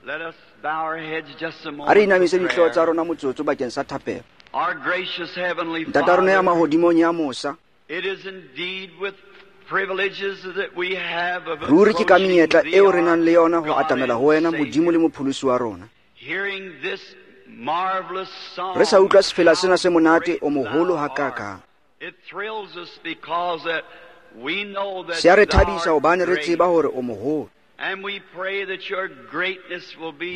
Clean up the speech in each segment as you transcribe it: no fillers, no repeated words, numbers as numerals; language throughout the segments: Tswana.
A re inamise dihlooho tsa rona motsotso bakeng sa thapelo. Ntata rona ya mahodimong ya mosa, ruri ke ka menyetla eo re nang le yona ho atamela ho wena, Modimo le Mopholosi wa rona. Re sa utlwa sefela sena se monate o moholo hakakang. Se a re thabisa hobane re tseba hore o moholo. Mme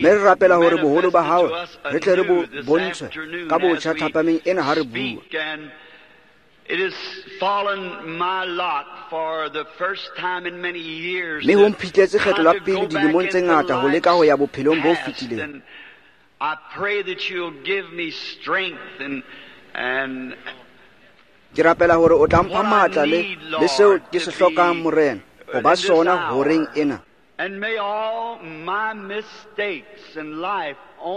re rapela hore boholo ba hao re tle re bo bontshwe ka botjha thapameng ena ha re bua. Mme ho mphihletse kgetlo la pele dilemong tse ngata ho leka ho ya bophelong bo fetileng. Ke rapela hore o tla mpha matla le seo ke se hlokang, Morena, ho ba sona horeng ena.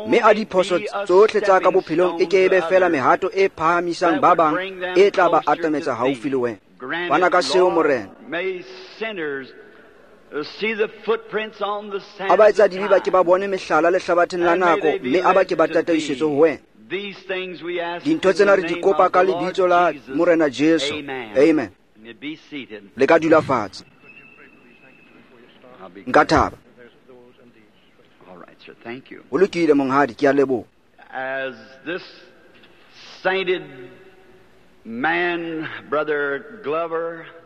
Mme a diphoso tsohle tsa ka bophelong e ke ebe feela mehato e phahamisang ba bang e tla ba atametsa haufi le wena. Fana ka seo, Morena. A ba etsa dibe ba ke ba bone mehlala lehlabatheng la nako, mme a ba ke ba tataisetswe ho wena. Dintho tsena re di kopa ka lebitso la Morena Jesu. Amen. Le ka dula fatshe. Nka thaba. Ho lokile, monghadi, ke a leboha.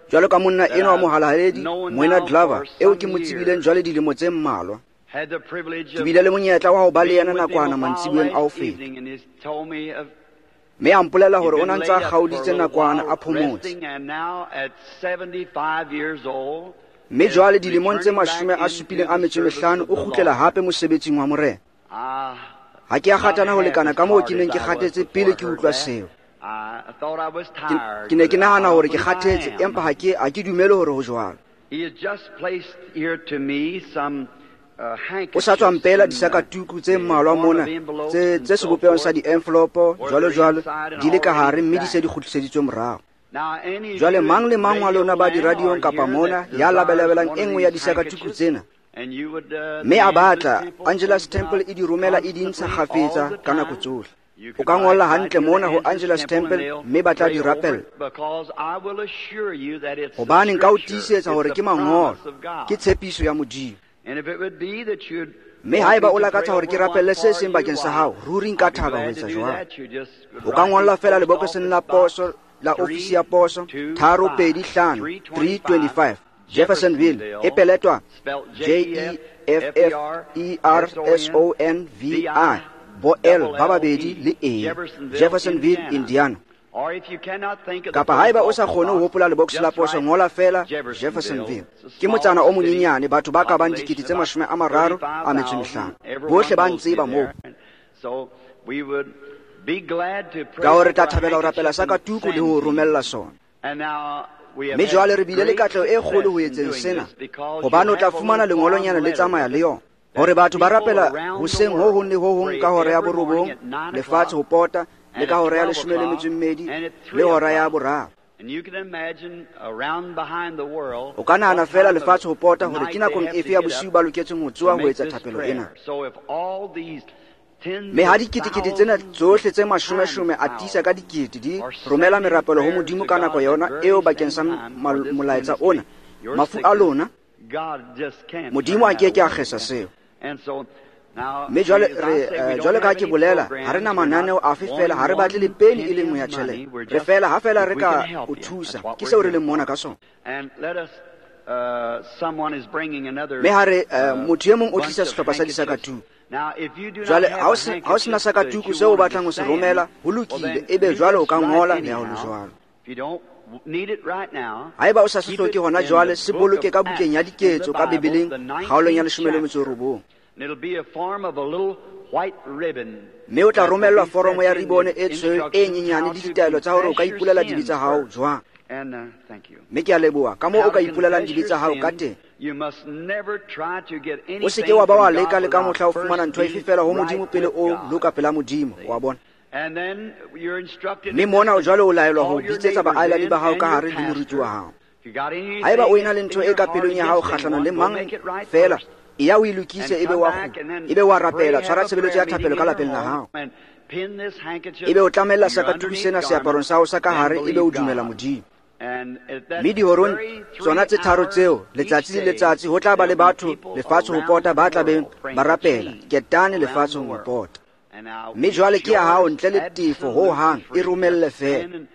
Jwalo ka monna enwa wa mohalaledi, Moena Glover, eo ke mo tsebileng jwale dilemo tse mmalwa. Ke bile le monyetla wa ho ba le yena nakwana mantsiboeng a ho feta. Mme a mpolela hore o na ntse a kgaoditse nakwana a phomotse. Mme jwale dilemong tse 75 o kgutlela hape mosebetsing wa Morena. Ha ke a kgatana ho lekana ka moo ke neng ke kgathetse pele ke utlwa seo. Ke ne ke nahana hore ke kgathetse, empa ha ke dumele hore ho jwalo. O sa tswa mpela disakatuku tse mmalwa mona tse sebopehong sa di-envelopo jwalo jwalo di le ka hare, mme di se di kgutliseditswe morao. Jwale mang le mang wa lona ba diradiong kapa mona ya labelabelang e nngwe ya disakatuku tsena, mme a batla, Angelus Temple e di romela e di ntsha kgafetsa ka nako tsohle. O ka ngolla hantle mona ho Angelus Temple mme ba tla di rapella. Hobane nka o tiisetsa hore ke mangolo, ke tshepiso ya Modimo. Mme haeba o lakatsa hore ke rapelle se seng bakeng sa hao, ruri nka thaba ho etsa jwalo. O ka ngolla feela lebokoseng la poso la ofisi ya poso 325 325 Jeffersonville, e peletwa Jeffersonvi bo L ba babedi le E, Jeffersonville, Indiana. Kapa haeba o sa kgone ho hopola lebokose la poso, ngola feela Jeffersonville. Ke motsana o monyenyane, batho ba ka bang 35,000. Bohle ba ntseba moo. Ka hore re tla thabela ho rapela sakatuku le ho romella sona. Mme jwale re bile le katleho e kgolo ho etseng sena, hobane o tla fumana lengolonyana le tsamaya le yona. Hore batho ba rapela hoseng ho hong le ho hong ka hora ya 9 lefatshe ho pota, le ka hora ya 12 le hora ya 3. O ka nahana feela lefatshe ho pota hore ke nakong efe ya bosiu ba loketseng ho tsoha ho etsa thapelo ena. Mme ha diketekete tsena tsohle tse mashomeshome a tiisa ka dikete di romela merapelo ho Modimo ka nako yona eo bakeng sa molaetsa ona, mafu a lona, Modimo a ke ke a kgesa seo. Mme jwale re jwale ka ke bolela, ha re na mananeo afe feela, ha re batle le peni e le nngwe ya tjhelete. Re feela ha feela re ka o thusa, ke seo re leng mona ka sona. Mme ha re motho e mong o tlisa sehlopha sa disakatuku. Jwale ha o sena sakatuku seo o batlang ho se romela, ho lokile, ebe jwale o ka ngola le ha ho le jwalo. Haeba o sa se hloke hona jwale, se boloke ka bukeng ya diketso ka Bibeleng, kgaolong ya 19. Mme o tla romellwa foromo ya ribone e tshweu e nyenyane le ditaelo tsa hore o ka ipolela dibe tsa hao jwang. Mme ke a leboha ka moo o ka ipolelang dibe tsa hao ka teng. O se ke wa ba wa leka le ka mohla o fumana ntho efe feela ho Modimo pele o loka pela Modimo, wa bona. Mme mona o jwale o laelwa ho bitsetsa baahelani ba hao ka hare le moruti wa hao. Haeba o ena le ntho e ka pelong ya hao kgahlanong le mang feela, Eya o e lokise, ebe wa kgutla, ebe wa rapela, tshwara tshebeletso ya thapelo ka lapeng la hao. Ebe o tlamella sakatuku sena seaparong sa hao sa ka hare, ebe o dumela Modimo. Mme dihorong tsona tse tharo tseo, letsatsi le letsatsi, ho tla ba le batho lefatshe ho pota ba tla beng ba rapela, ketane lefatshe ho pota. Mme jwale ke ya hao ntle le tefo ho hang, e romelle feela.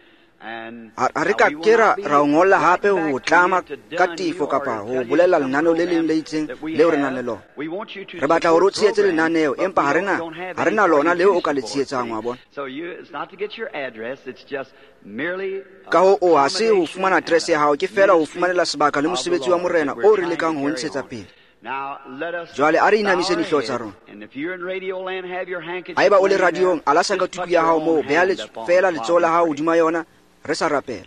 Ha re ka ke ra o ngolla hape ho tlama ka tefo kapa ho bolela lenaneo le leng le itseng leo re nang le lona. Re batla hore o tshehetse lenaneo, empa ha re na lona leo o ka le tshehetsang, wa bona. Ka ho o ha se ho fumana address ya hao, ke feela ho fumanela sebaka le mosebetsi wa Morena o re lekang ho ntshetsa pele. Jwale a re inamise dihlooho tsa rona. Haeba o le radiong, ala sakatuku ya hao moo, beha feela letsoho la hao hodima yona, re sa rapela.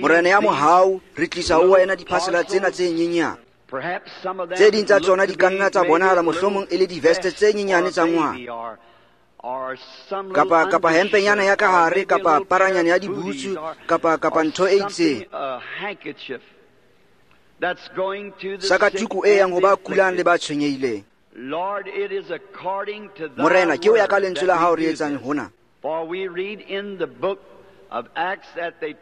Morena ya mohau, re tlisa ho wena diphasela tsena tse nyenyane. Tse ding tsa tsona di ka nna tsa bonahala mohlomong e le diveste tse nyenyane tsa ngwana, kapa hempenyana ya ka hare, kapa paranyana ya dibutsu, kapa ntho e itseng. Sakatuku e yang ho ba kulang le ba tshwenyehileng. Morena, ke o ya ka lentswe la hao re etsang hona.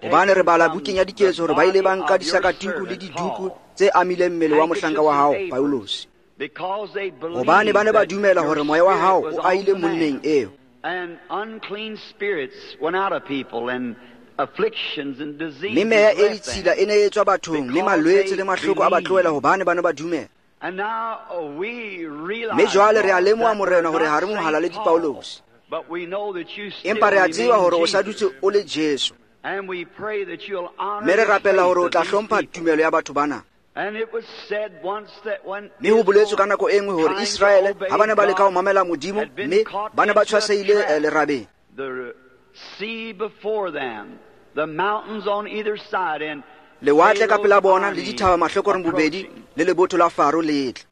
Hobane re bala bukeng ya Diketso hore ba ile ba nka disakatuku le diduku tse amileng mmele wa mohlanka wa hao Paulosi, hobane ba ne ba dumela hore moya wa hao o aile monneng eo. Mme meya e ditshila e ne e tswa bathong, mme malwetse le mahloko a ba tlohela hobane ba ne ba dumela. Mme jwale re a lemoha, Morena, hore ha re mohalaledi Paulosi, empa re a tseba hore o sa dutse o le Jesu. Mme re rapela hore o tla hlompha tumelo ya batho bana. Mme ho boletswe ka nako e nngwe hore Iseraele ha ba ne ba leka ho mamela Modimo, mme ba ne ba tshwasehile lerabeng. Lewatle ka pela bona le dithaba mahlokoreng bobedi le lebotho la Faro le tla.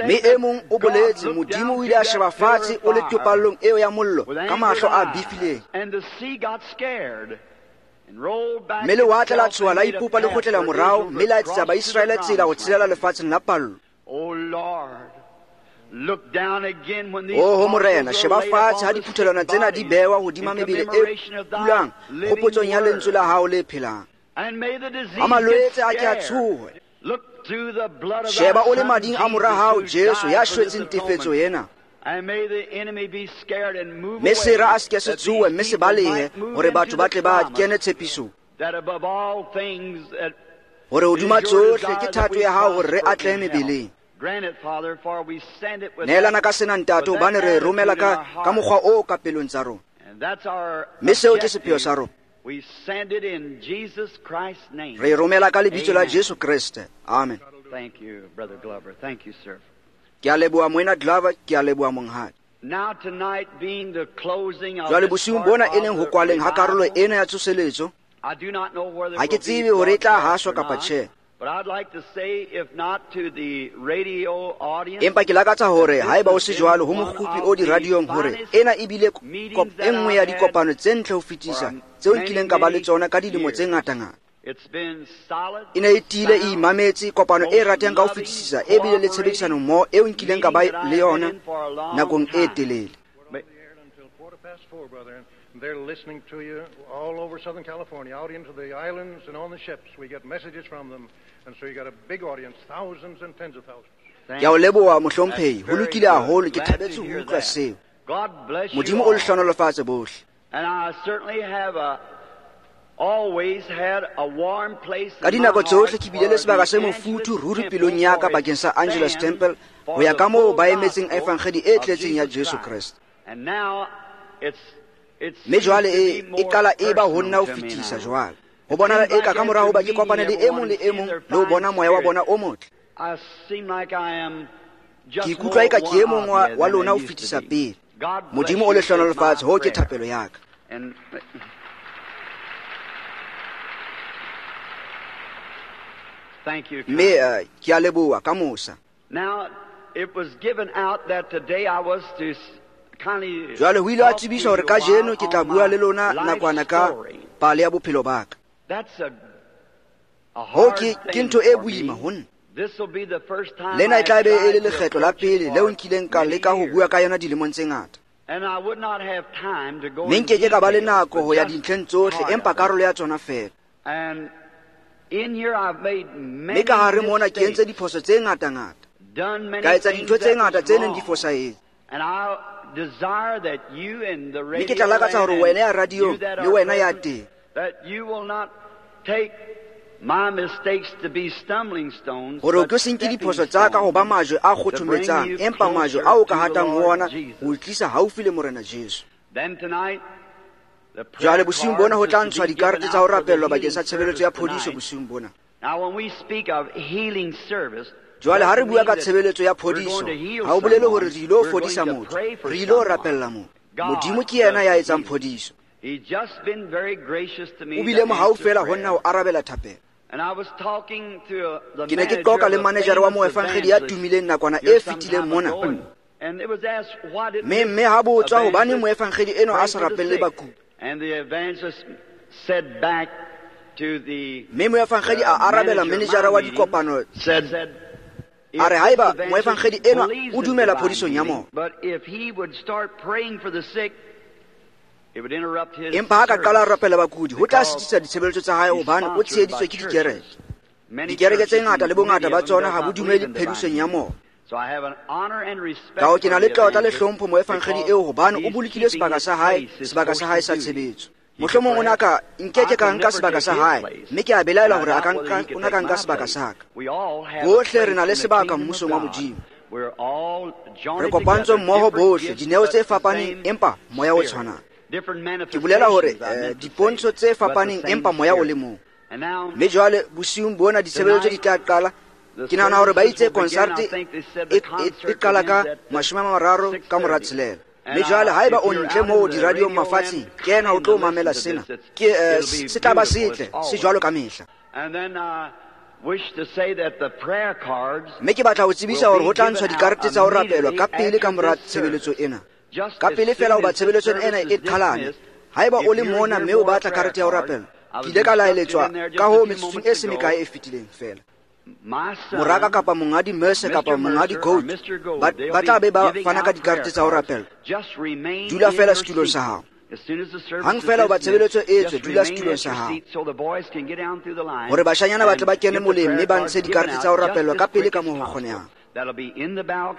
Mme e mong o boletse, Modimo o ile a sheba fatshe o le topallong eo ya mollo ka mahlo a bifileng. Mme lewatle la tshoha la ipopa le kgutlela morao, mme la etsetsa Baiseraele tsela ho tshelela lefatsheng la pallo. Oho Morena, sheba fatshe ha diphuthelwana tsena di bewa hodima mebele e kulang kgopotsong ya lentswe la hao le phelang. Ha malwetse a ke a tshohe. Sheba o le mading a mora hao Jesu ya shwetseng tefetso ena. Mme sera a se ke se tsohe, mme se balehe, hore batho ba tle ba kene tshepisong. Hore hodima tsohle ke thato ya hao hore re atlehe mebeleng. Neelana ka sena, Ntate, hobane re romela ka mokgwa o ka pelong tsa rona. Mme seo ke sepheo sa rona. Re romela ka lebitso la Jesu Kreste. Amen. Ke a leboha Moena Glover, ke a leboha monghadi. Jwale bosiung bona e leng ho kwaleng ha karolo ena ya tsoseletso, ha ke tsebe hore e tla haswa kapa tjhe. Empa ke lakatsa hore haeba o se jwalo ho mokgupi o diradiong, hore ena ebile e nngwe ya dikopano tse ntle ho fetisa tseo nkileng ka ba le tsona ka dilemo tse ngatangata. E ne e tiile e imametse, kopano e ratang ka ho fetisisa e bile le tshebedisano mmoho eo nkileng ka ba le yona nakong e telele. They're listening to you all over Southern California, out into the islands and on the ships. We get messages from them, and so you got a big audience, thousands and tens of thousands. Ke a o leboha mohlomphehi, ho lokile haholo, ke thabetse ho utlwa seo. Modimo o le hlohonolofatse bohle. Ka dinako tsohle ke bile le sebaka se mofuthu ruri pelong ya ka bakeng sa Angelus Temple, ho ya ka moo ba emetseng evangedi e tletseng ya Jesu Kreste. Mme jwale e qala e ba ho nna ho fetisa jwale. Ho bonahala eka ka mora hoba ke kopane le e mong le e mong le ho bona moya wa bona o motle. Ke ikutlwa eka ke e mong wa lona ho fetisa pele. Modimo o le hlohonolofatse, hoo ke thapelo ya ka. Mme ke a leboha ka mosa. Jwale ho ile ha tsebiswa hore kajeno ke tla bua le lona nakwana ka pale ya bophelo ba ka. Hoo ke ntho e boima ho nna. Lena e tla be e le lekgetlo la pele leo nkileng ka leka ho bua ka yona dilemong tse ngata. Mme nkeke ka ba le nako ho ya dintlheng tsohle, empa karolo ya tsona feela. Mme ka hare mona ke entse diphoso tse ngata-ngata. Ka etsa dintho tse ngata tse neng di fosahetse. Mme ke tla lakatsa hore wena ya radiong le wena ya teng hore o tlo se nke diphoso tsa ka ho ba majwe a kgothometsang, empa majwe ao ka hatang ho ona ho tlisa haufi le Morena Jesu. Jwale bosiung bona ho tla ntshwa dikarete tsa ho rapellwa bakeng sa tshebeletso ya phodiso bosiung bona. Jwale ha re bua ka tshebeletso ya phodiso, ha o bolele hore re ilo fodisa motho, re ilo rapella motho. Modimo ke yena ya etsang phodiso. O bile mohau feela ho nna ho arabela thapelo. Ke ne ke qoqa le manejara wa moefangedi ya tumileng nakwana e fetileng mona. Mme ha botswa hobane moefangedi enwa a sa rapelle bakudi. Mme moefangedi a arabela manejara wa dikopano a re haeba moefangedi enwa o dumela phodisong ya moya, empa ha ka qala a rapela bakudi ho tla sitisa ditshebeletso tsa hae hobane o tsheheditswe ke dikereke. Dikereke tse ngata le bongata ba tsona ha bo dumele phedisong ya moya. Ka ho ke na le tlotla le hlompho moefangedi eo hobane o bolokile sebaka sa hae, sebaka sa hae sa tshebetso. Mohlomong o na ka nkeke ka nka sebaka sa hae, mme ke a belaela hore a ka nka, o na ka nka sebaka sa ka. Bohle re na le sebaka mmusong wa Modimo. Re kopantswe mmoho bohle, dineo tse fapaneng empa moya o tshwanang. Ke bolela hore dipontsho tse fapaneng empa moya o le mong. Mme jwale bosiung bona ditshebeletso di tla qala. Ke nahana hore ba itse concert e qala ka 6:30. Mme jwale haeba o ntle moo diradiong mafatsheng, kena o tlo mamela sena. Ke se tla ba setle, se jwalo ka mehla. Mme ke batla ho tsebisa hore ho tla ntshwa dikarete tsa ho rapelwa ka pele ka mora tshebeletso ena. Ka pele fela hoba tshebeletso ena e qhalane. Haeba o le mona mme o batla karete ya ho rapelwa, ke ile ka laeletswa ka hoo metsotsong e se mekae e fetileng feela. Moraka kapa mongadi Mercer kapa mongadi Gold ba tla be ba fana ka dikarete tsa ho rapela. Dula fela setulong sa hao. Hang fela hoba tshebeletso e etswe, dula setulong sa hao hore bashanyana ba tle ba kene moleng mme ba ntshe dikarete tsa ho rapelwa ka pele ka moo ho kgonehang.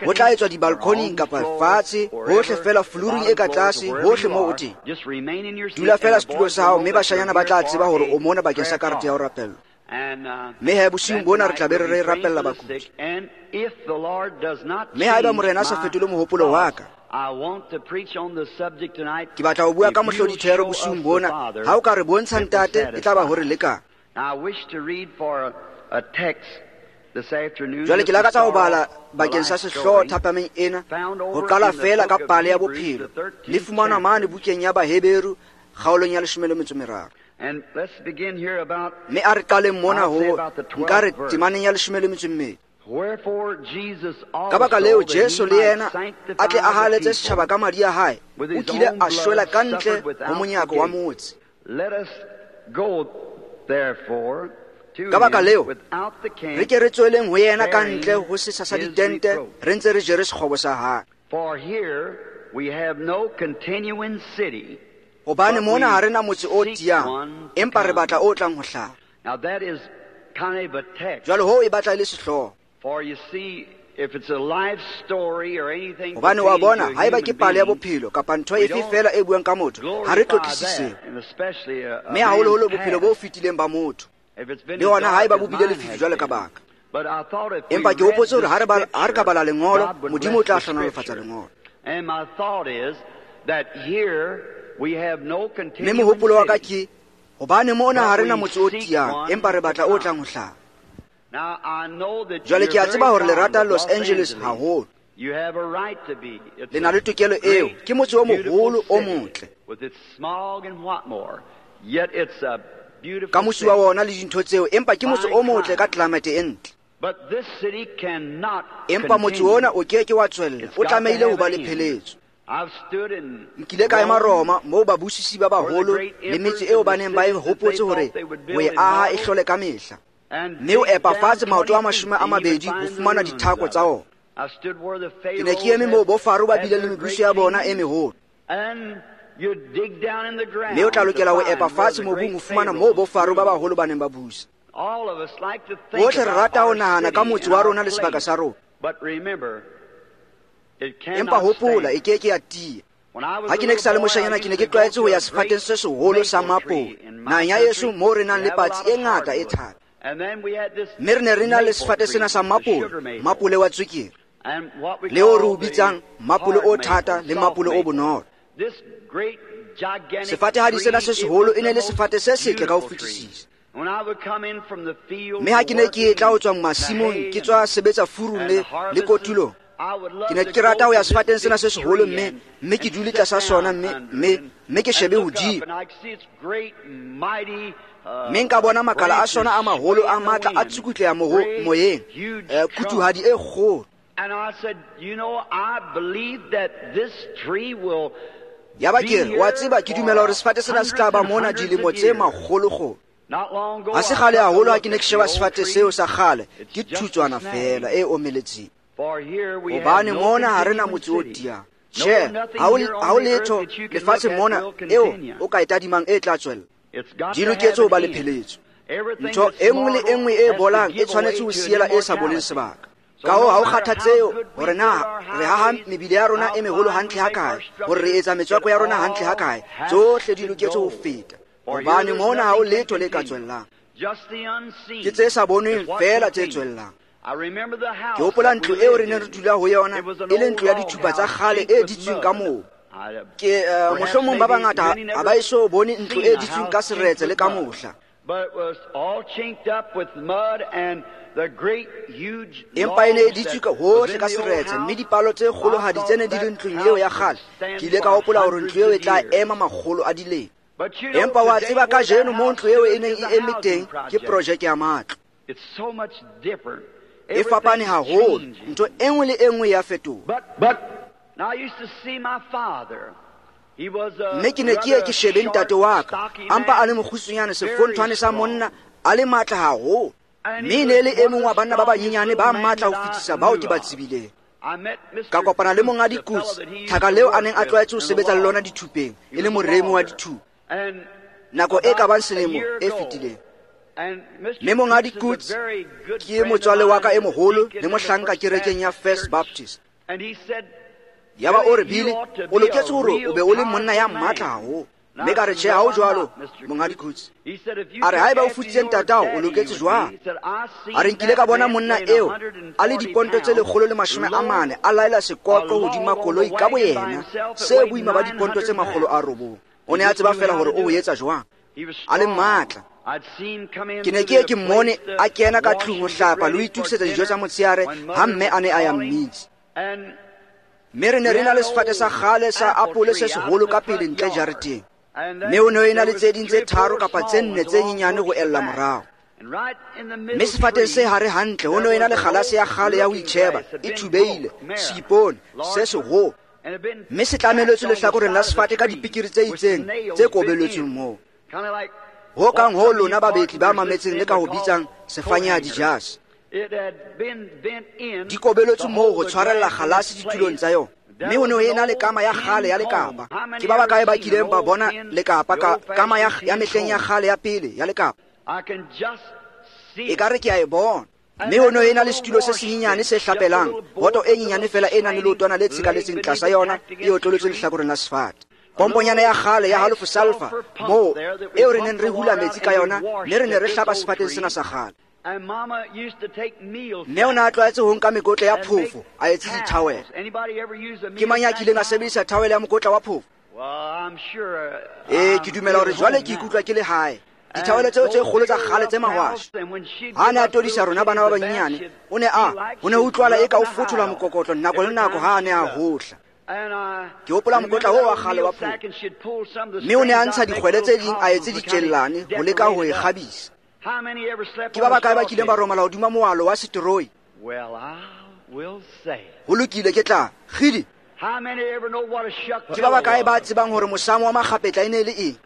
Ho tla etswa dibalkoning kapa fatshe, hohle fela flooring e ka tlase, hohle moo o teng. Dula fela setulong sa hao mme bashanyana ba tla tseba hore o mona bakeng sa karete ya ho rapellwa. Mme he bosiung bona re tla be re rapella bakudi. Mme haeba Morena a sa fetole mohopolo wa ka, ke batla ho bua ka mohlodithero bosiung bona. Ha o ka re bontsha Ntate, e tla ba hore lekang. Jwale ke lakatsa ho bala bakeng sa sehlooho thapameng ena, ho qala feela ka pale ya bophelo. Le fumanwa mane bukeng ya Baheberu kgaolong ya 13. Mme a re qaleng mona ho nka re temaneng ya 12. Ka baka leo Jesu le yena a tle a haletse setjhaba ka madi a hae, o kile a shwela ka ntle ho monyako wa motse. Ka baka leo re ke re tsweleng ho yena ka ntle ho setsha sa ditente, re ntse re jere sekgobo sa hae. Hobane mona ha re na motse o tiyang, empa re batla o tlang ho hlaha. Jwale hoo e batla e le sehlooho. Hobane wa bona, haeba ke pale ya bophelo kapa ntho efe feela e buang ka motho, ha re tlotlise seo. Mme haholoholo bophelo bo fetileng ba motho, le hona haeba bo bile lefifi jwale ka baka. Empa ke hopotse hore ha re ka bala lengolo, Modimo o tla hlohonolofatsa lengolo. Mme mohopolo wa ka ke hobane mona ha re na motse o tiyang, empa re batla o tlang ho hlaha. Jwale ke a tseba hore le rata Los Angeles haholo. Le na le tokelo eo, ke motse o moholo o motle. Ka mosi wa wona le dintho tseo, empa ke motse o motle ka climate e ntle. Empa motse ona o ke ke wa tswella, o tlamehile ho ba le pheletso. Nkile ka ema Roma moo babusisi ba baholo le metse eo ba neng ba e hopotse hore ho e aha e hlole ka mehla. Mme o epa fatshe maoto a 20 ho fumana dithako tsa ona. Ke ne ke eme moo bo Faro ba bileng le mebuso ya bona e meholo. Mme o tla lokela ho epa fatshe mobung ho fumana moo bo Faro ba baholo ba neng ba busa. Bohle re rata ho nahana ka motse wa rona le sebaka sa rona. Empa hopola, e ke ke ya tiya. Ha ke ne ke sa le moshanyana, ke ne ke tlwaetse ho ya sefateng se seholo sa mapole naheng ya heso moo re nang le patsi e ngata e thata. Mme re ne re na le sefate sena sa mapole, mapole wa tswekere, le o re o bitsang mapole o thata le mapole o bonolo. Sefatehadi sena se seholo e ne le sefate se setle ka ho fetisisa. Mme ha ke ne ke etla ho tswa masimong, ke tswa sebetsa furung le kotulong, ke ne ke rata ho ya sefateng sena se seholo mme ke dule tlasa sona mme ke shebe hodimo. Mme nka bona makala a sona a maholo a matla a tsukutleha moyeng, kutuhadi e kgolo. Yaba ke re, wa tseba, ke dumela hore sefate sena se tla ba mona dilemo tse makgolokgolo. Ha se kgale haholo ha ke ne ke sheba sefate seo sa kgale, ke thutswana feela e omeletseng. Hobane mona ha re na motse o tiyang. Tjhe, ha ho letho lefatsheng mona eo o ka e tadimang e tla tswella. Di loketse ho ba le pheletso. Ntho e nngwe le e nngwe e bolang e tshwanetse ho siela e sa boleng sebaka. Ka hoo ha o kgathatseho hore na re haha mebile ya rona e meholo hantle hakae, hore re etsa metswako ya rona hantle hakae, tsohle di loketse ho feta. Hobane mona ha ho letho le ka tswellang. Ke tse sa bonweng feela tse tswellang. Ke hopola ntlo eo re neng re dula ho yona, e le ntlo ya dithupa tsa kgale e ditsweng ka mobu. Ke mohlomong ba bangata ha ba eso bone ntlo e ditsweng ka seretse le ka mohla. Empa e ne e ditswe ka hohle ka seretse, mme dipalo tse kgolohadi tse ne di le ntlong eo ya kgale. Ke ile ka hopola hore ntlo eo e tla ema makgolo a dilemo. Empa wa tseba kajeno moo ntlo eo e neng e eme teng ke projeke ya matlo. E fapane haholo, ntho e nngwe le e nngwe ya fetoha. Mme ke ne ke ye ke shebe ntate wa ka, a mpa a le mokgutshwanyane, sefonthwane sa monna, a le matla haholo. Mme e ne le e mong wa banna ba banyenyane ba matla ho fetisa bao ke ba tsebileng. Ka kopana le monga dikotsi, thaka leo a neng a tlwaetse ho sebetsa le lona dithupeng, e le moremi wa dithupa, nako e ka bang selemo e fetileng. Mme monga dikotsi ke motswale wa ka e moholo le mohlanka kerekeng ya First Baptist. Yaba o re, Billy, o loketse hore o be o le monna ya matla haholo. Mme ka re, tjhe, ha ho jwalo, monghadi Kutsi. A re, haeba o futsitse ntatao, o loketse jwang? A re, nkile ka bona monna eo a le diponto tse 140 a laela sekoqo hodima koloi ka boyena, se boima ba diponto tse 900. O ne a tseba feela hore o ho etsa jwang. A le matla. Ke ne ke ye ke mmone a kena ka tlung ho hlapa le ho itokisetsa dijo tsa motshehare ha mme a ne a ya mmitsa. Mme re ne re na le sefate sa kgale sa apole se seholo ka pele ntle jareteng. Mme ho ne ho ena le tse ding tse 3 kapa tse 4 tse nyenyane ho ella morao. Mme sefateng se hare hantle ho ne ho ena le kgalase ya kgale ya ho itjheba, e thubehile, seipone se seholo. Mme se tlameletswe lehlakoreng la sefate ka dipikiri tse itseng tse kobeletsweng moo. Ho kang ho lona babetli ba mametseng le ka ho bitsang sefanya dijase. Di kobeletswe moo ho tshwarella kgalase ditulong tsa yona. Mme ho ne ho ena le kama ya kgale ya lekapa. Ke ba bakae ba kileng ba bona lekapa ka kama ya mehleng ya kgale ya pele ya lekapa? Ekare ke a e bona. Mme ho ne ho ena le setulo se senyenyane se hlapelang, boto e nyenyane fela e nang le leotwana le tshekaletseng tlasa yona e otlolotsweng lehlakoreng la sefate. Pomponyana ya kgale ya halofo sulfur moo eo re neng re hula metsi ka yona, mme re ne re hlapa sefateng sena sa kgale. Mme o ne a tlwaetse ho nka mekotla ya phofo a etse dithawele. Ke mang ya kileng a sebedisa thawele ya mokotla wa phofo? Ee, ke dumela hore jwale ke ikutlwa ke le hae. Dithawele tseo tse kgolo tsa kgale tse mahwashe. Ha a ne a todisa rona bana ba banyenyane, o ne a ho ne ho utlwala eka o fothola mokokotlo nako le nako ha a ne a hohla. Ke hopola mokotla oo wa kgale wa phofo. Mme o ne a ntsha dikgwele tse ding a etse ditjellane ho leka ho e kgabisa. Ke ba bakae ba kileng ba romala hodima moalo wa seteroi? Ho lokile, ke tla kgidi. Ke ba bakae ba tsebang hore mosamo wa makgapetla e ne le eng?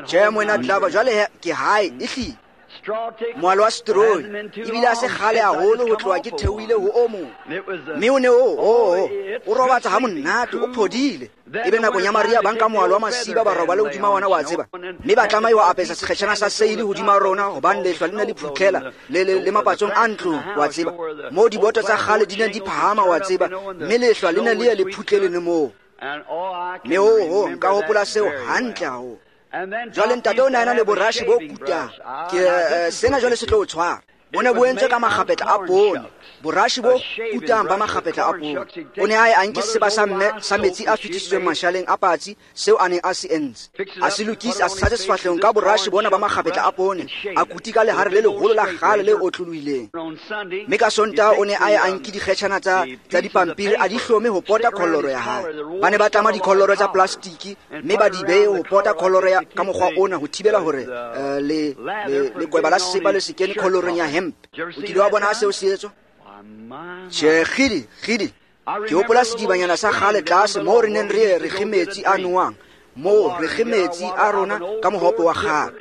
Tjhe, moena Glover, jwale ke hae, ehlile. Moalo wa seteroi ebile a se kgale haholo ho tloha ke theohile ho o mong, mme o ne o o robatsa ha monate, o phodile. Ebe nakong ya mariha ba nka moalo wa masiba ba robale hodima wona, wa tseba, mme ba tlameha ho apesa sekgetjhana sa seile hodima rona, hobane lehlwa le ne le phutlhela le mapatsong a ntlong, wa tseba, moo diboto tsa kgale di neng di phahama, wa tseba, mme lehlwa le ne le ye le phutlele le moo. Mme ho nka hopola seo hantle haholo. Jwale ntate o ne a na le borashe bo kutang. Ke sena jwale se tlo o tshwara. Bo ne bo entswe ka makgapetla a poone, borashe bo kutang ba makgapetla a poone. O ne a ye a nke seba sa mme sa metsi a fetisitsweng mashaleng a patsi, seo a neng a se entse, a se lokise, a se tshase sefahlehong ka borashe bona ba makgapetla a poone, a kuti ka lehare le leholo la kgale le otlolohileng. Mme ka Sontaha o ne a ye a nke dikgetjhana tsa dipampiri, a di hlome ho pota kholloro ya hae. Ba ne ba tlama dikholloro tsa plastiki mme ba di behe ho pota kholloro ya ka mokgwa ona ho thibela hore lekweba la sesepa le se kene khollorong ya hemp. O kile wa bona ha seo se etswa? Tjhe, kgidi, kgidi. Ke hopola sedibanyana sa kgale tlase moo re neng re ye re kge metsi a nowang, moo re kge metsi a rona ka mohope wa kgale.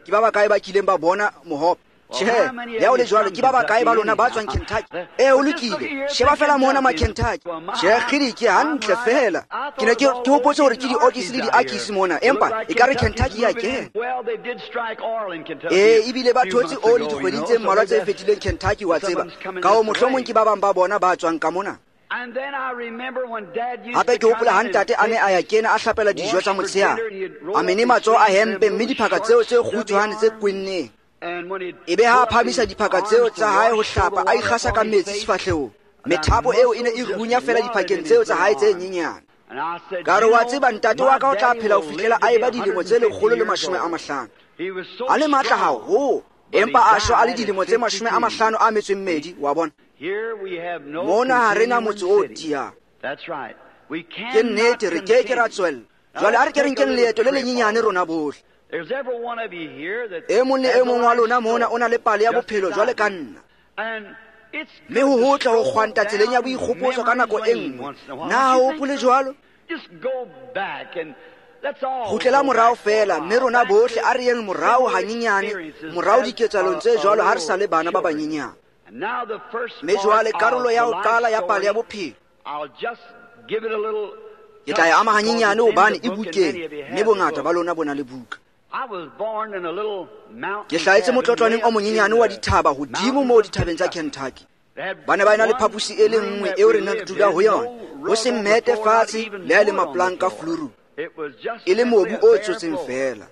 Ke ba bakae ba kileng ba bona mohope? Tjhe, le ha o le jwalo, ke ba bakae ba lona ba tswang Kentucky? E, o lokile. Sheba fela mona ma Kentucky. Tjhe, kgidi, ke hantle fela. Ke ne ke hopotse hore ke diokisi le diakisi mona, empa ekare Kentucky ya kena. E, ebile ba thotse oli dikgweding tse mmalwa tse fetileng Kentucky, wa tseba. Ka ho mohlomong ke ba bang ba bona ba tswang ka mona. Hape ke hopola ha ntate a ne a ya kena a hlapela dijo tsa motshehare, a mene matsoho a hempe mme diphaka tseo tse kgutshwane tse kwenneng. Ebe ha a phamisa diphaka tseo tsa hae ho hlapa, a ikgasa ka metsi sefahlehong. Methapo eo e ne e runya fela diphakeng tseo tsa hae tse nyenyane. Ka re, wa tseba, ntate wa ka o tla phela ho fihlela a eba dilemo tse 150. A le matla haholo, empa a shwa a le dilemo tse 52, wa bona. Mona ha re na motse o tiyang. Ke nnete, re ke ke ra tswella. Jwale a re ke re nkeng leeto le lenyenyane rona bohle. E mong le e mong wa lona mona o na le pale ya bophelo jwale ka nna. Mme ho hotle ho kgwanta tseleng ya boikgopotso ka nako e nngwe. Na ha o hopole jwalo? Kgutlela morao fela, mme rona bohle a re yeng morao hanyenyane, morao diketsahalong tse jwalo ha re sa le bana ba banyenyane. Mme jwale karolo ya ho qala ya pale ya bophelo, ke tla e ama hanyenyane hobane e bukeng, mme bongata ba lona bo na le buka. Ke hlahetse motlotlwaneng o monyenyane wa dithaba hodimo moo dithabeng tsa Kentucky. Ba ne ba ena le phaposi e le nngwe eo re neng re dula ho yona, ho se mmete fatshe le ha e le mapolanka fulurung, e le mobu o tsotseng fela.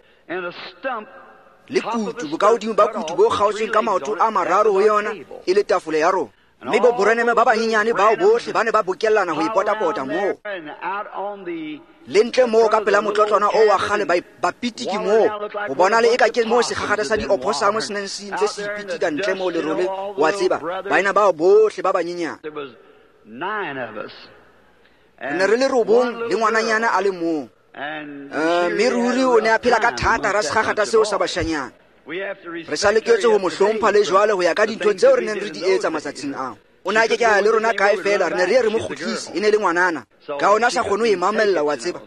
Le kutu, bokahodimo ba kutu bo kgaotsweng ka maoto a mararo ho yona, e le tafole ya rona. Mme bo boreneme ba banyenyane bao bohle ba ne ba bokellana ho ipotapota moo. Le ntle moo ka pela motlotlwana o wa kgale ba pitiki moo, ho bona le eka ke moo sekgakgatha sa dioposamo se neng se ntse se ipitika ntle moo lerole, wa tseba, baena bao bohle ba banyenyane. Re ne re le robong le ngwananyana a le mong. Mme ruri o ne a phela ka thata ra sekgakgatha seo sa bashanyana. Re sa loketse ho mo hlompha le jwale ho ya ka dintho tseo re neng re di etsa matsatsing ao. O ne a ke ke a le rona kae fela, re ne re ye re mo kgutlise, e ne le ngwanana. Ka ona sa kgone ho e mamella, wa tseba.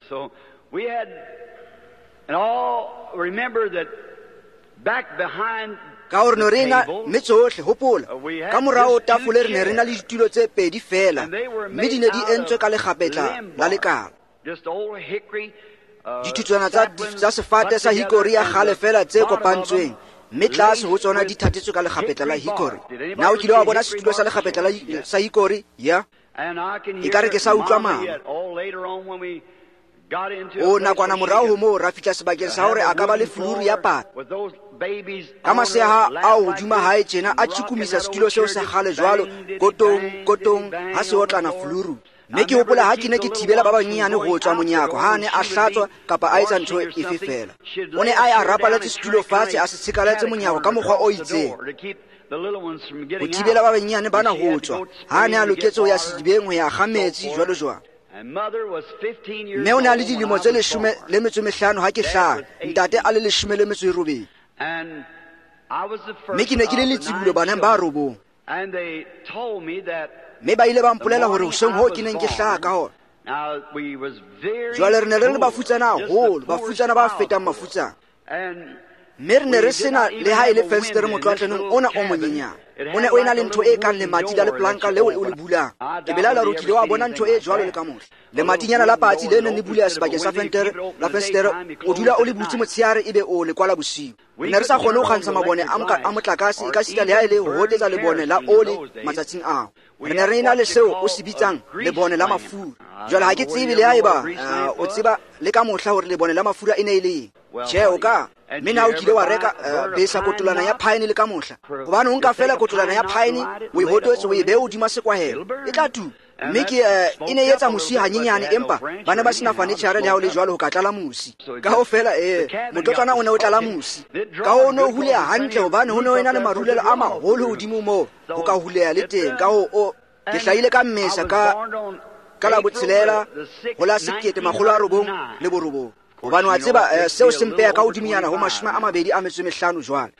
Ka hore ne re na mme tsohle, hopola, ka morao tafole re ne re na le ditulo tse pedi fela, mme di ne di entswe ka lekgapetla la lekala. Dithutswana tsa sefate sa hickory ya kgale fela tse kopantsweng, mme tlase ho tsona di thatetswe ka lekgapetla la hickory. Na o kile wa bona setulo sa lekgapetla sa hickory? Ya. Ekare ke sa utlwa mama. O nakwana morao ho moo ra fihla sebakeng sa hore a ka ba le fuluru ya pata. Ka maseha ao hodima hae tjena a tjhukumisa setulo seo sa kgale jwalo, kotong, kotong, ha se otlana fuluru. Mme ke hopola ha ke ne ke thibela ba banyenyane ho tswa monyako ha a ne a hlatswa kapa a etsa ntho efe fela. O ne a ye a rapaletse setulo fatshe, a se tshekaletse monyako ka mokgwa o itseng ho thibela ba banyenyane bana ho tswa ha a ne a loketse ho ya sedibeng ho ya kga metsi jwalo jwalo. Mme o ne a le dilemo tse 15 ha ke hlaha, ntate a le 18. Mme ke ne ke le letsibolo baneng ba robong. Mme ba ile ba mpolela hore hoseng hoo ke neng ke hlaha ka hona. Jwale re ne re le bafutsana haholo, bafutsana ba fetang mafutsana. Mme re ne re sena le ha e le fensetere motlotlaneng ona o monyenyane. O ne o ena le ntho e kang lemati la lepolanka leo o le bulang. Ke belaela hore o kile wa bona ntho e jwalo le ka mohla. Lematinyana la patsi le neng le buleha sebakeng sa fentere la fensetere, o dula o le butse motshehare ebe o le kwala bosiu. Re ne re sa kgone ho kgantsha mabone a motlakase ekasita le ha e le ho hotetsa lebone la ole matsatsing ao. Re ne re ena le seo o se bitsang lebone la mafura. Jwale ha ke tsebe le haeba o tseba le ka mohla hore lebone la mafura e ne e le eng. Tjhe, o ka. Mme na o kile wa reka besa kotolana ya phaene le ka mohla? Hobane o nka feela kotolana ya phaene, o e hotetse, o e behe hodima sekwahelo, e tla tuka. Mme ke e ne e etsa mosi hanyenyane, empa ba ne ba sena fanetjhare le ha ho le jwalo ho ka tlala mosi. Ka ho fela motlotlwana o ne o tlala mosi. Ka ho ne o huleha hantle hobane ho ne ho ena le marulelo a maholo hodimo moo ho ka huleha le teng. Ka ho ke hlahile ka Mmesa ka la 6 ho la 1999. Hobane wa tseba seo se mpeha ka hodimonyana ho 25 jwale.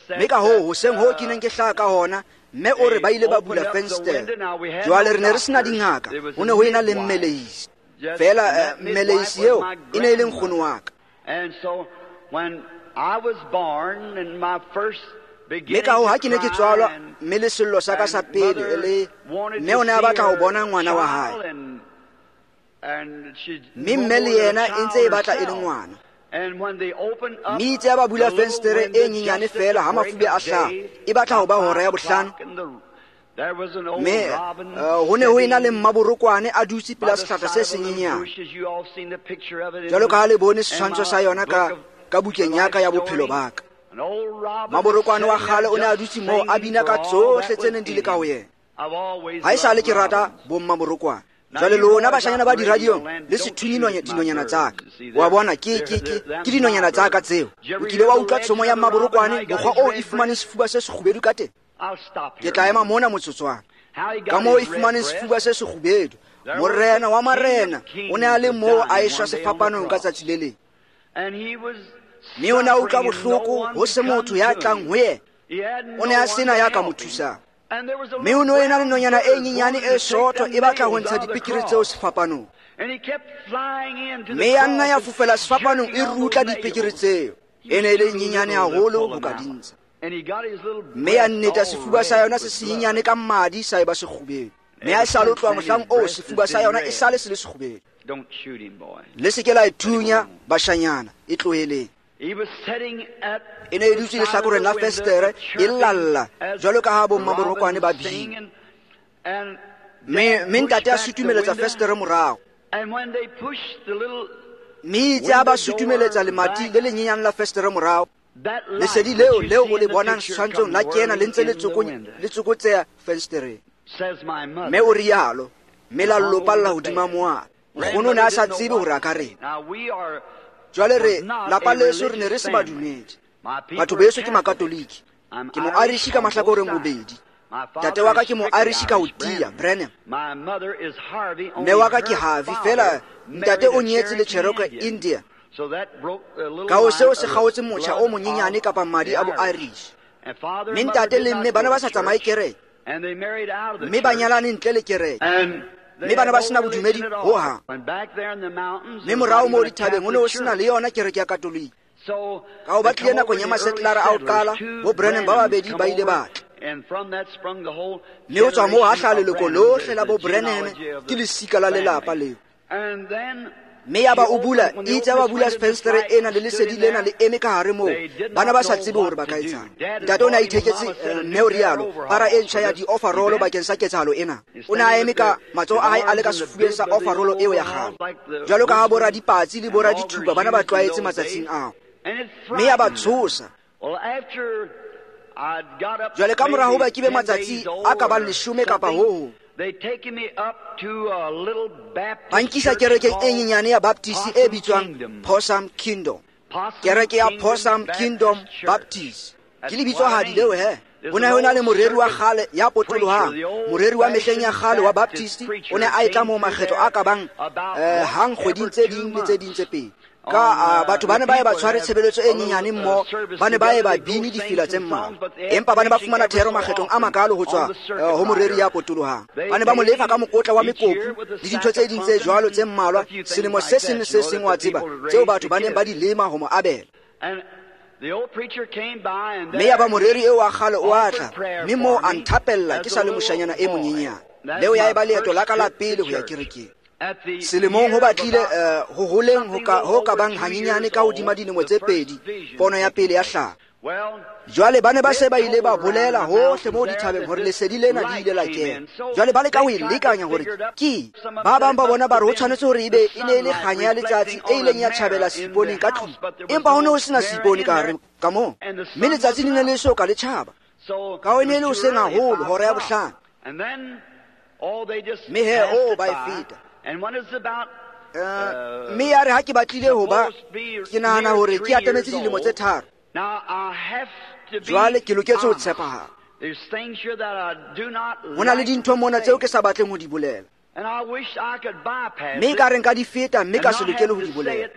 Mme ka hoo hoseng hoo ke neng ke hlaha ka hona, mme o re ba ile ba bula fensetere. Jwale re ne re sena dingaka, ho ne ho ena le mmelehisi. Feela mmelehisi eo e ne e le nkgono wa ka. Mme ka hoo ha ke ne ke tswalwa, mme le sello sa ka sa pele le mme o ne a batla ho bona ngwana wa hae. Mme mme le yena e ntse e batla e le ngwana. Mme itse ha ba bula fensetere e nyenyane feela ha mafube a hlaha, e batla ho ba hora ya 5. Mme ho ne ho ena le mmaborokwane a dutse pela sehlahla se senyenyane. Jwalo ka ha le bone setshwantsho sa yona ka bukeng ya ka ya bophelo ba ka. Maborokwane wa kgale o ne a dutse moo a bina ka tsohle tse neng di le ka ho yena. Ha esale ke rata bommaborokwane. Jwale lona bashanyana ba diradiong le se thunye dinonyana tsa ka. Wa bona ke dinonyana tsa ka tseo. O kile wa utlwa tshomo ya mmaborokwane mokgwa oo e fumaneng sefuba se sekgubedu ka teng? Ke tla ema mona motsotswana. Ka moo e fumaneng sefuba se sekgubedu, morena wa marena o ne a le moo a eshwa sefapanong ka tsatsi le leng. Mme o ne a utlwa bohloko ho se motho ya tlang ho yena. O ne a sena ya ka mo thusang. Mme o ne o ena le nonyana e nyenyane e sootho e batla ho ntsha dipikiri tseo sefapanong. Mme ya nna ya fofela sefapanong e rutla dipikiri tseo. E ne e le nyenyane haholo ho ka di ntsha. Mme ya nneta sefuba sa yona se senyenyane ka madi sa eba sekgubedu. Mme ha e sa le tloha mohlang oo sefuba sa yona e sale se le sekgubedu. Le se ke la e thunya bashanyana, e tloheleng. E ne e dutse lehlakoreng la fensetere e lalla jwalo ka ha bommaborokwane ba bina. Mme ntate a sutumeletsa fensetere morao. Mme itse ha ba sutumeletsa lemati le lenyenyane la fensetere morao, lesedi leo o le bonang setshwantshong la kena le ntse le tsokotseha fensetereng. Mme o rialo, mme la lopalla hodima moala. Nkgono o ne a sa tsebe hore a ka reng. Jwale re lapa leso re ne re se badumedi. Batho beso ke makatoliki. Ke mo-Irish ka mahlakoreng bobedi. Ntate wa ka ke mo-Irish ka ho tiya, Branham. Mme wa ka ke Harvey, feela ntate o nyetse le Cherokee India. Ka ho seo se kgaotse motjha o monyenyane kapa madi a bo-Irish. Mme ntate le mme ba ne ba sa tsamaye kereke. Mme ba nyalane ntle le kereke. Mme bana ba sena bodumedi ho hang. Mme morao moo dithabeng ho ne ho sena le yona kereke ya Katolike. Ka ho ba tlile nakong ya masetlara a ho qala, bo Branham ba babedi ba ile ba tla. Mme ho tswa moo ha hlaha leloko lohle la bo Branham, ke lesika la lelapa leo. Mme ya ba o bula, itse ba bula fensetere ena le lesedi lena le eme ka hare moo. Bana ba sa tsebe hore ba ka etsang. Ntate o ne a itheketse, mme o rialo, para e ntjha ya di-overall bakeng sa ketsahalo ena. O ne a eme ka matsoho a hae a le ka sefubeng sa overall eo ya kgale. Jwalo ka ha boradipatsi le boradithupa bana ba tlwaetse matsatsing ao. Mme ya ba tshosa. Jwale ka mora hoba ke be matsatsi a ka bang 10 kapa ho hong, ba nkisa kerekeng e nyenyane ya Baptist e bitswang Possum Kingdom. Kereke ya Possum Kingdom Baptist. Ke lebitsohadi leo he. Ho ne ho na le moreri wa kgale ya potolohang, moreri wa mehleng ya kgale wa Baptist, o ne a etla moo makgetlo a ka bang hang kgweding tse ding le tse ding tse pedi. Ka batho ba ne ba ye ba tshware tshebeletso e nyenyane mmoho, ba ne ba ye ba bine difela tse mmalwa, empa ba ne ba fumana thero makgetlong a makalo ho tswa ho moreri ya potolohang. Ba ne ba mo lefa ka mokotla wa mekopu le dintho tse ding tse jwalo tse mmalwa selemo se seng le se seng, wa tseba, tseo batho ba neng ba di lema ho mo abela. Mme ya ba moreri eo wa kgale o a tla, mme moo a nthapella ke sa le moshanyana e monyenyane. Leo ya eba leeto la ka la pele ho ya kerekeng. Selemong ho batlile ho holeng ho ka bang hanyenyane ka hodima dilemo tse 2, pono ya pele ya hlaha. Jwale ba ne ba se ba ile ba bolela hohle moo dithabeng hore lesedi lena le ile la kena. Jwale ba leka ho e lekanya hore ke ba bang ba bona ba re ho tshwanetse hore ebe e ne e le kganya ya letsatsi e ileng ya tjhabela seiponeng ka tlung, empa ho ne ho sena seipone ka hare ka moo, mme letsatsi le ne le so ka le tjhaba. Ka ho e ne e le hoseng haholo, hora ya 5. Mme he, o ba e feta. Mme ya re ha ke batlile ho ba, ke nahana hore ke atametse dilemo tse 3. Jwale ke loketse ho tshepahala. Ho na le dintho mona tseo ke sa batleng ho di bolela, mme ekare nka di feta mme ka se lokele ho di bolela.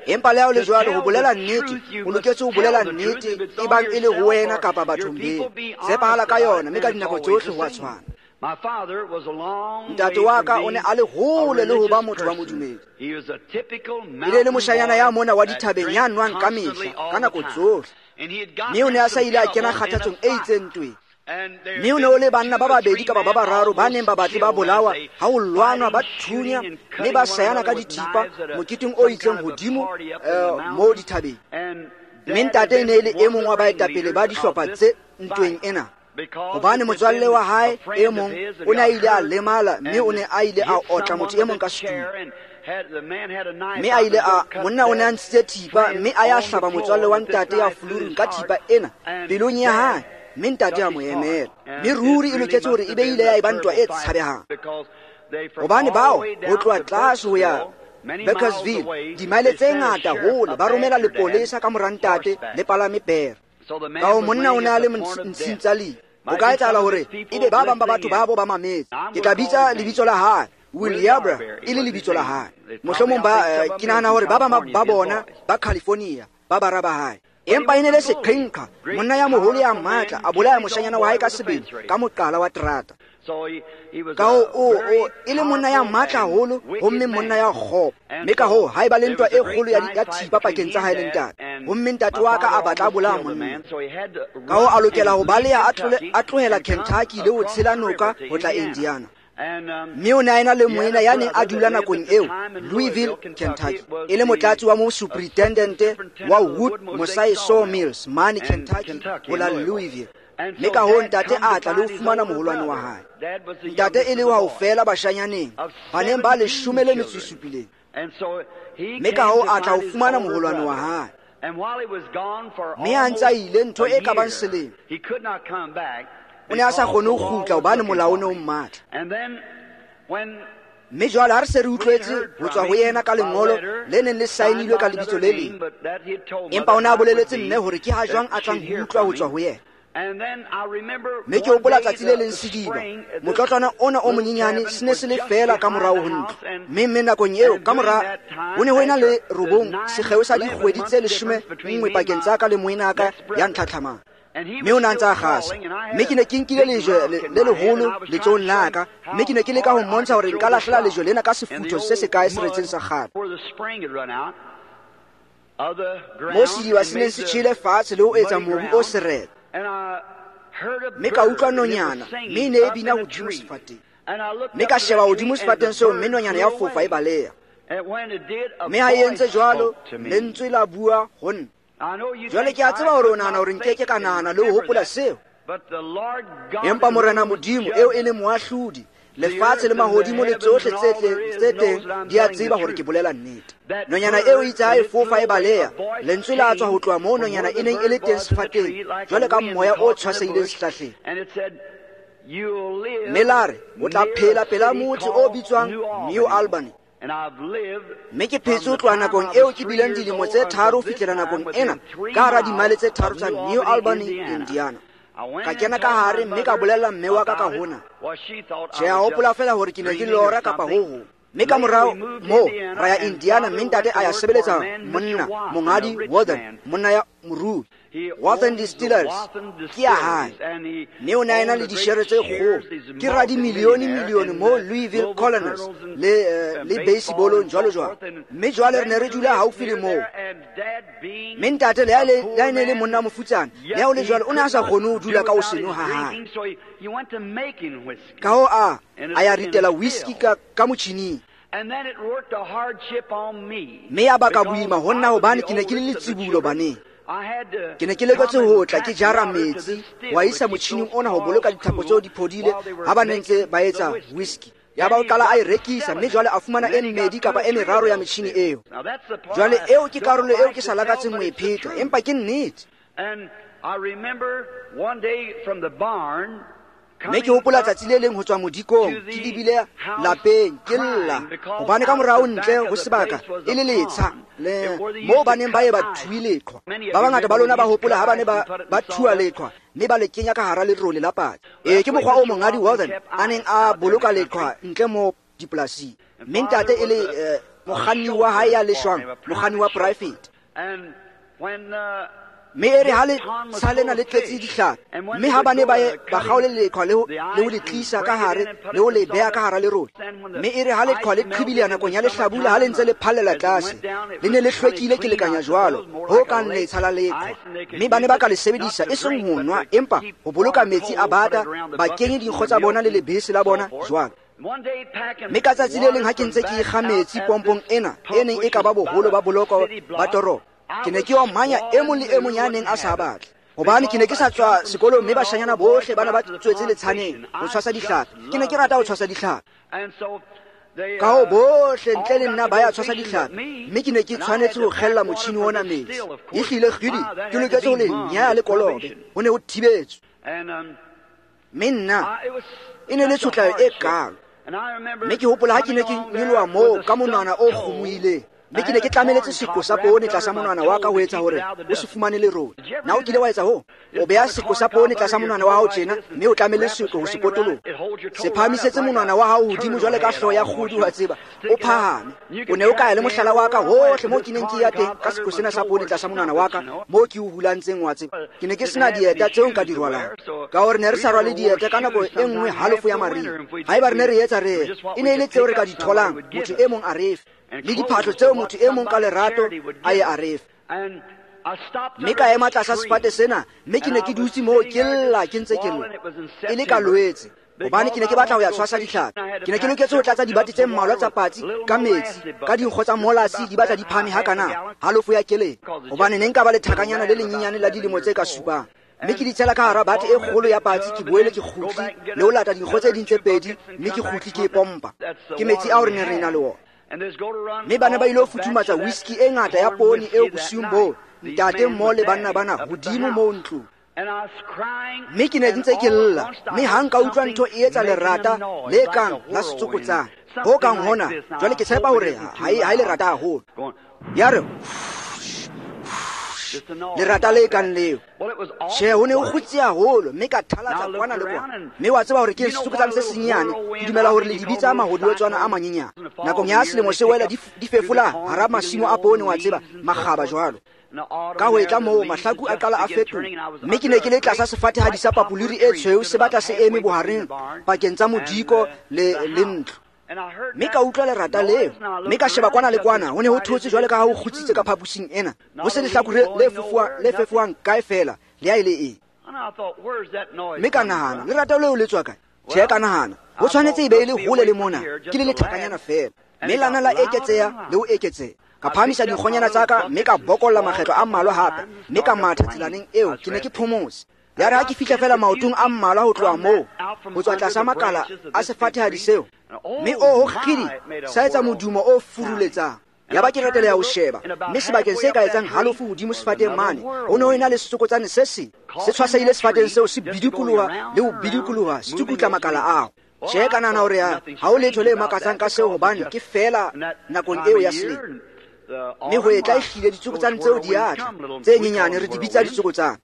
Empa le ha ho le jwalo, ho bolela nnete, o loketse ho bolela nnete, ebang e le ho wena kapa bathong beno. Tshepahala ka yona, mme ka dinako tsohle ho a tshwana. Ntate wa ka o ne a le hole le ho ba motho wa modumedi. E ne e le moshanyana ya mona wa dithabeng ya nwang ka mehla, ka nako tsohle. Mme o ne a sa ile a kena kgathatsong e itseng ntweng. Mme o ne o le banna ba babedi kapa ba bararo ba neng ba batle ba bolawa ha ho lwanwa, ba thunya mme ba sayana ka dithipa moketeng o itseng hodimo moo dithabeng. Mme ntate e ne e le e mong wa baetapele ba dihlopha tse ntweng ena, hobane motswalle wa hae e mong o ne a ile a lemala, mme o ne a ile a otla motho e mong ka setulo. Mme a ile a, monna o ne a ntshitse thipa, mme a ya hlaba motswalle wa ntate ya fulurung ka thipa ena pelong ya hae, mme ntate a mo emela. Mme ruri e loketse hore e be ile ya eba ntwa e tshabehang, hobane bao ho tloha tlase ho ya Bakersville, dimaele tse ngata hole, ba romela lepolesa ka mora ntate le palame pere. Ka ho monna o ne a le ntshing tsa lefu. Ho ka etsahala hore ebe ba bang ba batho babo ba mametse. Ke tla bitsa lebitso la hae, William, e le lebitso la hae. Mohlomong ba ke nahana hore ba bang ba bona ba California, ba bara ba hae. Empa e ne le seqhenqha, monna ya moholo ya matla, a bolaya moshanyana wa hae ka sebele ka moqala wa terata. Ka ho o e le monna ya matla haholo, homme monna ya kgopo. Mme ka hoo ha eba le ntwa e kgolo ya thipa pakeng tsa hae le ntate. Homme ntate wa ka a batla a bolaya monna. Ka hoo a lokela ho baleha, a tlohela Kentucky le ho tshela noka ho tla Indiana. Mme o ne a ena le moena ya neng a dula nakong eo Louisville, Kentucky, e le motlatsi wa mo superintendent wa Wood Mosaic Sawmills mane Kentucky ho la Louisville. Mme ka hoo ntate a tla le ho fumana moholwane wa hae. Ntate e le wa ho fela bashanyaneng ba neng ba 17. Mme ka hoo a tla ho fumana moholwane wa hae. Mme a ntse a ile ntho e ka bang selemo, o ne a sa kgone ho kgutla hobane molao o ne o mmatla. Mme jwale ha re se re utlwetse ho tswa ho yena ka lengolo le neng le saenilwe ka lebitso le leng, empa o ne a boleletse mme hore ke ha jwang a tlang ho utlwa ho tswa ho yena. Mme ke hopola tsatsi le leng sediba, motlotlwana ona o monyenyane se ne se le feela ka morao ho ntlo. Mme nakong eo ka mora ho ne ho ena le 9 sekgeo sa dikgwedi tse 11 pakeng tsa ka le moena ka ya ntlhatlhamang. Mme o ne a ntse a kgasa. Mme ke ne ke nkile lejwe le leholo letsohong la ka, mme ke ne ke leka ho mmontsha hore nka lahlela lejwe lena ka sefutho se sekae seretseng sa kgale. Moo sediba se neng se tjhele fatshe le ho etsa mobu o seretse. Mme ka utlwa nonyana, mme e ne e bina hodimo sefateng. Mme ka sheba hodimo sefateng seo, mme nonyana ya fofa e baleha. Mme ha e entse jwalo, lentswe la bua ho nna. Jwale ke a tseba hore o nahana hore nkeke ka nahana le ho hopola seo. Empa Morena Modimo eo e leng moahlodi, lefatshe le mahodimo le tsohle tse teng di a tseba hore ke bolela nnete. Nonyana eo itse ha e fofa e baleha, lentswe la tswa ho tloha moo nonyana e neng e le teng sefateng, jwale ka moya o tshwasehileng sehlahleng. Mme la re, o tla phela pela motse o bitswang New Albany. Mme ke phetse ho tloha nakong eo ke bileng dilemo tse 3 ho fihlela nakong ena ka hara dimaele tse 3 tsa New Albany, Indiana. Ka kena ka hare mme ka bolella mme wa ka ka hona. Tjhe, a hopola feela hore ke ne ke lora kapa ho hong. Mme ka morao moo ra ya Indiana, mme ntate a ya sebeletsa monna Monghadi Wathen, monna ya morui. Wathen Distillers ke ya hae, mme o ne a ena le dishere tse kgolo, ke radimilione-milione mo Louisville Colonels le baseballong jwalo jwalo. Mme jwale re ne re dula haufi le moo. Mme ntate le ha e ne le monna mofutsana, le ha o le jwalo o ne a sa kgone ho dula ka ho seno ha hae. Ka ho a ya ritela whisky ka motjhining. Mme ya baka boima ho nna hobane ke ne ke le letsibulo baneng. Ke ne ke leketse ho tla ke jara metsi wa isa motjhining ona ho boloka dithapo tseo di phodile ha ba ne ntse ba etsa whisky. Ya ba o qala a e rekisa, mme jwale a fumana e mmedi kapa e meraro ya metjhini eo. Jwale eo ke karolo eo ke sa lakatseng ho e pheta, empa ke nnete. Mme ke hopola tsatsi le leng ho tswa modikong, ke lebile lapeng, ke lla, hobane ka morao ntle ho sebaka e le letsha le moo ba neng ba ye ba thue leqhwa. Ba bangata ba lona ba hopola ha ba ne ba thua leqhwa mme ba le kenya ka hara lerole la patsi. Ee, ke mokgwa o Monghadi Wathen a neng a boloka leqhwa ntle mo dipolasing. Mme ntate e le mokganni wa hae ya leshwang, mokganni wa private. Mme e re ha letsha lena le tletse dihlapi, mme ha ba ne ba kgaole leqhwa le ho le tlisa ka hare le ho le beha ka hara lerole. Mme e re ha leqhwa le qhibileha nakong ya lehlabula ha le ntse le phallela tlase, le ne le hlwekile ke lekanya jwalo ho kang letsha la leqhwa. Mme ba ne ba ka le sebedisa e seng ho nwa, empa ho boloka metsi a bata, ba kenye dinkgo tsa bona le lebese la bona jwalo. Mme ka tsatsi le leng ha ke ntse ke ikga metsi pompong ena e neng e ka ba boholo ba boloko ba toropo, ke ne ke omanya e mong le e mong ya neng a sa batle, hobane ke ne ke sa tswa sekolong mme bashanyana bohle ba ne ba tswetse letshaneng ho tshwasa dihlapi. Ke ne ke rata ho tshwasa dihlapi, ka ho bohle ntle le nna ba ya tshwasa dihlapi, mme ke ne ke tshwanetse ho kgella motjhini ona metsi. Ehlile kgidi ke loketse ho le nyaya le kolobe, ho ne ho thibetswe. Mme nna e ne le tshotlayo e kalo. Mme ke hopola ha ke ne ke nyoloha moo ka monwana o kgomohileng, mme ke ne ke tlameletse seko sa poone tlasa monwana wa ka ho etsa hore o se fumane lerole. Na o kile wa etsa hoo? O beha seko sa poone tlasa monwana wa hao tjena, mme o tlamele seko ho se potoloha. Se phahamisetse monwana wa hao hodimo jwale ka hlooho ya kgudu, wa tseba, o phahame. O ne o ka ya le mohlala wa ka hohle moo ke neng ke ya teng ka seko sena sa poone tlasa monwana wa ka, moo ke o hulantseng, wa tseba. Ke ne ke sena dieta tseo nka di rwalang, ka hore ne re sa rwale dieta ka nako e nngwe halofo ya mariha. Haeba re ne re etsa re, e ne e le tseo re ka di tholang motho e mong a re fe, le diphahlo tseo motho e mong ka lerato a ye a re fe. Mme ka ema tlasa sefate sena, mme ke ne ke dutse moo ke lla, ke ntse ke lla, e le ka loetse, hobane ke ne ke batla ho ya tshwasa dihlapi. Ke ne ke loketse ho tlatsa dibate tse mmalwa tsa patsi ka metsi, ka dinkgo tsa molasi di batla di phahame hakana, halofo ya keleng, hobane ne nka ba le thakanyana le lenyenyane la dilemo tse ka supang. Mme ke di tshela ka hara bate e kgolo ya patsi, ke boele ke kgutli le ho lata dinkgo tse ding tse pedi, mme ke kgutli ke e pompa. Ke metsi ao re neng re ena le ona. Mme ba ne ba ilo futhumatsa whisky e ngata ya poone eo bosiung boo, ntate mmoho le banna bana hodimo moo ntlong. Mme ke ne ntse ke lla, mme ha nka utlwa ntho e etsa lerata le kang la setsokotsane ho kang hona. Jwale ke tshepa hore ha e lerata haholo. Ya re lerata le kang leo. Tjhe, ho ne ho kgutse haholo, mme ka thalatsa kwana le kwana. Mme wa tseba hore ke setsokotsane se senyenyane, ke dumela hore le di bitsa mahodiotswana a manyenyane. Nakong ya selemo se wela di fefola hara masimo a poone, wa tseba, makgaba jwalo. Ka ho etla moo mahlaku a qala a fetoha, mme ke ne ke le tlasa sefatehadi sa papoliri e tshweu se batla se eme bohareng pakeng tsa modiko le ntlo. Mme ka utlwa lerata leo, mme ka sheba kwana le kwana, ho ne ho thotse jwale ka ha ho kgutsitse ka phaposing ena, ho se lehlakore le fefohang kae fela, le ha e le eng. Mme ka nahana, lerata leo le tswa kae? Tjhe, ka nahana, ho tshwanetse e be e le hole le mona, ke le lethakanyana fela. Mme lana la eketseha le ho eketseha. Ka phahamisa dinkgonyana tsa ka, mme ka bokolla makgetlo a mmalwa hape, mme ka matha tselaneng eo, ke ne ke phomotse. Ya re ha ke fihla fela maotong a mmalwa ho tloha moo, ho tswa tlasa makala a sefatehadi seo, mme oho kgidi, sa etsa modumo o furuletsang. Ya ba ke reteleha ho sheba, mme sebakeng se ka etsang halofo hodimo sefateng mane, ho ne ho ena le setsokotsane se seng se tshwasehile sefateng seo, se bidikoloha le ho bidikoloha, se tsukutla makala ao. Tjhe, ka nahana hore ha ho letho le makatsang ka seo, hobane ke feela nakong eo ya selemo. Mme ho etla ehlile ditsokotsane tseo di a tla, tse nyenyane re di bitsa ditsokotsane.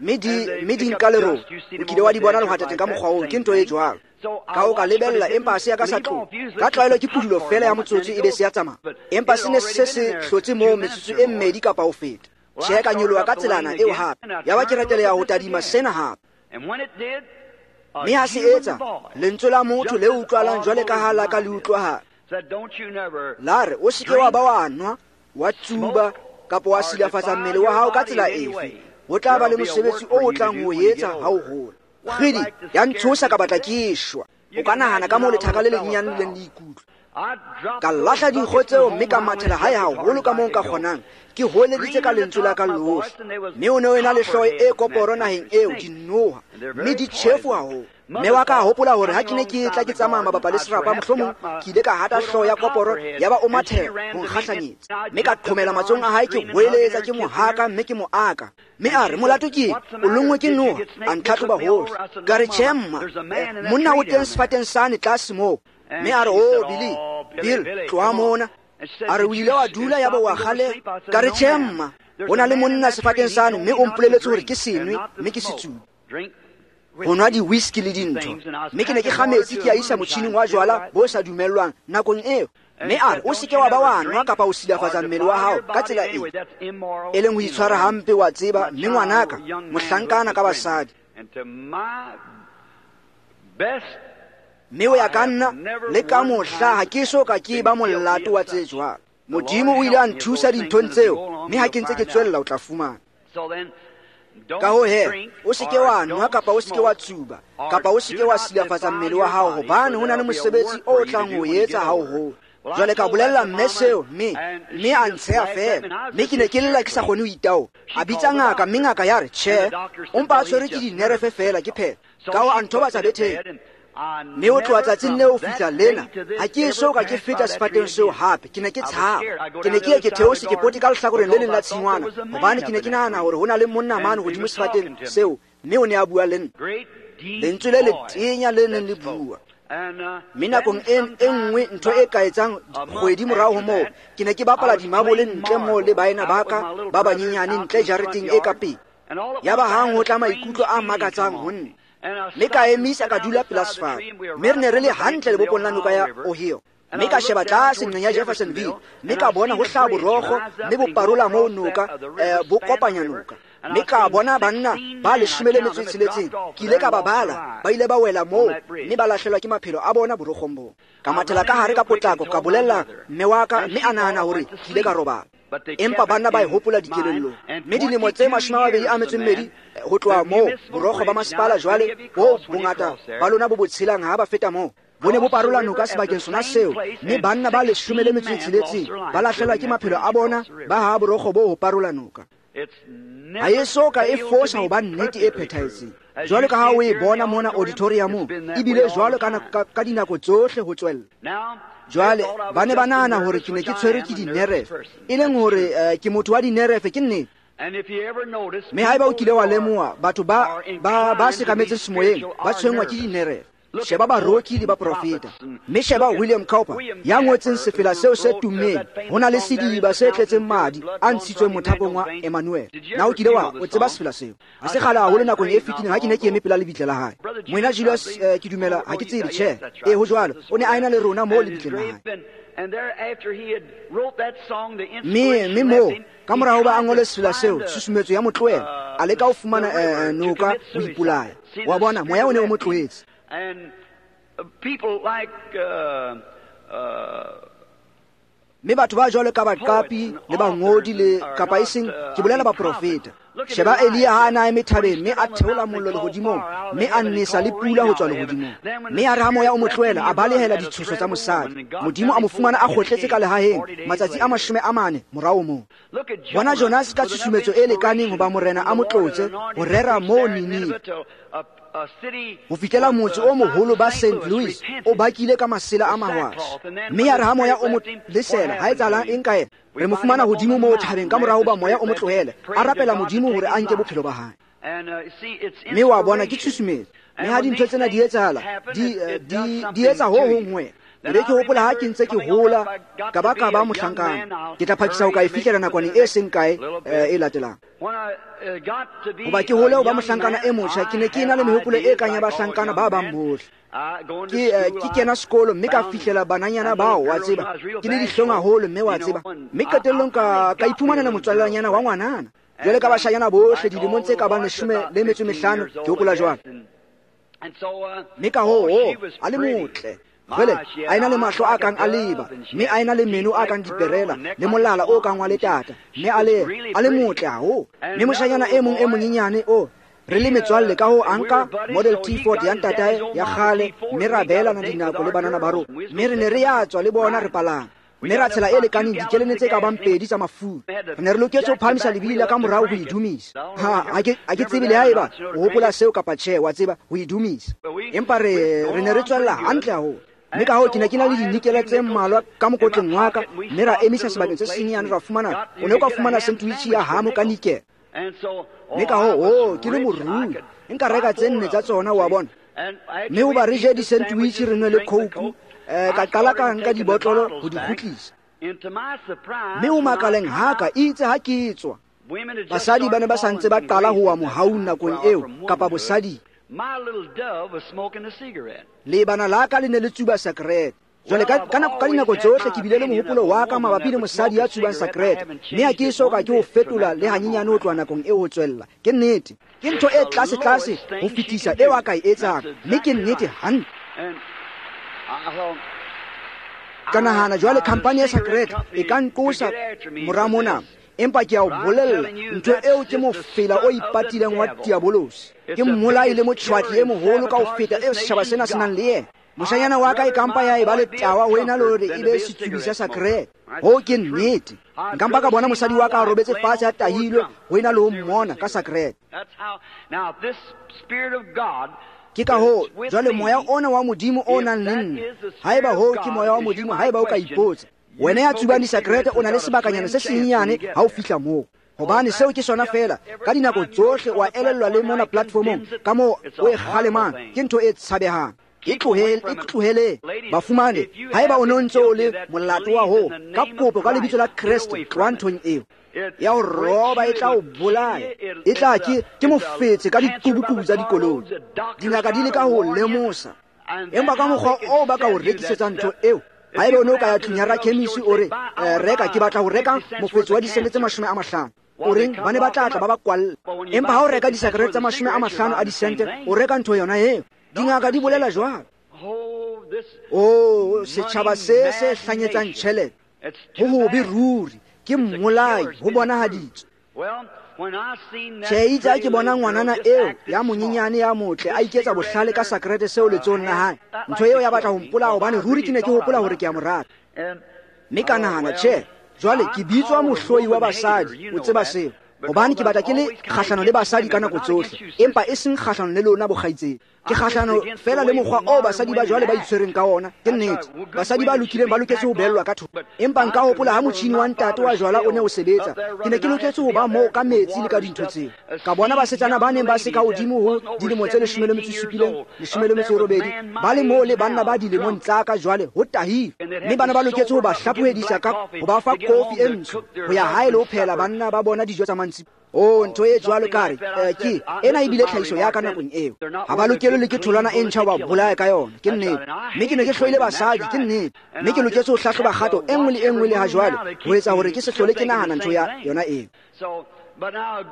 Mme di nka lerolo. O kile wa di bona lehwatateng ka mokgwa oo, ke ntho e jwalo. Ka o ka lebella, empa se ya ka sa tloha. Ka tlwaelo ke pudulo fela ya motsotso e be se ya tsamaya. Empa se ne se se hlotse moo metsotso e mmedi kapa ho feta. Tjhe, ka nyoloha ka tselana eo hape. Yaba ke reteleha ho tadima sena hape. Mme ha se etsa, lentswe la motho le utlwalang jwale ka ha la ka le utlwahala. La re, o se ke wa ba wa nwa, wa tsuba, kapa wa silafatsa mmele wa hao ka tsela efe. Ho tla ba le mosebetsi o o tlang ho etsa ha o hola. Kgidi, ya ntshosa ka batla ke shwa. O ka nahana ka moo lethaka le lenyenyane le leng le ikutlwa. Ka lahla dinkgo tseo mme ka mathela hae haholo ka moo nka kgonang. Ke hoeleditse ka lentswe la ka lohle. Mme o ne o ena le hlooho e koporo naheng eo, dinoha, mme di tjhefu haholo. Mme wa ka a hopola hore ha ke ne ke tla ke tsamaya mabapa le serapa, mohlomong ke ile ka hata hlooho ya koporo, yaba o mathela ho nkgahlanyetsa. Mme ka qhomela matsohong a hae, ke hoeletsa, ke mo haka mme ke mo aka. Mme a re, molato ke eng? O lonngwe ke noha. A ntlhatlhoba hohle. Ka re, tjhe mma, monna o teng sefateng sane tlase moo. Mme a re, oh, Billy, Bill, tloha mona. A re, o ile wa dula yaba wa kgaleha. Ka re, tjhe mma, ho na le monna sefateng sane, mme o mpoleletse hore ke senwe mme ke setsubi. Ho nwa di-whisky le dintho. Mme ke ne ke kga metsi ke a isa motjhining wa jwala bo sa dumellwang nakong eo. Mme a re, o se ke wa ba wa nwa kapa o silafatsa mmele wa hao ka tsela eo, e leng ho itshwara hampe, wa tseba. Mme ngwanaka, mohlankana ka basadi. Mme o ya ka nna, le ka mohla ha ke so ka ke ba molato wa tse jwalo. Modimo o ile a nthusa dinthong tseo, mme ha ke ntse ke tswella o tla fumana. Ka ho he, o se ke wa nwa kapa o se ke wa tsuba, kapa o se ke wa silafatsa mmele wa hao, hobane ho na le mosebetsi o tlang ho etsa ha o hola. Jwale ka bolella mme seo, mme a ntsheha fela. Mme ke ne ke lla ke sa kgone ho itaola. A bitsa ngaka, mme ngaka ya re, tjhe, o mpa a tshwerwe ke dinerefe fela, ke phela. Ka ho a nthobatsa betheng. Mme o tloha tsatsing leo ho fihla lena, ha ke eso ka ke feta sefateng seo hape. Ke ne ke tshaba. Ke ne ke ye ke theose ke pote ka lehlakoreng le leng la tshingwana, hobane ke ne ke nahana hore ho na le monna mane hodimo sefateng seo, mme o ne a bua le nna. Lentswe le letenya le neng le bua. Mme nakong e nngwe ntho e ka etsang kgwedi morao ho moo, ke ne ke bapala dimabole ntle moo le baena ba ka ba banyenyane ntle jareteng e ka pele. Yaba hang ho tla maikutlo a makatsang ho nna. Mme ka emisa ka dula pela sefate. Mme re ne re le hantle lebopong la noka ya Ohio. Mme ka sheba tlase nqeng ya Jeffersonville, mme ka bona ho hlaha borokgo, mme bo parola moo noka, bo kopanya noka. Mme ka bona banna ba 16. Ke ile ka ba bala, ba ile ba wela moo, mme ba lahlelwa ke maphelo a bona borokgong boo. Ka mathela ka hare ka potlako, ka bolella mme wa ka, mme a nahana hore ke ile ka robala. Empa banna ba e hopola dikelellong. Mme dilemo tse 22 ho tloha moo, borokgo ba masepala jwale bo bongata ba lona bo bo tshelang ha ba feta moo, bo ne bo parola noka sebakeng sona seo, mme banna ba 16 ba lahlelwa ke maphelo a bona ba ha borokgo bo ho parola noka. Ha e so ka e fosa ho ba nnete e phethahetseng. Jwalo ka ha o e bona mona auditoriumong, ebile jwalo ka dinako tsohle ho tswella. Jwale ba ne ba nahana hore ke ne ke tshwerwe ke dinerefe, e leng hore ke motho wa dinerefe, ke nnete. Mme haeba o kile wa lemoha, batho ba sekametseng semoyeng ba tshwenngwa ke dinerefe. Sheba baroki le baprofeta. Mme sheba William Cowper, ya ngotseng sefela seo se tummeng, ho na le sediba se tletseng madi a ntshitsweng mothapong wa Emmanuel. Na o kile wa o tseba sefela seo? Ha se kgale haholo nakong e fetileng ha ke ne ke eme pela lebitla la hae. Moena Julius, ke dumela ha ke tsebe, tjhe. E ho jwalo, o ne a ena le rona moo lebitleng la hae. Mme moo, ka mora hoba a ngole sefela seo, tshusumetso ya mo tlohela, a leka ho fumana noka ho ipolaya. Wa bona, moya o ne o mo tlohetse. Mme batho ba jwalo ka baqapi le bangodi le kapa eseng, ke bolela baprofeta. Sheba Elia ha a na eme thabeng, mme a theola mollo lehodimong, mme a nesa le pula ho tswa lehodimong. Mme a re ha moya o mo tlohela, a balehela ditshoso tsa mosadi. Modimo a mo fumana a kgotletse ka lehaheng matsatsi a 40 morao moo. Bona Jonas ka tshusumetso e lekaneng hoba morena a mo tlotse ho rera moo Ninive, ho fihlela motse o moholo ba St. Louis o bakile ka masela a mahwashe. Mme ya re ha moya o mo lesela, ha etsahalang eng ka yena? Re mo fumana hodimo moo thabeng ka morao hoba moya o mo tlohele, a rapela Modimo hore a nke bophelo ba hae. Mme wa bona ke tshusumetso. Mme ha dintho tsena di etsahala, di etsa ho hong ho wena. Ebe ke hopola ha ke ntse ke hola ka ba ka ba mohlankana. Ke tla phakisa ho ka e fihlela nakwaneng e seng kae e latelang. Hoba ke hole ho ba mohlankana e motjha, ke ne ke ena le mehopolo e kang ya bahlankana ba bang bohle. Ke kena sekolo mme ka fihlela bananyana bao, wa tseba, ke le dihlong haholo, mme wa tseba, mme qetellong ka iphumanela motswalanyana wa ngwanana. Jwale ka bashanyana bohle dilemong tse ka bang 15, ke hopola jwalo. Mme ka hoo a le motle. Jwale a ena le mahlo a kang a leba, mme a ena le meno a kang diperela, le molala o kang wa letata, mme a le motle haholo. Mme moshanyana e mong e monyenyane o re le metswalle, ka ho a nka Model T Ford ya ntatae ya kgale, mme ra beelana dinako le banana ba rona, mme re ne re ya tswa le bona re palama, mme ra tshela e lekaneng dikelene tse ka bang 2 tsa mafura. Re ne re loketse ho phahamisa lebili la ka morao ho e dumisa. Ha ke tsebe le haeba o hopola seo kapa tjhe, wa tseba, ho e dumisa. Empa re ne re tswella hantle haholo. Mme ka hoo ke ne ke na le dinikele tse mmalwa ka mokotleng wa ka, mme ra emisa sebakeng se senyenyane, ra fumana, o ne o ka fumana sandwich ya hamo ka nikele. Mme ka hoo ke le morui, nka reka tse 4 tsa tsona, wa bona. Mme hoba re je di-sandwich re nwe le coke, ka qala ka nka dibotlolo ho di kgutlisa. Mme ho makaleng haka itse ha ke tswa, basadi ba ne ba sa ntse ba qala ho wa mohaung nakong eo, kapa bosadi. Lebana la ka le ne le tsuba sakerete. Jwale ka dinako tsohle ke bile le mohopolo wa ka mabapi le mosadi ya tsubang sakerete, mme ha ke eso ka ke ho fetola le hanyenyane ho tloha nakong eo ho tswella. Ke nnete, ke ntho e tlase-tlase ho fetisa eo a ka e etsang, mme ke nnete hantle. Ka nahana jwale khampani ya sakerete e ka nqosa mora mona, empa ke a o bolella, ntho eo ke mofela o ipatileng wa diabolosi. Ke mmolai le motjhwatli e moholo ka ho feta eo setjhaba sena se nang le yena. Moshanyana wa ka e kampa ya e ba letawa ho ena le hore e be setsubi sa sakerete. Hoo ke nnete. Nka mpa ka bona mosadi wa ka a robetse fatshe a tahilwe ho ena le ho mmona ka sakerete. Ke ka hoo jwale moya ona wa Modimo o nang le nna, haeba hoo ke moya wa Modimo, haeba o ka ipotsa, wena ya tsubang disakerete o na le sebakanyana se senyenyane ha o fihla moo. Hobane seo ke sona fela, ka dinako tsohle wa elellwa le mona platformong ka moo o e kgalemang, ke ntho e tshabehang. E tlohele bafumane, haeba o ne o ntse o le molato wa hoo, ka kopo ka lebitso la Kreste, tloha nthong eo ya ho roba, e tla o bolaya, e tla ke mofetse ka diqubuqubu tsa dikoloi. Dingaka di leka ho lemosa, empa ka mokgwa oo ba ka o rekisetsang ntho eo. Haeba o ne o ka ya tlung ya rakhemisi o re, reka, ke batla ho reka mofetse wa disente tse 50, o reng ba ne ba tla tla ba ba kwalla. Empa ha o reka disakerete tsa 50 a disente, o reka ntho yona eo. Dingaka di bolela jwalo. Oh, setjhaba se se hlanyetsang tjhelete ho hobe ruri, ke mmolai, ho bonahaditswe. Tjhe, itse ha ke bona ngwanana eo ya monyenyane ya motle a iketsa bohlale ka sakerete seo letsohong la hae, ntho eo ya batla ho mpolaya, hobane ruri ke ne ke hopola hore ke a mo rata. Mme ka nahana, tjhe, jwale ke bitswa mohloi wa basadi, o tseba seo, hobane ke batla ke le kgahlano le basadi ka nako tsohle, empa e seng kgahlano le lona bokgaitsedi. Ke kgahlano fela le mokgwa oo basadi ba jwale ba itshwereng ka ona. Ke nnete, basadi ba lokileng ba loketse ho beellwa ka thoko. Empa nka hopola ha motjhini wa ntate wa jwala o ne o sebetsa, ke ne ke loketse ho ba moo ka metsi le ka dintho tseo. Ka bona basetsana ba neng ba se ka hodimo ho dilemo tse 17, 18, ba le moo le banna ba dilemong tsa ka jwale ho tahile, mme bana ba loketse ho ba hlaphohedisa ka ho ba fa kofi e ntsho ho ya hae le ho phehela banna ba bona dijo tsa mantsiboya. Oh, ntho e jwalo ka re, ke ena ebile tlhahiso ya ka nakong eo. Ha ba lokelwe le ke tholwana e ntjha ho ba bolaya ka yona, ke nnete. Mme ke ne ke hloile basadi, ke nnete. Mme ke loketse ho hlahloba kgato e nngwe le e nngwe le ha jwale, ho etsa hore ke se hlole ke nahana ntho ya yona eo.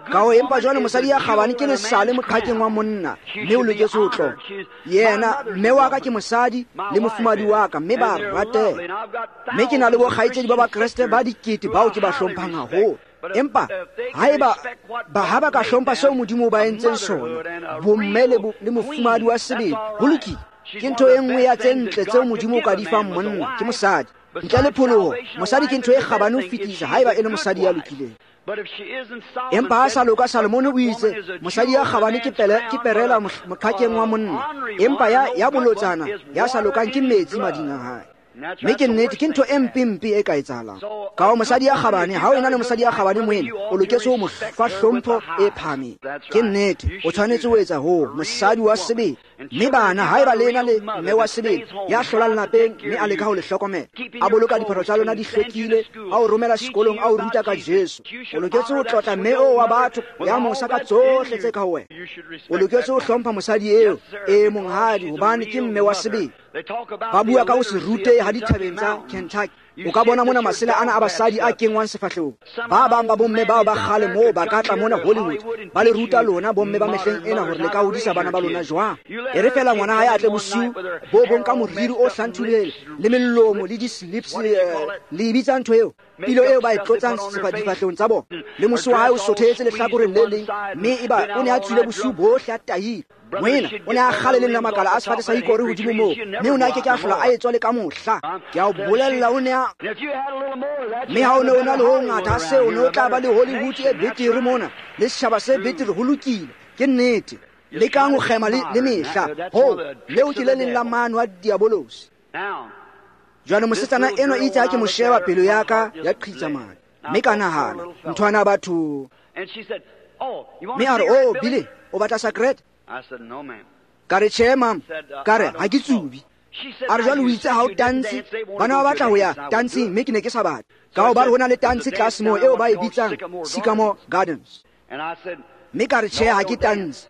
Ka ho empa jwale mosadi ya kgabane ke lesale moqhakeng wa monna, mme o loketse ho tloha. Yena, mme wa ka ke mosadi le mofumadi wa ka, mme ba rateha. Mme ke na le bokgaitsedi ba Bakreste ba dikete bao ke ba hlomphang haholo. Empa haeba ba ha ba ka hlompha seo Modimo o ba entseng sona, bomme le mofumadi wa sebele, ho lokile. Ke ntho e nngwe ya tse ntle tseo Modimo o ka di fang monna, ke mosadi. Ntle le pholoho, mosadi ke ntho e kgabane ho fetisa haeba e le mosadi ya lokileng. Empa ha sa loka, Salomone o itse, mosadi ya kgabane ke perela moqhakeng wa monna, empa ya bolotsana ya sa lokang ke metsi mading a hae. Mme ke nnete ke ntho e mpempe e ka etsahalang. Ka ho mosadi ya kgabane, ha o ena le mosadi ya kgabane moena, o loketse ho mo fa hlompho e phahameng. Ke nnete, o tshwanetse ho etsa hoo, mosadi wa sebele. Mme bana, haeba le ena le mme wa sebele ya hlolang lapeng mme a leka ho le hlokomela, a boloka diphahlo tsa lona di hlwekile, a o romela sekolong, a o ruta ka Jesu, o loketse ho tlotla mme oo wa batho ya mosa ka tsohle tse ka ho wena. O loketse ho hlompha mosadi eo, e monghadi, hobane ke mme wa sebele. Ba bua ka ho se rute ha dithabeng tsa Kentucky. O ka bona mona masela ana a basadi a kengwang sefahlehong. Ba bang ba bomme bao ba kgale moo ba ka tla mona Hollywood, ba le ruta lona bomme ba mehleng ena hore le ka hodisa bana ba lona jwang. E re fela ngwana hae a tle bosiu bo bong ka moriri o hlanthulehile le melomo le di-slips, le e bitsa ntho eo, pilo eo ba e tlotsang difahlehong tsa bona, le mose wa hae o sothehetse lehlakoreng le leng, mme eba o ne a tswile bosiu bohle a tahile. Moena o ne a kgale leng la makala a sefate sa hikore hodimo moo, mme o ne a ke ke a hlola a etswa le ka mohla. Ke a o bolella, o ne a mme ha o ne o na le ho ngata ha seo, o ne o tla ba le Hollywood e betere mona, le setjhaba se betere. Ho lokile, ke nnete. Lekang ho kgema le mehla. Ho leo ke le leng la mano a diabolosi. Jwale mosetsana enwa itse ha ke mo sheba, pelo ya ka ya qhitsa madi, mme ka nahana, nthwana batho. Mme a re, "Oh, Billy, o batla sakrete?" Ka re, "Tjhe, mama." Ka re, "Ha ke tsubi." A re, "Jwale o itse ha o tantshe, bana ba batla ho ya tantsheng, mme ke ne ke sa batle. Ka ho ba re ho na le tantshe tlase moo eo ba e bitsang Sycamore Gardens." Mme ka re, "Tjhe, ha ke tantshe."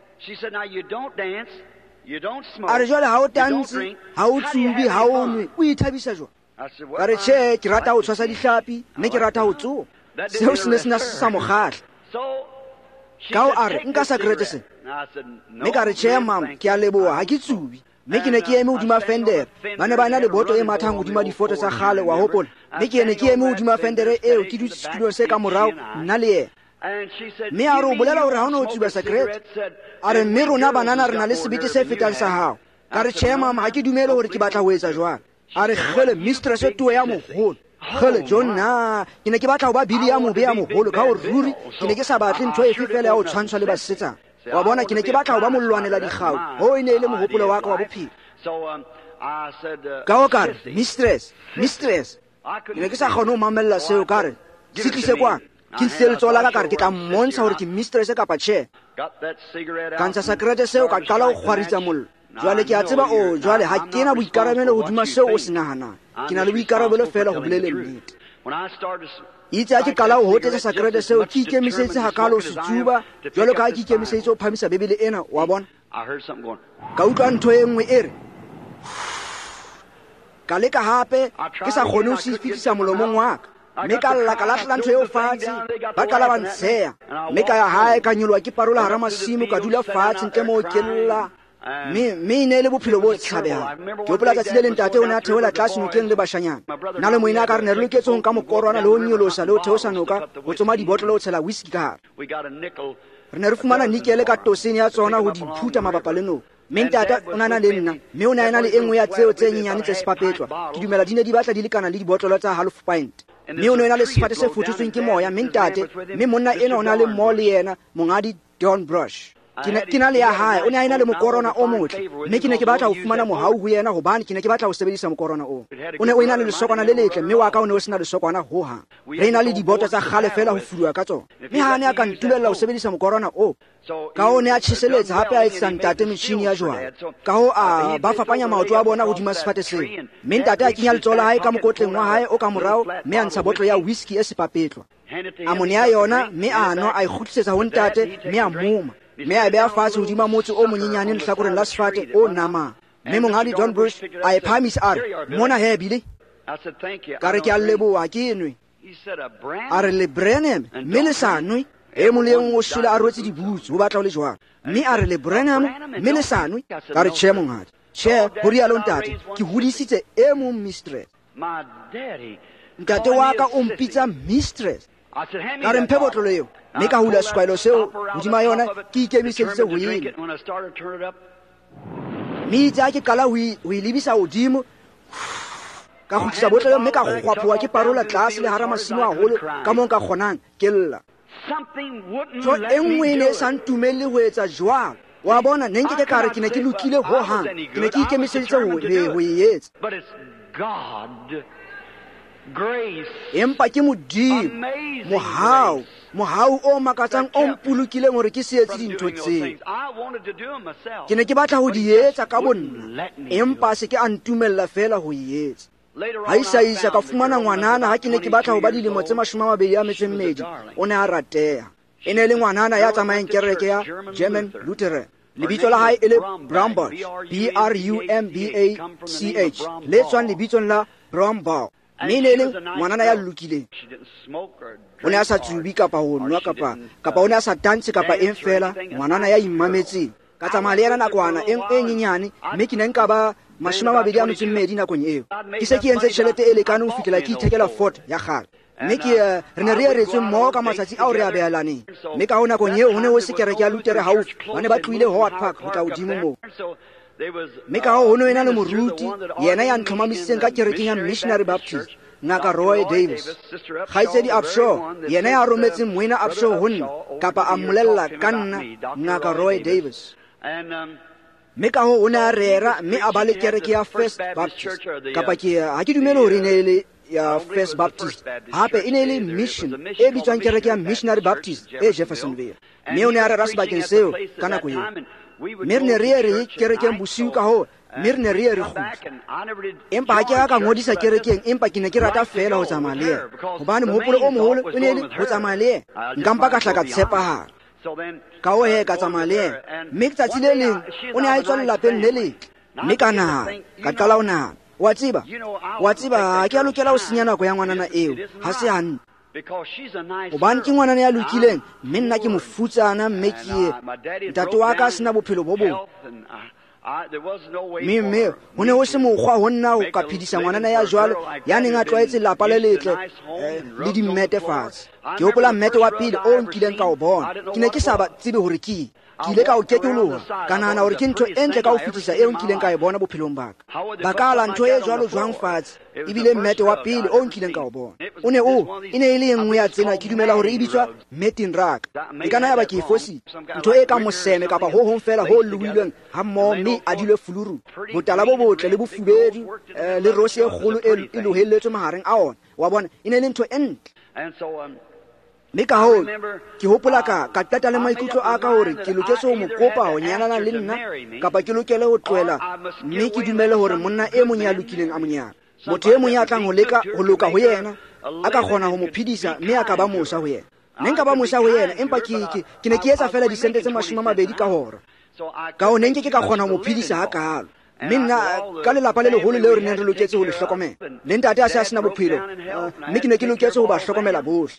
A re, "Jwale ha o tantshe, ha o tsubi, ha o nwe, o ithabisa jwang?" Ka re, "Tjhe, ke rata ho tshwasa dihlapi, mme ke rata ho tsoha." Seo se ne se na sa mo kgahla. Ka ho a re, "Nka sakrete sena." Mme ka re, "Tjhe, mama, ke a leboha, ha ke tsubi." Mme ke ne ke eme hodima fendere. Ba ne ba na le boto e mathang hodima difoto tsa kgale, wa hopola. Mme ke ne ke eme hodima fendere eo, ke dutse setulong se ka morao, nna le yena. Mme a re, "O bolela hore ha o ne o tsuba sakrete?" A re, "Mme rona banana re na le sebete se fetang sa hao." Ka re, "Tjhe, mama, ha ke dumele hore ke batla ho etsa jwalo." A re, "Kgele, mistress tuwe ya moholo. Kgele, John, na ke ne ke batla ho ba Billy ya mobe ya moholo, ka hore ruri ke ne ke sa batle ntho efe fela ya ho tshwantshwa le basetsana. Wa bona, ke ne ke batla ho ba molwanela dikgau. Hoo e ne e le mohopolo wa ka wa bophelo." Ka ho ka re, "Mistress, mistress." Ke ne ke sa kgone ho mamella seo. Ka re, "Se tlise kwano." Ke ntshitse letsoho la ka, ka re, "Ke tla mmontsha hore ke mistress kapa tjhe." Ka ntsha sakrete seo, ka qala ho kgwaritsa mollo. Jwale ke a tseba, o jwale ha ke na boikarabelo hodima seo o se nahanang. Ke na le boikarabelo fela ho boleleng nnete. Itse ha ke qala ho hotetsa sakrete seo, ke ikemiseditse hakalo ho se tsuba, jwalo ka ha ke ikemiseditse ho phamisa Bibele ena, wa bona. Ka utlwa ntho e nngwe e re, ka leka hape, ke sa kgone ho se fetisa molomong wa ka. Mme ka lla, ka lahlela ntho eo fatshe, ba qala ba ntsheha. Mme ka ya hae, ka nyoloha ke parola hara masimo, ka dula fatshe ntle moo ke lla. Mme e ne e le bophelo bo tshabehang. Ke hopola tsatsi le leng ntate o ne a theohela tlase nokeng le bashanyana. Nna le moena ka re ne re loketse ho nka mokorwana le ho nyolosa le ho theosa noka, ho tsoma dibotlolo, ho tshela whisky ka hare. Re ne re fumana nikele ka tosene ya tsona ho di phuta mabapa le noka. Mme ntate o ne a na le nna, mme o ne a ena le e nngwe ya tseo tse nyenyane tse sepapetlwa. Ke dumela di ne di batla di lekana le dibotlolo tsa half pint. Mme o ne o ena le sefate se fototsweng ke moya, mme ntate, mme monna enwa o ne a le mmoho le yena, monghadi Don Brush. Ke na le ya hae, o ne a ena le mokorona o motle, mme ke ne ke batla ho fumana mohau ho yena, hobane ke ne ke batla ho sebedisa mokorona oo. O ne o ena le lesokwana le letle, mme wa ka o ne o sena lesokwana hohang. Re ena le diboto tsa kgale fela ho fuduwa ka tsona. Mme ha a ne a ka ntumella ho sebedisa mokorona oo, ka ho ne a tjheseletsa hape a etsetsa ntate metjhini ya jwala. Ka ho a ba fapanya maoto a bona hodima sefate seo. Mme ntate a kenya letsoho la hae ka mokotleng wa hae o ka morao, mme a ntsha botlo ya whisky e sepapetlwa. A mo nea yona, mme a nwa, a e kgutlisetsa ho ntate, mme a moma. Mme a e beha fatshe hodima motse o monyenyane lehlakoreng la sefate o namang. Mme monghadi Don Bush a e phahamisa, a re, "Mona he, Billy." Ka re, "Ke a leboha, ke nwe." A re, "Le Branham, mme le sa nwe?" E mong le e mong o shwele a rwetse dibutsu, ho batla ho le jwalo. Mme a re, "Le Branham, mme le sa nwe?" Ka re, "Tjhe, monghadi." "Tjhe," ho rialo ntate, "ke hodisitse e mong mistress. Ntate wa ka o mpitsa mistress." Ka re, "Mphe botlolo eo." Mme ka hula sekwahelo seo hodima yona, ke ikemiseditse ho enwa. Mme itse ha ke qala ho e lebisa hodimo, ka kgutlisa botlolo mme ka kgwaphoha ke parola tlase le hara masimo haholo ka moo nka kgonang, ke lla. Ntho e nngwe e ne e sa ntumelle ho etsa jwalo. Wa bona, ne nke ke ka re ke ne ke lokile hohang, ke ne ke ikemiseditse ho e etsa. Empa ke Modimo, mohau, mohau o makatsang o mpolokileng hore ke se etse dintho tseo. Ke ne ke batla ho di etsa ka bonna, empa se ke a ntumella feela ho e etsa. Ha isa ka fumana ngwanana ha ke ne ke batla ho ba dilemo tse 22, o ne a rateha. E ne le ngwanana ya tsamayang kereke ya German Lutheran. Lebitso la hae e le Brumbach, B R U M B A C H, le tswang lebitsong la Brumbaugh. Mme ne le ngwanana ya lokileng. O ne a sa tsubi kapa ho nwa kapa o ne a sa tantshe kapa eng fela, ngwanana ya imametseng. Ka tsamaya le yena nakwana e nyenyane, mme ke ne nka ba 22 nakong eo. Ke se ke entse tjhelete e lekaneng ho fihlela ke ithekela Ford ya kgale. Mme ke re ne re eretswe mmoho ka matsatsi ao re a behelaneng. Mme ka ho nakong eo ho ne ho se kereke ya Lutere haufi, ba ne ba tlohile Howard Park ho tla hodimo moo. Mme ka ho no ena le moruti, yena ya ntlhomamisitseng ka kerekeng ya Missionary Baptist, Ngaka Roy Davis. Kgaitsedi Upshaw, yena ya rometseng moena Upshaw ho nna, kapa a mmolella ka nna, Ngaka Roy Davis. Mme ka ho o ne a rera mme a ba le kereke ya First Baptist, kapa ke ha ke dumele hore e ne e le ya First Baptist, hape e ne e le mission e bitswang kereke ya Missionary Baptist e Jeffersonville. Mme o ne a rera sebakeng seo ka nako eo. Mme re ne re ye re kerekeng bosiu ka ho, mme re ne re ye re kgutla. Empa ha ke a ka ngodisa kerekeng, empa ke ne ke rata feela ho tsamaya le yena, hobane mohopolo o moholo o ne e le ho tsamaya le yena. Nka mpa ka hla ka tshepahala. Ka ho he ka tsamaya le yena. Mme tsatsi le leng o ne a etswa lelapeng le letle. Mme ka nahana, ka qala ho nahana, wa tseba, ha ke a lokela ho senya nako ya ngwanana eo, ha se hantle. Hobane ke ngwanana ya lokileng, mme nna ke mofutsana, mme ke ntate wa ka a sena bophelo bo bong. Mme ho ne ho se mokgwa ho nna ho ka phedisa ngwanana ya jwalo ya neng a tlwaetse lapa le letle le dimmete fatshe. Ke hopola mmete wa pele o nkileng ka o bona, ke ne ke sa ba tsebe hore ke Ke ile ka o kekoloha, ka nahana hore ke ntho e ntle ka ho fetisa eo nkileng ka e bona bophelong ba ka. Ba ka ala ntho e jwalo jwang fatshe, ebile mmete wa pele o nkileng ka o bona. O ne o, e ne e le e nngwe ya tsena, ke dumela hore e bitswa matting rug. E ka nna ya ba ke e fositse. Ntho e kang moseme kapa ho hong feela ho lohilweng hammoho mme a dilwe fuluru. Botala bo botle le bofubedu le rose e kgolo e lohelletswe mahareng a ona. Wa bona, e ne e le ntho e ntle. Mme ka hoo ke hopola ka qeta le maikutlo a ka hore ke loketse ho mo kopa ho nyalana le nna, kapa ke lokele ho tlohela mme ke dumele hore monna e mong ya lokileng a mo nyale. Motho e mong ya tlang ho leka ho loka ho yena, a ka kgona ho mo phedisa mme a ka ba mosa ho yena. Ne nka ba mosa ho yena, empa ke ne ke etsa feela disente tse 20 ka hora. Ka ho ne nke ke ka kgona ho mo phedisa hakalo. Mme nna ka lelapa le leholo leo re neng re loketse ho le hlokomela, le ntate a se a sena bophelo, mme ke ne ke loketse ho ba hlokomela bohle.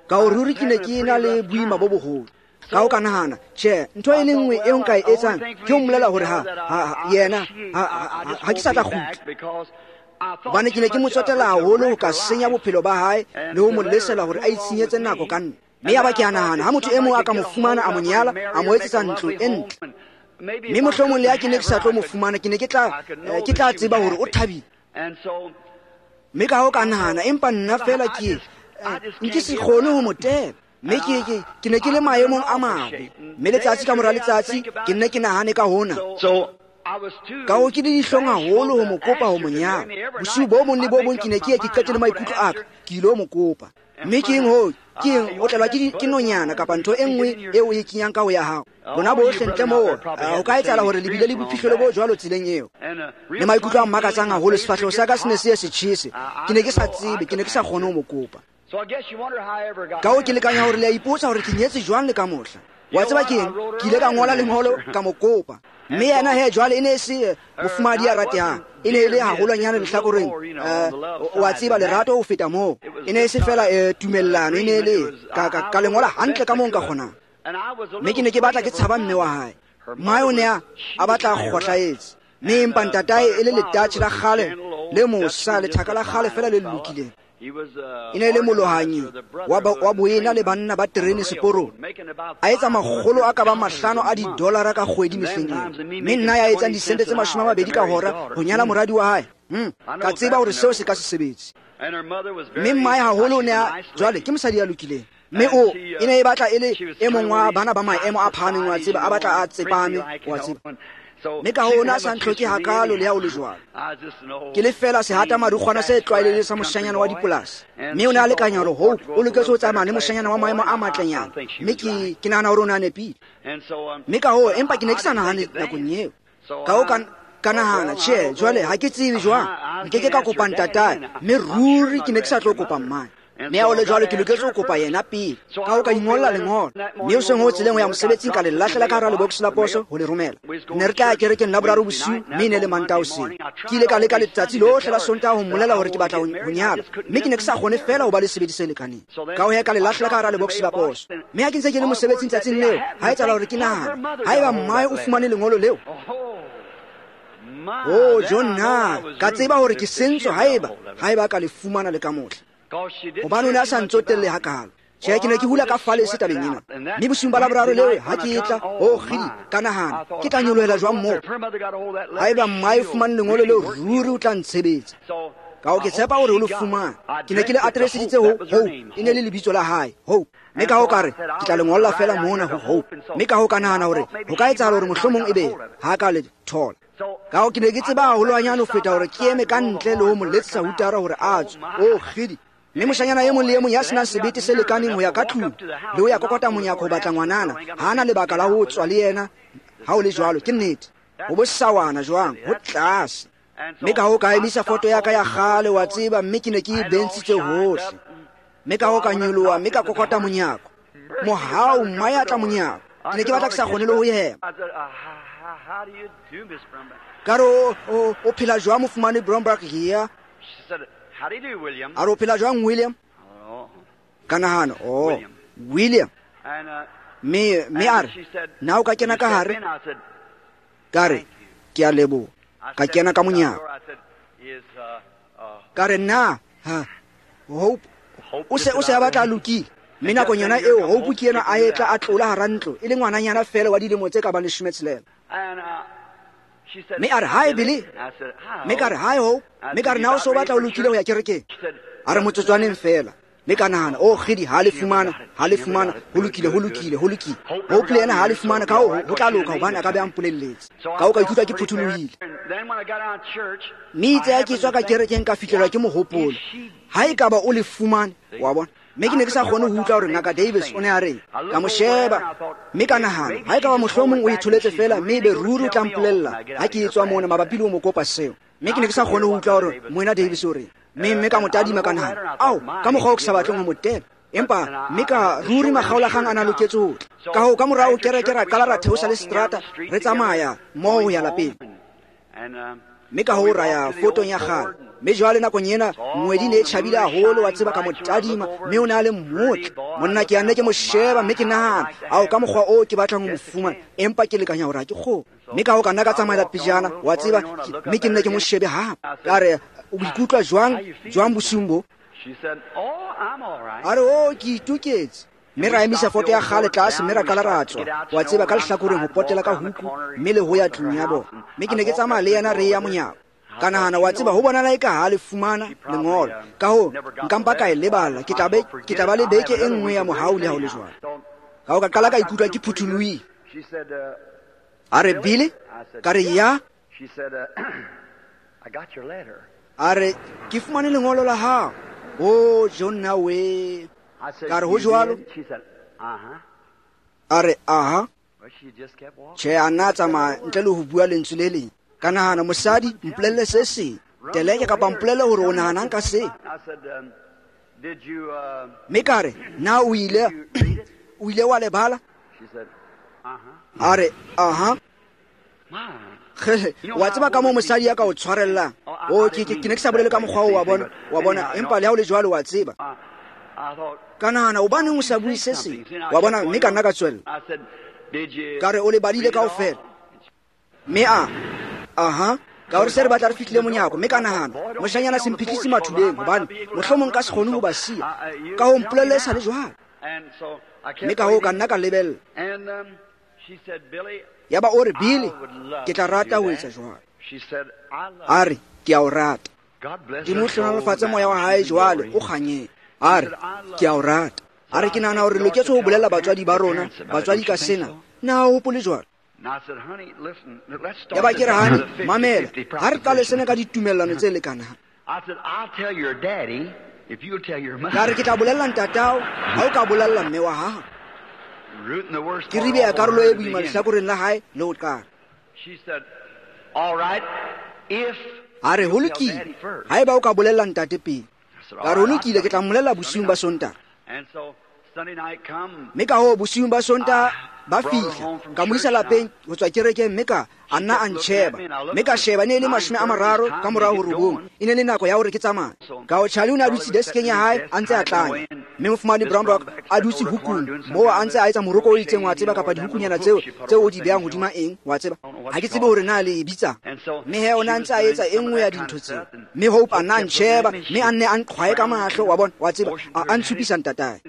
Ka ho ruri ke ne ke ena le boima bo boholo. Ka ho ka nahana, tjhe, ntho e le nngwe eo nka e etsang ke ho mmolela hore ha yena ha ke sa tla kgutla. Hobane ke ne ke mo tsotella haholo ho ka senya bophelo ba hae le ho mo lesela hore a itshenyetse nako ka nna. Mme ya ba ke a nahana, ha motho e mong a ka mo fumana, a mo nyala, a mo etsetsa ntlo e ntle, mme mohlomong le ha ke ne ke sa tlo mo fumana, ke ne ke tla tseba hore o thabile. Mme ka ho ka nahana, empa nna feela ke nke se kgone ho mo tela. Mme ke ne ke le maemong a mabe. Mme letsatsi ka mora letsatsi ke nne ke nahane ka hona. Ka ho ke le dihlong haholo ho mo kopa ho mo nyala. Bosiu bo bong le bo bong ke ne ke ye ke qete le maikutlo a ka, ke ilo mo kopa. Mme ke eng hoo? Ke eng o tlelwa ke nonyana kapa ntho e nngwe eo o e kenyang ka ho ya hao? Lona bohle ntle moo, ho ka etsahala hore le bile le bophihlelo bo jwalo tseleng eo. Le maikutlo a mmakatsang haholo, sefahleho sa ka se ne se ye se tjhese. Ke ne ke sa tsebe, ke ne ke sa kgone ho mo kopa. Ka ho ke lekanya hore le a ipotsa hore ke nyetse jwang le ka mohla. Wa tseba ke eng? Ke ile ka ngola lengolo ka mo kopa. Mme yena he jwale e ne e se mofumahadi ya ratehang, e ne e le haholwanyane lehlakoreng, wa tseba, lerato ho feta moo. E ne e se fela tumellano, e ne e le ka lengola hantle ka moo nka kgonang. Mme ke ne ke batla ke tshaba mme wa hae. Mmae o ne a batla a kgohlahetse. Mme empa ntatae e le letatjhe la kgale le mosa, lethaka la kgale feela le lokileng. E ne e le molohanyi wa boena le banna ba terene seporong. A etsa makgolo a ka bang 5 a didolara ka kgwedi mehleng eo. Mme nna ya etsang disente tse 20 ka hora ho nyala moradi wa hae. Ka tseba hore seo se ka se sebetse. Mme mmae haholo o ne a jwale ke mosadi ya lokileng. Mme o e ne e batla e le e mong wa bana ba maemo a phahameng, wa tseba, a batla a tsepame, wa tseba. Mme ka hoo o ne a sa ntlhoke hakaalo le ha o le jwalo. Ke le feela sehata madukgwana se tlwaelehileng sa moshanyana wa dipolasi. Mme o ne a lekanya hore Hope o loketse ho tsamaya le moshanyana wa maemo a matlenyana. Mme ke nahana hore o ne a nepile. Mme ka hoo, empa ke ne ke sa nahane nakong eo. Ka hoo ka nahana, tjhe, jwale ha ke tsebe jwang, nke ke ka kopa ntatae, mme ruri ke ne ke sa tlo kopa mmae. Mme ha o le jwalo ke loketse ho kopa yena pele. Ka hoo ka ingolla lengolo. Mme hoseng ho tseleng ho ya mosebetsing ka le lahlela ka hara lebokose la poso ho le romela. Ne re tla ya kerekeng Laboraro bosiu mme e ne le Mantaha hoseng. Ke ile ka leka letsatsi lohle la Sontaha ho mmolela hore ke batla ho nyala, mme ke ne ke sa kgone feela ho ba le sebedi se lekaneng. Ka hoo he ka le lahlela ka hara lebokose la poso. Mme ha ke ntse ke le mosebetsing tsatsing leo, ha etsahala hore ke nahane, haeba mmae o fumane lengolo leo, oh, John, na ka tseba hore ke sentswe haeba ka le fumana le ka mohla. Hobane o ne a sa ntsotelle hakaalo. Tjhe, ke ne ke hula ka falese tabeng ena. Mme bosiung ba Laboraro leo ha ke etla, oh, kgidi, ka nahana, ke tla nyolohela jwang moo? Haeba mmae o fumane lengolo leo, ruri o tla ntshebetsa. Ka hoo ke tshepa hore o le fumane. Ke ne ke le atereseditse ho Hope, e ne le lebitso la hae, Hope. Mme ka hoo ka re, ke tla le ngolla feela mona ho Hope. Mme ka hoo ka nahana hore ho ka etsahala hore mohlomong ebe ha ka le thola. Ka hoo ke ne ke tseba haholwanyane ho feta hore ke eme ka ntle le ho mo letsetsa hutara hore a tswe. Oh, kgidi. Mme moshanyana e mong le e mong ya senang sebete se lekaneng ho ya ka tlung le ho ya kokota monyako ho batla ngwanana, ha ana lebaka la ho tswa le yena ha o le jwalo. Ke nnete. Ho bosawana jwang, ho tlase. Mme ka hoo ka emisa foto ya ka ya kgale, wa tseba, mme ke ne ke e bentshitse hohle. Mme ka hoo ka nyoloha, mme ka kokota monyako. Mohau, mmae a tla monyako. Ke ne ke batla ke sa kgone le ho hema. Ka re, o phela jwang mofumane Bromberg here? A re, o phela jwang William? Ka nahana, oh, William. Mme a re, na o ka kena ka hare? Ka re, ke a leboha. Ka kena ka monyako. Ka re, na ha Hope o se a batla a lokile. Mme nakong yona eo Hope ke yena a etla a tlola hara ntlo, e le ngwananyana feela wa dilemo tse ka bang 16. Mme a re, hi Billy. Mme ka re, hi Hope. Mme ka re, na o se o batla o lokile ho ya kerekeng? A re, motsotswaneng feela. Mme ka nahana, oh kgidi, ha le fumana, ho lokile. Hope le yena ha le fumana, ka hoo ho tla loka hobane a ka be a mpolelletse. Ka hoo ka ikutlwa ke phuthulohile. Mme itse ha ke tswa ka kerekeng ka fihlelwa ke mohopolo, ha ekaba o le fumane, wa bona. Mme ke ne ke sa kgone ho utlwa hore Ngaka Davis o ne a reng. Ka mo sheba, mme ka nahana, ha ekaba mohlomong o itholetse feela, mme ebe ruri o tla mpolella ha ke etswa mona mabapi le ho mo kopa seo. Mme ke ne ke sa kgone ho utlwa hore Moena Davis o reng. Mme ka mo tadima ka nahana, ao, ka mokgwa o ke sa batleng ho mo tela. Empa mme ka ruri makgaolakgang a na loketse ho tla. Ka hoo ka morao kereke ra qala ra theosa le seterata, re tsamaya mmoho ho ya lapeng. Mme ka hoo ra ya fotong ya kgale. Mme jwale nakong ena ngwedi ne e tjhabile haholo, wa tseba, ka mo tadima, mme o ne a le motle. Monna ke a nne ke mo sheba, mme ke nahana, ao, ka mokgwa oo ke batlang ho mo fumana, empa ke lekanya hore ha ke kgone. Mme ka hoo ka nna ka tsamaela pejana, wa tseba, mme ke nne ke mo shebe hape. Ka re, o ikutlwa jwang bosiung bo? A re, oh, ke itoketse. Mme ra emisa foto ya kgale tlase, mme ra qala ra tswa, wa tseba, ka lehlakoreng ho potela ka huku, mme le ho ya tlung ya bona. Mme ke ne ke tsamaya le yena re ya monyako. Ka nahana, wa tseba, ho bonala eka ha le fumana lengolo. Ka hoo, nka mpa ka e lebala, ke tla ba le beke e nngwe ya mohau le ha ho le jwalo. Ka hoo ka qala ka ikutlwa ke phuthulohile. A re, Billy? Ka re, ya. A re, ke fumane lengolo la hao. Oh, John, na we. Ka re, ho jwalo? A re, aha. Tjhe, a nna a tsamaya ntle le ho bua lentswe le leng. Ka nahana, mosadi, mpolelle se seng. Teleke kapa mpolelle hore o nahanang ka se. Mme ka re, na o ile wa lebala? A re, aha. Wa tseba ka moo mosadi ya ka o tshwarellang. Oh, ke ne ke sa bolele ka mokgwa oo, wa bona, empa le ha o le jwalo wa tseba. Ka nahana, hobaneng o sa bue se seng? Wa bona, mme ka nna ka tswella. Ka re, o le badile kaofela. Mme a, aha, ka hore se re batla re fihlile monyako, mme ka nahana, moshanyana se mphihlise mathuleng, hobane mohlomong ka se kgone ho ba siya. Ka ho mpolelle e sa le jwalo. Mme ka hoo ka nna ka lebella. Yaba o re, Billy, ke tla rata ho etsa jwalo. A re, ke a o rata. Modimo o hlohonolofatse moya wa hae jwale, o kganyeng. A re, ke a o rata. A re, ke nahana hore re loketse ho bolella batswadi ba rona, batswadi ka sena. Na o hopole jwalo? Yaba ke re, "Honey, mamela, ha re qale sena ka ditumellano tse lekanang." Ka re, "Ke tla bolella ntatao ha o ka bolella mme wa hao." Ke ribeya karolo e boima lehlakoreng la hae le ho qala. A re, "Ho lokile, haeba o ka bolella ntate pele." Ka re, "Ho lokile, ke tla mmolella bosiung ba Sontaha." Mme ka hoo bosiung ba Sontaha ba fihla, ka mo isa lapeng ho tswa kerekeng, mme ka a nna a ntjheba, mme ka sheba, ne e le 9:39, e ne le nako ya hore ke tsamaye. Ka ho Charlie o ne a dutse deskeng ya hae a ntse a tlanya, mme mofumane Brownback a dutse hukung moo a ntse a etsa moroko o itseng, wa tseba, kapa dihukunyana tseo tseo o di behang hodima eng, wa tseba, ha ke tsebe hore na le e bitsang. Mme he o ne a ntse a etsa e nngwe ya dintho tseo, mme Hope a nna a ntjheba, mme a nne a nqhwaye ka mahlo, wa bona, wa tseba, a ntshupisa ntatae.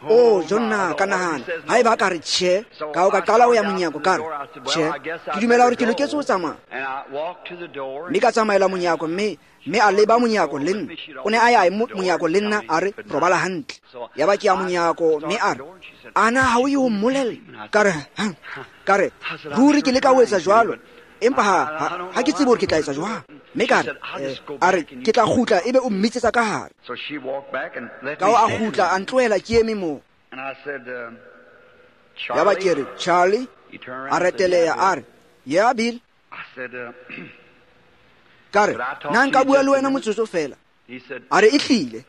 Oh, Jonna, ka nahana haeba a ka re tjhe, ka o ka qala ho ya monyako, ka re tjhe, ke dumela hore ke loketse ho tsamaya. Mme ka tsamaela monyako, mme a leba monyako le nna. O ne a ya monyako le nna, a re, "Robala hantle." Yaba ke ya monyako, mme a re, "Ana ha o ye ho mmolella?" Ka re, ka re, "Ruri ke leka ho etsa jwalo, empa ha ke tsebe hore ke tla etsa jwang." Mme ka re, a re, "Ke tla kgutla ebe o mmitsetsa ka hare." Ka ho a kgutla, a ntlohela ke eme moo. Yaba ke re, "Charlie." A reteleha, a re, "Yeah, Bill." Ka re, "Na nka bua le wena motsotso fela?" A re, "Ehlile."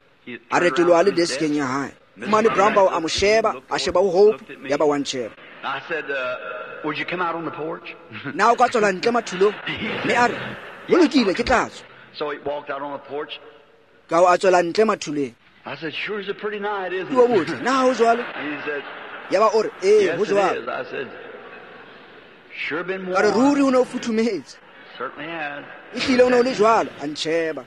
A retoloha le deskeng ya hae. Fumane Brownbaugh a mo sheba, a sheba ho Hope, yaba wa ntjheba. Na o ka tswela ntle mathulong? Mme a re, "Ho lokile, ke tla tswa." Ka ho a tswela ntle mathuleng. Ke o botle, na ha ho jwalo? Yaba o re, "Ee, ho jwalo." Ka re, "Ruri o ne o futhumetse." Ehlile o ne o le jwalo, a ntjheba.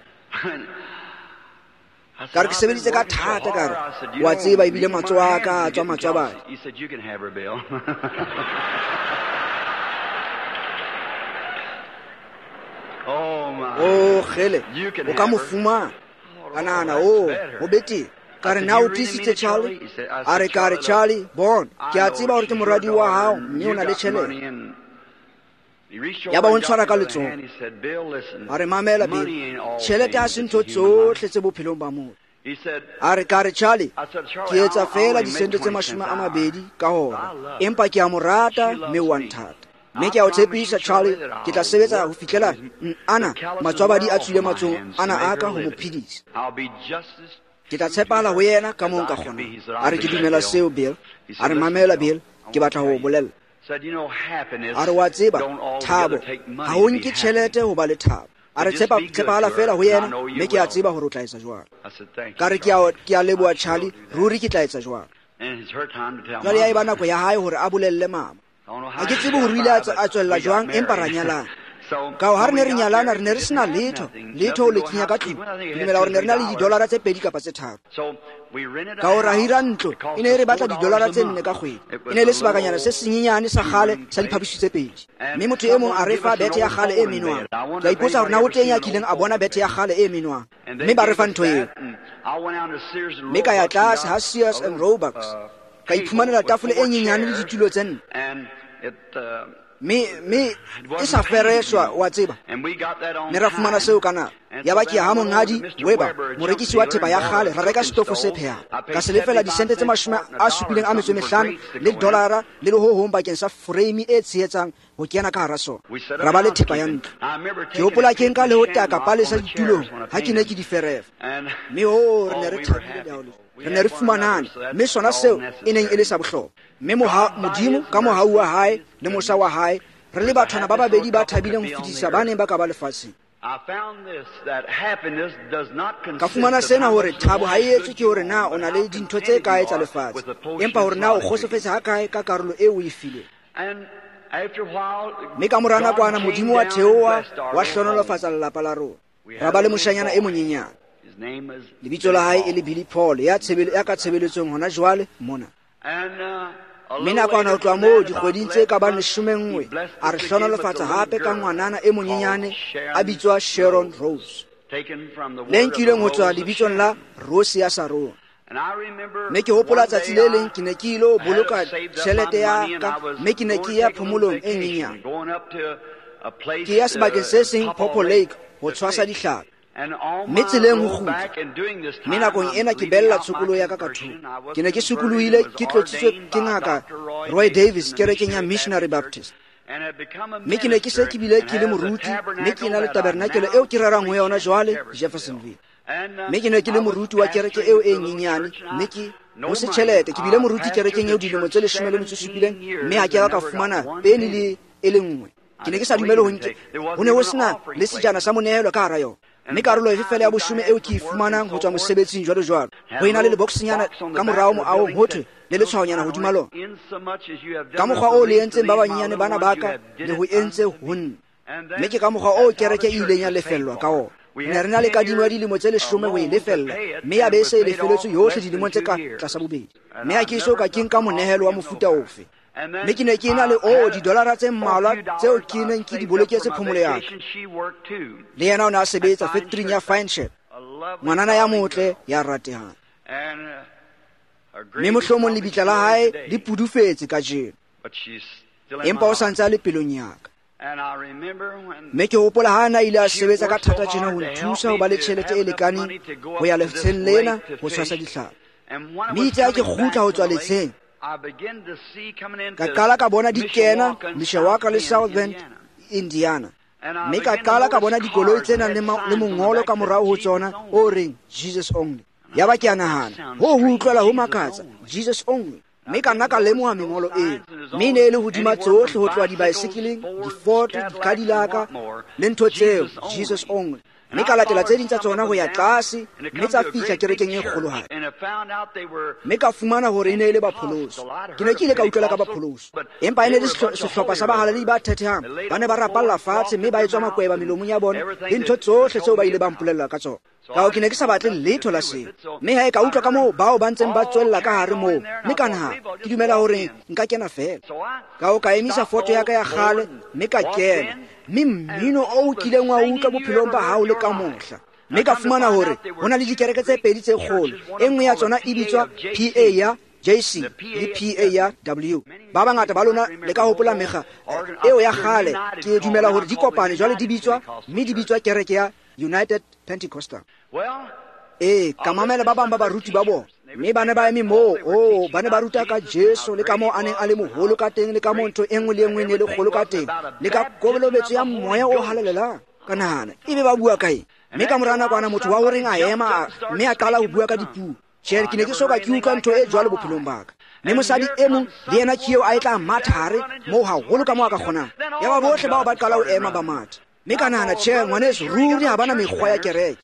Ka re, "Ke sebeditse ka thata." Ka re, "Wa tseba, ebile matsoho a ka a tswa matswabadi." Oh, kgele, o ka mo fumana. Ka nahana, oh, ho betere. Ka re, "Na o tiisitse, Charlie?" A re, ka re, "Charlie, bona, ke a tseba hore ke moradi wa hao, mme o na le tjhelete." Yaba o ntshwara ka letsoho. A re, "Mamela, Bill, tjhelete ha se ntho tsohle tse bophelong ba motho." A re, ka re, "Charlie, ke etsa feela disente tse 20 ka hora, empa ke a mo rata mme o a nthata. Mme ke a o tshepisa, Charlie, ke tla sebetsa ho fihlela ana matswabadi a tswile matsohong ana a ka ho mo phedisa. Ke tla tshepahala ho yena ka moo nka kgonang." A re, "Ke dumela seo, Bill." A re, "Mamela, Bill, ke batla ho o bolella." A re, "Wa tseba, thabo ha ho nke tjhelete ho ba le thabo." A re, "Tshepahala feela ho yena, mme ke a tseba hore o tla etsa jwalo." Ka re, "Ke a leboha, Charlie, ruri ke tla etsa jwalo." Jwale ya eba nako ya hae hore a bolelle mama. Ha ke tsebe hore o ile a tswella jwang, empa ra nyalana. Ka ho ha re ne re nyalana, re ne re sena letho, letho ho le kenya ka tlung. Ke dumela hore ne re na le $2 tse 2 kapa tse 3. Ka ho ra hira ntlo, e ne e re batla $4 ka kgwedi. E ne e le sebakanyana se senyenyane sa kgale sa diphaposi tse 2. Mme motho e mong a re fa bethe ya kgale e menwang. Ke a ipotsa hore na ho teng ya kileng a bona bethe ya kgale e menwang. Mme ba re fa ntho eo. Mme ka ya tlase ha Sears and Roebucks, ka iphumanela tafole e nyenyane le ditulo tse 4. Mme e sa fereswa, wa tseba. Mme ra fumana seo ka nako. Yaba ke ya ha monghadi Weber, morekisi wa thepa ya kgale, ra reka setofo se phehang. Ka se lefela disente tse 75 le $1 le le ho hong bakeng sa frame e tshehetsang ho kena ka hara sona. Ra ba le thepa ya ntlo. Ke hopola ke nka le ho taka palesa ditulong ha ke ne ke di ferefa. Mme ho re ne re thabile le ha ho le. Re ne re fumanane, mme sona seo e neng e le sa bohlokwa. Mme Modimo ka mohau wa hae le mosa wa hae, re le bathwana ba babedi ba thabileng ho fetisa ba neng ba ka ba lefatsheng. Ka fumana sena hore thabo ha e etswe ke hore na o na le dintho tse kae tsa lefatshe, empa hore na o kgotsofetse ha kae ka karolo eo o e fileng. Mme ka mora nakwana Modimo wa theoha wa hlohonolofatsa lelapa la rona. Ra ba le moshanyana e monyenyane. Lebitso la hae e le Billy Paul, ya ka tshebeletsong hona jwale mona. Mme nakwana ho tloha moo dikgweding tse ka bang 11, a re hlohonolofatsa hape ka ngwanana e monyenyane a bitswa Sharon Rose, le nkilweng ho tswa lebitsong la Rose ya Sarona. Mme ke hopola tsatsi le leng ke ne ke ilo boloka tjhelete ya ka, mme ke ne ke ya phomolong e nyenyane. Ke ya sebakeng se seng Pawpaw Lake ho tshwasa dihlapi. Mme tseleng ho kgutla, mme nakong ena ke bella tshokolo ya ka ka thoko. Ke ne ke sokolohile ke tlotsitswe ke ngaka Roy Davis kerekeng ya Missionary Baptist. Mme ke ne ke se ke bile ke le moruti, mme ke na le tabernakele eo ke rerang ho yona jwale Jeffersonville. Mme ke ne ke le moruti wa kereke eo e nyenyane, mme ke ho se tjhelete. Ke bile moruti kerekeng eo dilemo tse 17, mme ha ke a ka fumana peni le e le nngwe. Ke ne ke sa dumele ho nke, ho ne ho sena le sejana sa monehelo ka hara yona. Mme karolo efe fela ya boshome eo ke e fumanang ho tswa mosebetsing jwalo jwalo, ho ena le leboxnyana ka morao moahong ho thwe le letshwaonyana hodima lona. Ka mokgwa oo le entseng ba banyenyane bana ba ka, le ho entse ho nna. Mme ke ka mokgwa oo kereke e ileng ya lefellwa ka ona. Ne re na le kadimo ya dilemo tse 10 ho e lefella, mme ya be e se e lefeletswe yohle dilemong tse ka tlasa bobedi. Mme ha ke eso ka ke nka monehelo wa mofuta ofe. Mme ke ne ke na le didolara tse mmalwa tseo ke neng ke di boloketse phomolo ya ka. Le yena o ne a sebetsa factory ya Fine Ship, ngwanana ya motle ya ratehang. Mme mohlomong lebitla la hae le pudufetse kajeno, empa o sa ntse a le pelong ya ka. Mme ke hopola ha na ile a sebetsa ka thata tjena ho nthusa ho ba le tjhelete e lekaneng ho ya letsheng lena ho tshwasa dihlapi. Mme itse ha ke kgutla ho tswa letsheng, ka qala ka bona di kena Mishawaka le South Bend, Indiana. Mme ka qala ka bona dikoloi tse nang le mongolo ka morao ho tsona o reng Jesus only. Ya ba ke a nahana, ho utlwela ho makatsa, Jesus only. Mme ka nna ka lemoha mengolo eo. Mme e ne e le hodima tsohle ho tloha dibaesekeleng, di-Ford, di-Cadillac le ntho tseo, Jesus only. Mme ka latela tse ding tsa tsona ho ya tlase, mme tsa fihla kerekeng e kgolohadi. Mme ka fumana hore e ne e le bapholoso. Ke ne ke ile ka utlwela ka bapholoso, empa e ne le sehlopha sa bahalaledi ba thethehang. Ba ne ba rapalla fatshe mme ba etswa makweba melomong ya bona le ntho tsohle tseo ba ile ba mpolella ka tsona. Ka ho ke ne ke sa batle letho la seo. Mme ha e ka utlwa ka moo bao ba ntseng ba tswella ka hare moo, mme ka nahana, ke dumela hore nka kena fela. Ka ho ka emisa foto ya ka ya kgale, mme ka kena. Mme mmino o kileng wa utlwa bophelong ba hao le ka mohla. Mme ka fumana hore ho na le dikereke tse pedi tse kgolo. E nngwe ya tsona e bitswa PA ya JC le PA ya W. Ba bangata ba lona le ka hopola mekga eo ya kgale. Ke dumela hore di kopane jwale di bitswa, mme di bitswa kereke ya United Pentecostal. Ee, ka mamela ba bang ba baruti ba bona. Mme ba ne ba eme moo, ba ne ba ruta ka Jesu le ka moo a neng a le moholo ka teng, le ka moo ntho e nngwe le e nngwe e ne le kgolo ka teng, le ka kolobetso ya moya o halalelang. Ka nahana, ebe ba bua ka eng? Mme ka mora nakwana motho wa horeng a ema mme a qala ho bua ka dipuo. Tjhe, ke ne ke soka ke utlwa ntho e jwalo bophelong ba ka. Mme mosadi e mong le yena ke eo a e tla matha hare moo haholo ka moo a ka kgonang. Ya ba bohle bao ba qala ho ema ba matha. Mme ka nahana, tjhe, ngwaneso, ruri ha bana mekgwa ya kereke.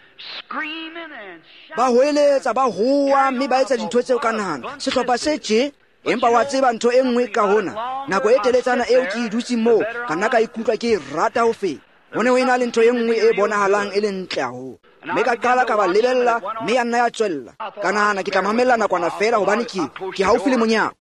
Ba hoeletsa, ba hoa, mme ba etsa dintho tseo ka nahana. Sehlopha se tje, empa wa tseba ntho e nngwe ka hona. Nako e teletsana eo ke e dutseng moo, ka nna ka ikutlwa ke e rata ho feta. Ho ne ho ena le ntho e nngwe e bonahalang e le ntle haholo. Mme ka qala ka ba lebella, mme ya nna ya tswella. Ka nahana ke tla mamella nakwana feela hobane ke haufi le monyako.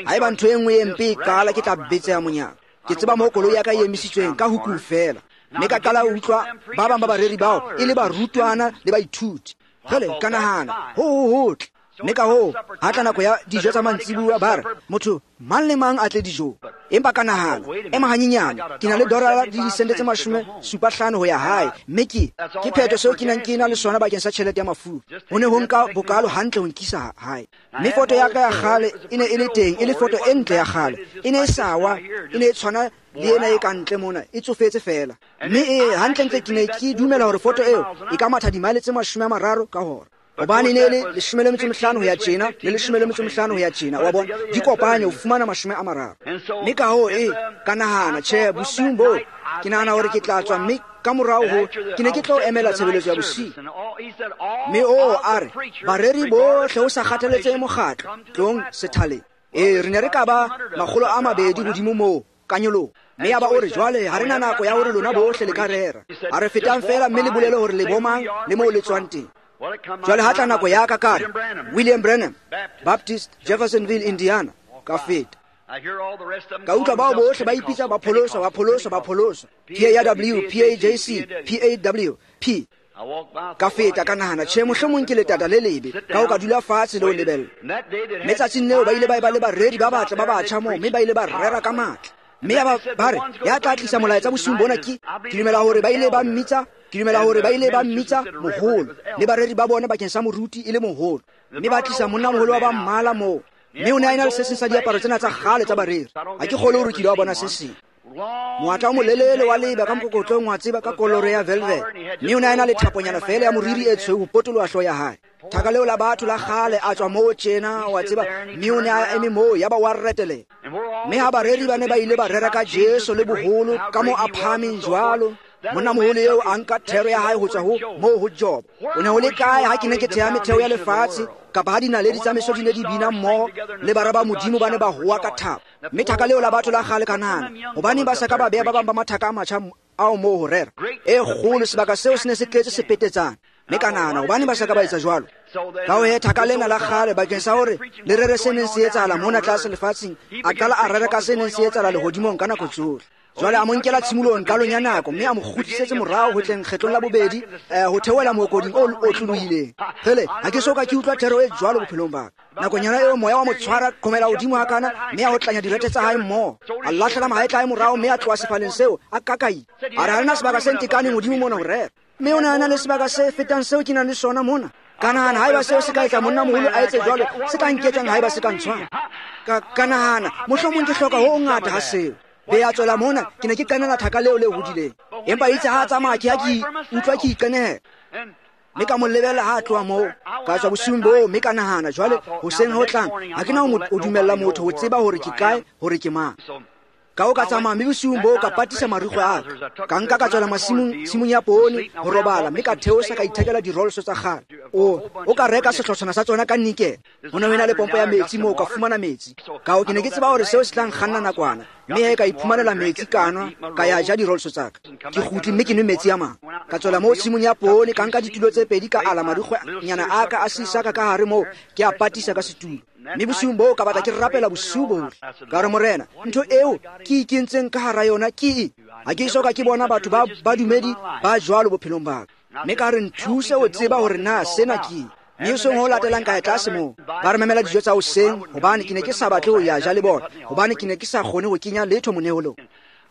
Haeba ntho e nngwe e mpe e qala, ke tla betseha monyako. Ke tseba moo koloi ya ka e emisitsweng ka hukung feela. Mme ka qala ho utlwa ba bang ba bareri bao e le barutwana le baithuti. Jwale ka nahana, ho hotle. Mme ka hoo ha tla nako ya dijo tsa mantsibuya, ba re motho mang le mang a tle dijong. Empa ka nahana, ema hanyenyane, ke na le dolara le disente tse 75 ho ya hae, mme ke phetho seo ke nang ke na le sona bakeng sa tjhelete ya mafura. Ho ne ho nka bokalo hantle ho nkisa hae. Mme foto ya ka ya kgale e ne e le teng, e le foto e ntle ya kgale. E ne e sa wa, e ne e tshwana le ena e ka ntle mona, e tsofetse fela. Mme e hantlentle ke ne ke dumela hore foto eo e ka matha dimaele tse 30 ka hora. Hobane ne le 15 ho ya tjena le 15 ho ya tjena, wa bona, di kopanye ho fumana 30. Mme ka hoo ka nahana, tjhe, bosiung boo ke nahana hore ke tla tswa, mme ka morao ho ke ne ke tlo emela tshebeletso ya bosiu. Mme a re bareri bohle ho sa kgathaletsehe mokgatlo, tlong sethaleng. Ee, re ne re ka ba 200 hodimo moo ka nyoloho. Mme ya ba o re, jwale ha re na nako ya hore lona bohle le ka rera. A re fetang fela mme le bolele hore le bomang le moo le tswang teng. Jwale ha tla nako ya ka, ka re William Branham, Baptist, Jeffersonville, Indiana. Ka feta. Ka utlwa bao bohle ba ipitsa ba pholoswa, ba pholoswa, ba pholoswa. PAW, PAJC, PAW, P. Ka feta ka nahana, tjhe, mohlomong ke letata le lebe, ka ho ka dula fatshe le ho lebella. Mme tsatsing leo ba ile ba eba le bareri ba batle ba batjha moo, mme ba ile ba rera ka matla. Mme ya ba re, ya tla tlisa molaetsa bosiung bona ke dumela hore ba ile ba mmitsa, ke dumela hore ba ile ba mmitsa moholo, le bareri ba bona bakeng sa moruti e le moholo. Mme ba tlisa monna moholo wa ba mmala moo. Mme o ne a ena le se seng sa diaparo tsena tsa kgale tsa bareri. Ha ke kgolwe hore ke ile wa bona se seng. Moatla o molelele wa leba ka mokokotlong wa tseba ka kolore ya velvet. Mme o ne a ena le thaponyana feela ya moriri e tshweu ho potoloha hlooho ya hae. Thaka leo la batho la kgale a tswa moo tjena wa tseba, mme o ne a eme moo yaba wa retelela. Mme ha bareri ba ne ba ile ba rera ka Jesu le boholo ka mo a phahameng jwalo, monna moholo eo a nka thero ya hae ho tswa ho moo ho Job. O ne ho le kae ha ke ne ke theha metheo ya lefatshe, kapa ha dinaledi tsa meso di ne di bina mmoho le bara ba Modimo ba ne ba howa ka thabo. Mme thaka leo la batho la kgale ka nahana, hobaneng ba sa ka ba beha ba bang ba mathaka a matjha ao moo ho rera? E kgolo, sebaka seo se ne se tletse sepetetsana. Mme ka nahana, hobaneng ba sa ka ba etsa jwalo? Ka ho he thaka lena la kgale bakeng sa hore le rere se neng se etsahala mona tlase lefatsheng, a qala a rera ka se neng se etsahala lehodimong ka nako tsohle. Jwale a mo nkela tshimolohong qalong ya nako, mme a mo kgutlisetse morao ho tleng kgetlong la bobedi, ho theohela mookoding o otlolohileng. Kgele, ha ke so ka ke utlwa thero e jwalo bophelong ba ka. Nakonyana eo moya wa mo tshwara qhomela hodimo hakana, mme a otlanya direthe tsa hae mmoho. A lahlela mahetla a hae morao, mme a tloha sefaleng seo a kakaile. A re ha re na sebaka se ntekaneng hodimo mona ho rera. Mme o ne a na le sebaka se fetang seo ke nang le sona mona. Ka nahana, haeba seo se ka etsa monna moholo a etse jwalo, se ka nketsang haeba se ka ntshwara? Ka nahana, mohlomong ke hloka ho hongata ha seo. Be a tswela mona, ke ne ke qenela thaka leo le hodileng. Empa itse ha a tsamaya ke ha ke utlwa ke iqenehela. Mme ka mo lebella ha a tloha moo, ka tswa bosiung boo, mme ka nahana, jwale hoseng ho tlang, ha ke na ho dumella motho ho tseba hore ke kae, hore ke mang. Ka ho ka tsamaya, mme bosiung boo ka patisa marikgwe a ka. Ka nka ka tswela masimong, tshimong ya poone, ho robala, mme ka theosa ka ithekela dirolso tsa kgale. O ka reka sehlotshwana sa tsona ka nikele. Ho ne ho ena le pompo ya metsi moo ka fumana metsi. Ka ho ke ne ke tseba hore seo se tla nkganna nakwana, mme he ka iphumanela metsi ka nwa, ka ya ja dirolso tsa ka. Ke kgutle mme ke nwe metsi a mang. Ka tswela moo tshimong ya poone, ka nka ditulo tse pedi, ka ala marikgwenyana a ka a sisa ka ka hare moo, ke a patisa ka setulo. Mme bosiung boo ka batla ke rapela bosiu bohle. Ka re, Morena, ntho eo ke ikentseng ka hara yona ke eng? Ha ke so ka ke bona batho ba badumedi ba jwalo bophelong ba ka. Mme ka re, nthuse ho tseba hore na sena ke eng. Mme hoseng ho latelang ka ya tlase moo, ba re memela dijo tsa hoseng, hobane ke ne ke sa batle ho ya ja le bona, hobane ke ne ke sa kgone ho kenya letho moneholong.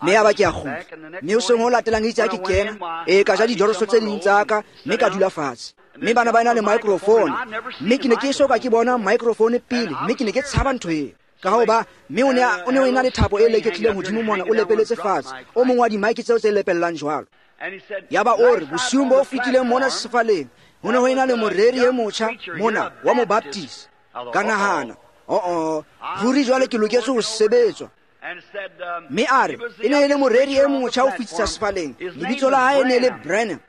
Mme ya ba ke a kgutla. Mme hoseng ho latelang itse ha ke kena, ee, ka ja dijoroso tse ding tsa ka, mme ka dula fatshe. Mme bana ba ena le microphone, mme ke ne ke so ka ke bona microphone pele, mme ke ne ke tshaba ntho eo. Ka ho ba, mme o ne o ena le thapo e leketlileng hodimo mona, o lepeletse fatshe, o mong wa di-mic tseo tse lepellang jwalo. Yaba o re, bosiung bo fetileng mona sefaleng, ho ne ho ena le moreri e motjha mona wa Mobaptist. Ka nahana, oh, ruri jwale ke loketse ho sebetswa. Mme a re, e ne e le moreri e motjha ho fetisa sefaleng, lebitso la hae e ne le Branham.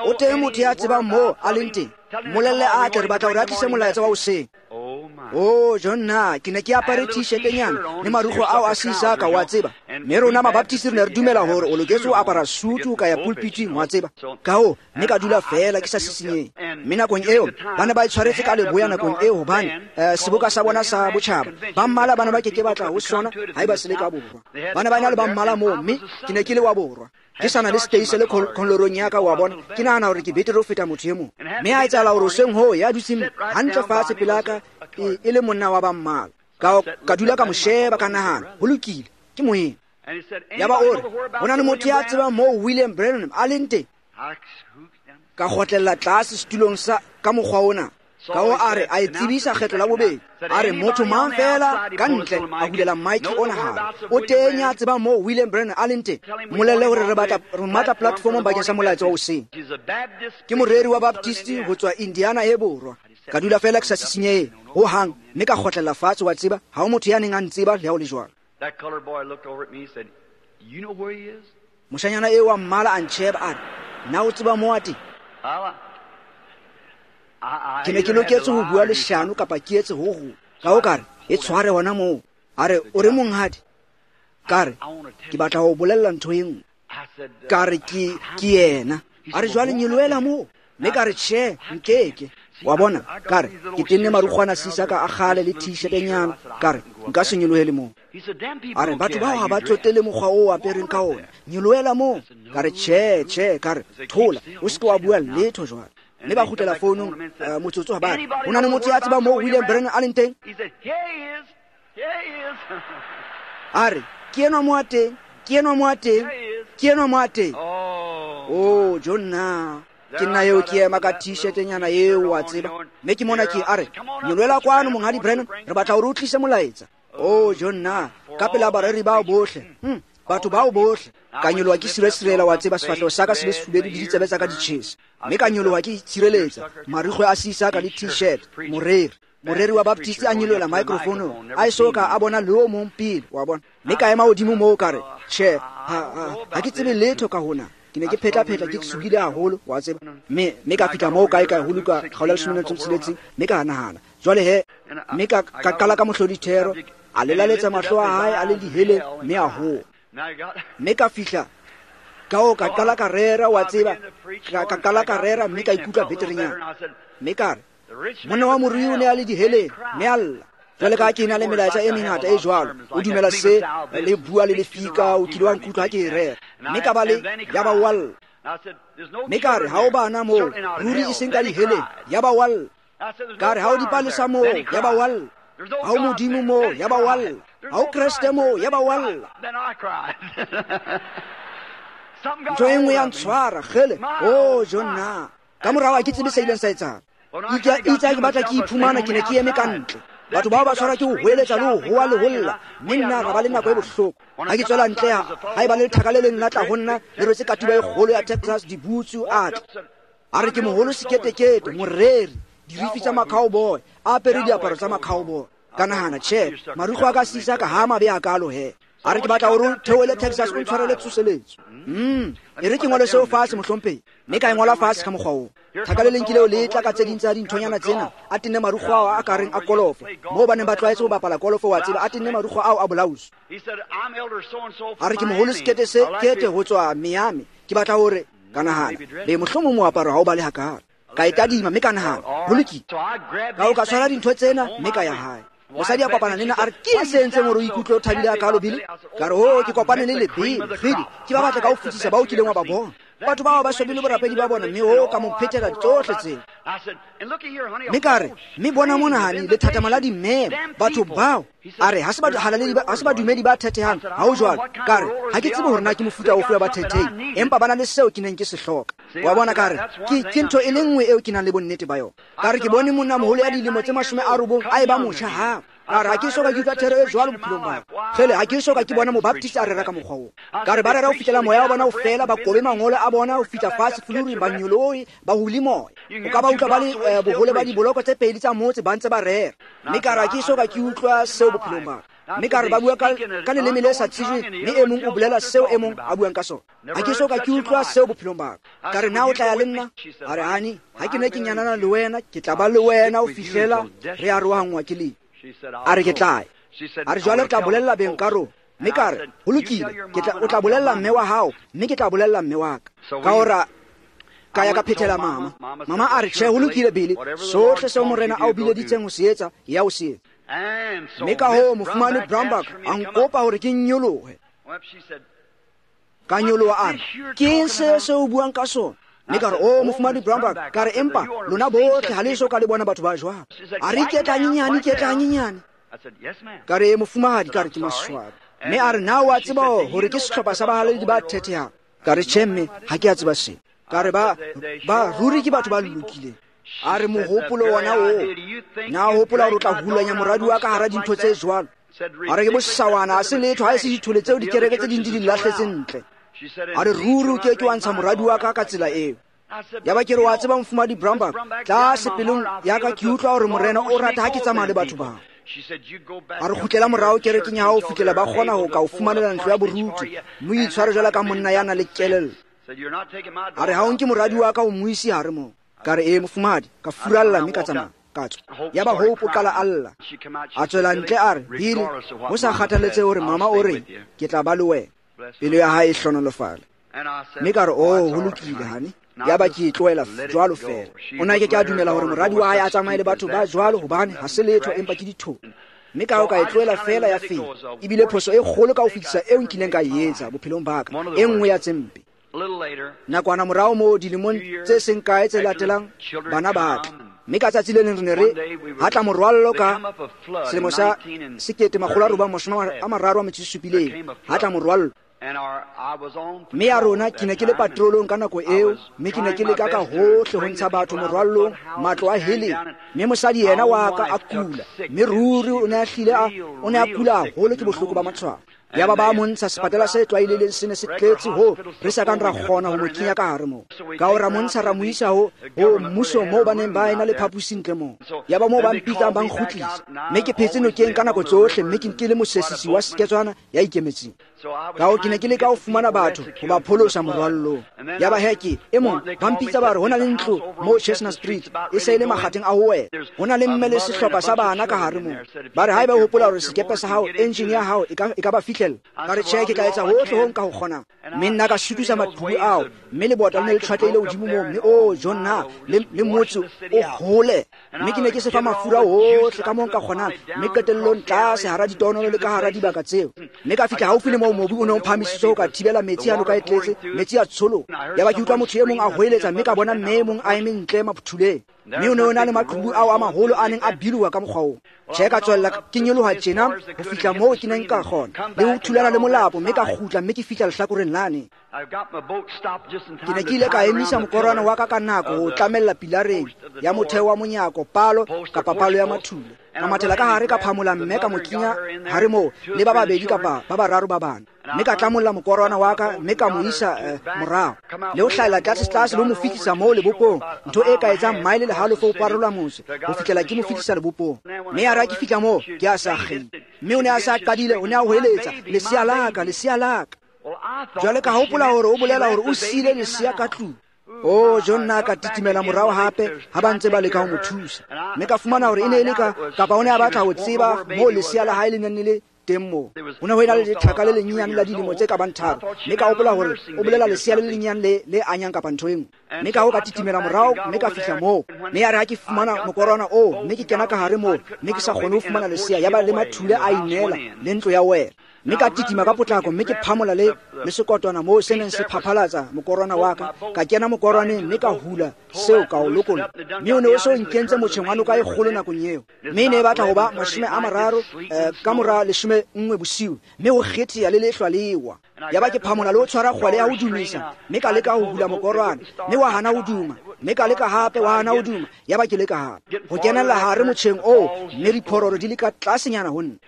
O teng motho ya tsebang moo a leng teng, mmolelle a tle, re batla hore a tlise molaetsa wa hoseng. Oh, Jonna, ke ne ke apare t-shirt-nyana le marukgwe ao a sisaka, wa tseba. Mme rona Mabaptist re ne re dumela hore o loketse ho apara sutu ka ya pulpiting, wa tseba. Ka hoo, mme ka dula feela ke sa sisinyehe. Mme nakong eo, ba ne ba e tshwaretse ka leboya nakong eo, hobane seboka sa bona sa botjhaba, ba mmala ba ne ba ke ke batla ho sona haeba se le ka borwa. Ba ne ba ena le ba mmala moo, mme ke ne ke le wa borwa. Ke sana le steise le kholorong ya ka, wa bona. Ke nahana hore ke betere ho feta motho e mong. Mme a etsahala hore hoseng hoo ya dutseng hantle fatshe pela ka, e le monna wa ba mmala. Ka dula ka mo sheba, ka nahana, ho lokile, ke moena. Yaba o re, ho na le motho ya tsebang moo William Branham a leng teng? Ka kgotlella tlase setulong sa ka mokgwa ona. Ka ho a re, a e tsebisa kgetlo la bobedi. A re, motho mang feela ka ntle a hulela mic ona hare. O teng ya tsebang moo William Branham a leng teng? Mmolelle hore re batla re matla platformong bakeng sa molaetsa wa hoseng. Ke moreri wa Baptist ho tswa Indiana e borwa. Ka dula feela ke sa sisinyehe ho hang, mme ka kgotlella fatshe, wa tseba, ha ho motho ya neng a ntseba le ha ho le jwalo. Moshanyana eo wa mmala a ntjheba a re, na o tseba moo a teng? Ke ne ke loketse ho bua leshano kapa ke etse ho hong. Ka ho ka re, e tshware hona moo. A re, o re monghadi? Ka re, ke batla ho bolella ntho e nngwe. Ka re, ke yena. A re, jwale nyolohela moo. Mme ka re, tjhe, nkeke. Wa bona, ka re, ke tenne marukgwana sisa ka a kgale le t-shirt-nyana. Ka re, nka se nyolohele moo. A re batho bao ga ba tsotele mokgwa o o apereng ka ona, nyolohela moo. Ka re tjhe, tjhe. Ka re thola, o seke wa bua letho jwale. Mme ba kgutlela founung motsotso ha ba re, ho na le motho ya tsebang moo William Branham a leng teng? A re ke enwa mo a teng, ke enwa mo a teng, ke enwa mo a teng. Oh, jo nna, ke nna eo ke ema ka t-shirt-nyana eo, wa tseba. Mme ke mona ke a re, nyolohela kwano Monghadi Branham, re batla hore o tlise molaetsa. Oh, jo nna, ka pela bareri bao bohle, batho bao bohle. Ka nyoloha ke sirasirela, wa tseba, sefahleho sa ka se le sefubedu le ditsebe tsa ka di tjhesa. Mme ka nyoloha ke tshireletsa marikgwe a sisa ka le t-shirt. Moreri wa Baptist a nyolohela microphone, a eso ka a bona le o mong pele, wa bona. Mme ka ema hodimo moo ka re, tjhe, ha ke tsebe letho ka hona. Ke ne ke phetla-phetla, ke tshohile haholo, wa tseba. Mme ka fihla moo kae kae ho Luka kgaolo ya 16, mme ka nahana jwale he, mme ka qala ka mohlodithero, a lelaletsa mahlo a hae a le diheleng, mme a howa. Mme ka fihla ka o ka qala ka rera, wa tseba, ka qala ka rera, mme ka ikutlwa beterenyana. Mme ka re, monna wa morui o ne a le diheleng, mme a lla. Jwale ka ke na le melaetsa e mengata e jwalo, o dumela se le bua le lefika, o kile wa nkutlwa ha ke e rera. Mme ka ba le ya ba wa lla. Mme ka re ha o bana moo, ruri e seng ka diheleng, ya ba wa lla. Ka re ha o dipalesa moo, ya ba wa lla. Ha o Modimo moo, ya ba wa lla. Ha o Kreste moo, ya ba wa lla. Ntho e nngwe ya ntshwara, kgele, oh jo nna. Ka morao ha ke tsebe se ileng sa etsahala. Itse ha ke batla ke iphumana, ke ne ke eme ka ntle. Batho bao ba tshwarwa ke ho hweletsa le ho howa le ho lla, mme nna ra ba le nako e bohloko. Ha ke tswela ntle, ha eba le lethaka le leng la tla ho nna, le rwetse katiba e kgolo ya Texas, dibutsu, a tla. A re ke moholo seketekete, moreri, dirifi tsa ma-cowboy, a apere diaparo tsa ma-cowboy. Ka nahana, tjhe, marukgwe a ka sisa ka ha mabe a kalo he. A re ke batla hore o theohele Texas o ntshwarele tsoseletso. E re ke ngole seo fatshe, mohlomphehi. Mme ka e ngola fatshe ka mokgwa oo. Thaka le leng ke leo le tla ka tse ding tsa dinthonyana tsena, a tenne marukgwe ao a ka reng a kolofo, moo ba neng ba tlwaetse ho bapala kolofo, wa tseba, a tenne marukgwe ao a bolausu. A re ke moholo sekete se kete ho tswa Miami, ke batla hore ka nahana, be mohlomong moaparo ha o bale hakalo. Ka e tadima mme ka nahana, ho lokile. Ka o ka tshwara dintho tsena mme ka ya hae. Mosadi a kopana le nna, a re, ke eng se entseng hore o ikutlwe o thabile hakalo, Billy? Ka re, oh, ke kopane le lebele, kgidi, ke ba batle ka ho fetisisa bao kileng wa ba bona. Batho bao ba swabile borapedi ba bona, mme o ka mo phethela tsohle tseo. Mme ka re, mme bona mona, honey, lethathama la dimemo, batho bao. A re, ha se badumedi ba thethehang, ha ho jwalo. Ka re, ha ke tsebe hore na ke mofuta ofe wa bathethehi, empa ba na le seo ke neng ke se hloka. Wa bona, ka re, ke ntho e le nngwe eo ke nang le bonnete ba yona. Ka re, ke bone monna moholo ya dilemo tse 90 a eba motjha hape. Ka re, ha ke so ka ke utlwa thero e jwalo bophelong ba ka. Kgele, ha ke so ka ke bona mobaptist a rera ka mokgwa oo. Ka re, ba rera ho fihlela moya wa bona o fela, ba kobe mangolo a bona ho fihla fatshe fuluring, ba nyolohe, ba hule moya. O ka ba utlwa ba le bohole ba diboloko tse pedi tsa motse ba ntse ba rera. Mme ka re, ha ke so ka ke utlwa seo bophelong ba ka. Mme ka re, ba bua ka leleme le sa tsejweng, mme e mong o bolela seo e mong a buang ka sona. Ha ke so ka ke utlwa seo bophelong ba ka. Ka re, na o tla ya le nna? A re, honey, ha ke ne ke nyanana le wena, ke tla ba le wena ho fihlela re arohanngwa ke lefu. A re ke tla ya. A re jwale re tla bolella beng ka rona. Mme ka re, ho lokile, o tla bolella mme wa hao, mme ke tla bolella mme wa ka. Ka hora ka ya ka phethela mama. Mama a re, tjhe, ho lokile, Billy, sohle seo morena a o bileditseng ho se etsa, ya o se etsa. Mme ka hoo mofumane Brownback a nkopa hore ke nyolohe. Ka nyoloha, a re, ke eng se se o buang ka sona? Mme ka re, oh, mofumadi Brownback, ka re, empa lona bohle ha le eso ka le bona batho ba jwalo. A re, iketla hanyenyane, iketla hanyenyane. Ka re, mofumahadi, ka re, ke maswabi. Mme a re, na o a tseba hore ke sehlopha sa bahalaledi ba thethehang? Ka re, tjhe, mme, ha ke a tseba seo. Ka re, ba ruri ke batho ba lokileng. A re, mohopolo wona oo, na o hopola hore o tla hulanya moradi wa ka hara dintho tse jwalo? A re, ke bosawana, ha se letho, ha e se dithole tseo dikereke tse ding di di lahletse ntle. A re, ruri o ke ke wa ntsha moradi wa ka ka tsela eo. Ya ba ke re, wa tseba mofumadi Brownback, tlase pelong ya ka ke utlwa hore morena o rata ha ke tsamaya le batho bao. A re, kgutlela morao kerekeng ya hao ho fihlela ba kgona ho ka o fumanela ntlo ya boruti, mme o itshware jwalo ka monna ya nang le kelello. A re, ha o nke moradi wa ka o mo ise hare moo. Ka re, ee, mofumahadi, ka furalla mme ka tsamaya, ka tswa. Ya ba Hope o qala a lla. A tswela ntle a re, Billy, ho sa kgathaletsehe hore mama o reng, ke tla ba le wena. Pelo ya hae e hlonolofale. Mme ka re, oh, ho lokile, honey. Ya ba ke e tlohela jwalo fela. O na ke ke a dumela hore moradi wa hae a tsamaye le batho ba jwalo, hobane ha se letho empa ke ditholo. Mme ka ho ka e tlohela feela ya feta. Ebile phoso e kgolo ka ho fetisa eo nkileng ka e etsa bophelong ba ka, e nngwe ya tse mpe. Nakwana morao moo dilemong tse seng kae tse latelang, bana ba tla. Mme ka tsatsi le leng re ne re hatla morwallo ka selemo sa 1937, hatla morwallo. Mme ya rona ke ne ke le patrolong ka nako eo, mme ke ne ke leka ka hohle ho ntsha batho morwallong, matlo a heleng. Mme mosadi yena wa ka a kula, mme ruri o ne a hlile o ne a kula haholo ke bohloko ba matshwao. Yaba ba mo ntsha sepatela se tlwaelehileng se ne se tletse ho re sa kang ra kgona ho mo kenya ka hare moo. Ka ho ra mo ntsha ra mo isa ho mmuso moo ba neng ba ena le phaposi ntle moo. Yaba moo ba mpitsang ba nkgutlisa. Mme ke phetse nokeng ka nako tsohle, mme ke nkile mosesisi wa seketswana ya ikemetseng. Ka ho ke ne ke leka ho fumana batho ho ba pholosa morwallong. Yaba he ke e mong ba mpitsa ba re ho na le ntlo moo Chestnut Street e se e le makgatheng a ho wela. Ho na le mme le sehlopha sa bana ka hare moo. Ba re haeba o hopola hore sekepe sa hao, engine ya hao e ka ba fihlela. Ka re tjhe, ke tla etsa hohle ho nka ho kgonang. Mme nna ka sutisa maqhubu ao, mme lebota le ne le tshwatlehile hodimo moo, mme o jonna le motse o hole. Mme ke ne ke se fa mafura ohle ka moo nka kgonang, mme qetellong tlase hara ditonolo le ka hara dibaka tseo. Mme ka fihla haufi le moo mobu o ne o phahamisitswe ho ka thibela metsi a noka e tletse, metsi a tsholoha. Yaba ke utlwa motho e mong a hoeletsa, mme ka bona mme e mong a eme ntle maphutuleng. Mme o ne o na le maqhubu ao a maholo a neng a biloha ka mokgwa oo. Tjhe, ka tswella ke nyoloha tjena ho fihla moo ke neng ka kgona le ho thulana le molapo, mme ka kgutla mme ke fihla lehlakoreng lane. Ke ne ke ile ka emisa mokorwana wa ka ka nako ho tlamella pilareng ya motheo wa monyako, palo kapa palo ya mathule. Ka mathela ka hare ka phamola mme ka mo kenya hare moo le ba babedi kapa ba bararo ba bana. Mme ka tlamolla mokorwana wa ka mme ka mo isa morao le ho hlahela tlase tlase le ho mo fihlisa moo lebopong, ntho e ka etsang maele le halofo ho parola mose ho fihlela ke mo fihlisa lebopong. Mme ya re ha ke fihla moo ke a sa kgile, mme o ne a sa qadile, o ne a hoeletsa, lesea la ka, lesea la ka. Jwale ka hopola hore o bolela hore o siile lesea ka tlung. Oh, John nna ka titimela morao hape ha ba ntse ba leka ho mo thusa. Mme ka fumana hore e ne e le ka kapa o ne a batla ho tseba moo lesea la hae le neng le le teng moo. Ho ne ho ena le lethaka le lenyenyane la dilemo tse ka bang 3. Mme ka hopola hore o bolela lesea le lenyenyane le anyang kapa ntho e nngwe. Mme ka ho ka titimela morao mme ka fihla moo. Mme ya re ha ke fumana mokorwana oo, mme ke kena ka hare moo, mme ke sa kgone ho fumana lesea, yaba le mathule a inela le ntlo ya wela. Mme ka titima ka potlako, mme ke phamola le sekotwana moo se neng se phaphalatsa mokorwana wa ka. Ka kena mokorwaneng mme ka hula seo ka o lokolla. Mme o ne o se o nkentse motjheng wa noka e kgolo nakong eo. Mme e ne e batla ho ba 30 ka mora 11 bosiu, mme ho kgetheha le lehlwa le wa. Yaba ke phamola le ho tshwara kgwele ya ho dumisa, mme ka leka ho hula mokorwana, mme wa hana ho duma. Mme ka leka hape, wa hana ho duma. Yaba ke leka hape ho kenella hare motjheng oo, mme diphororo di le ka tlasenyana ho nna.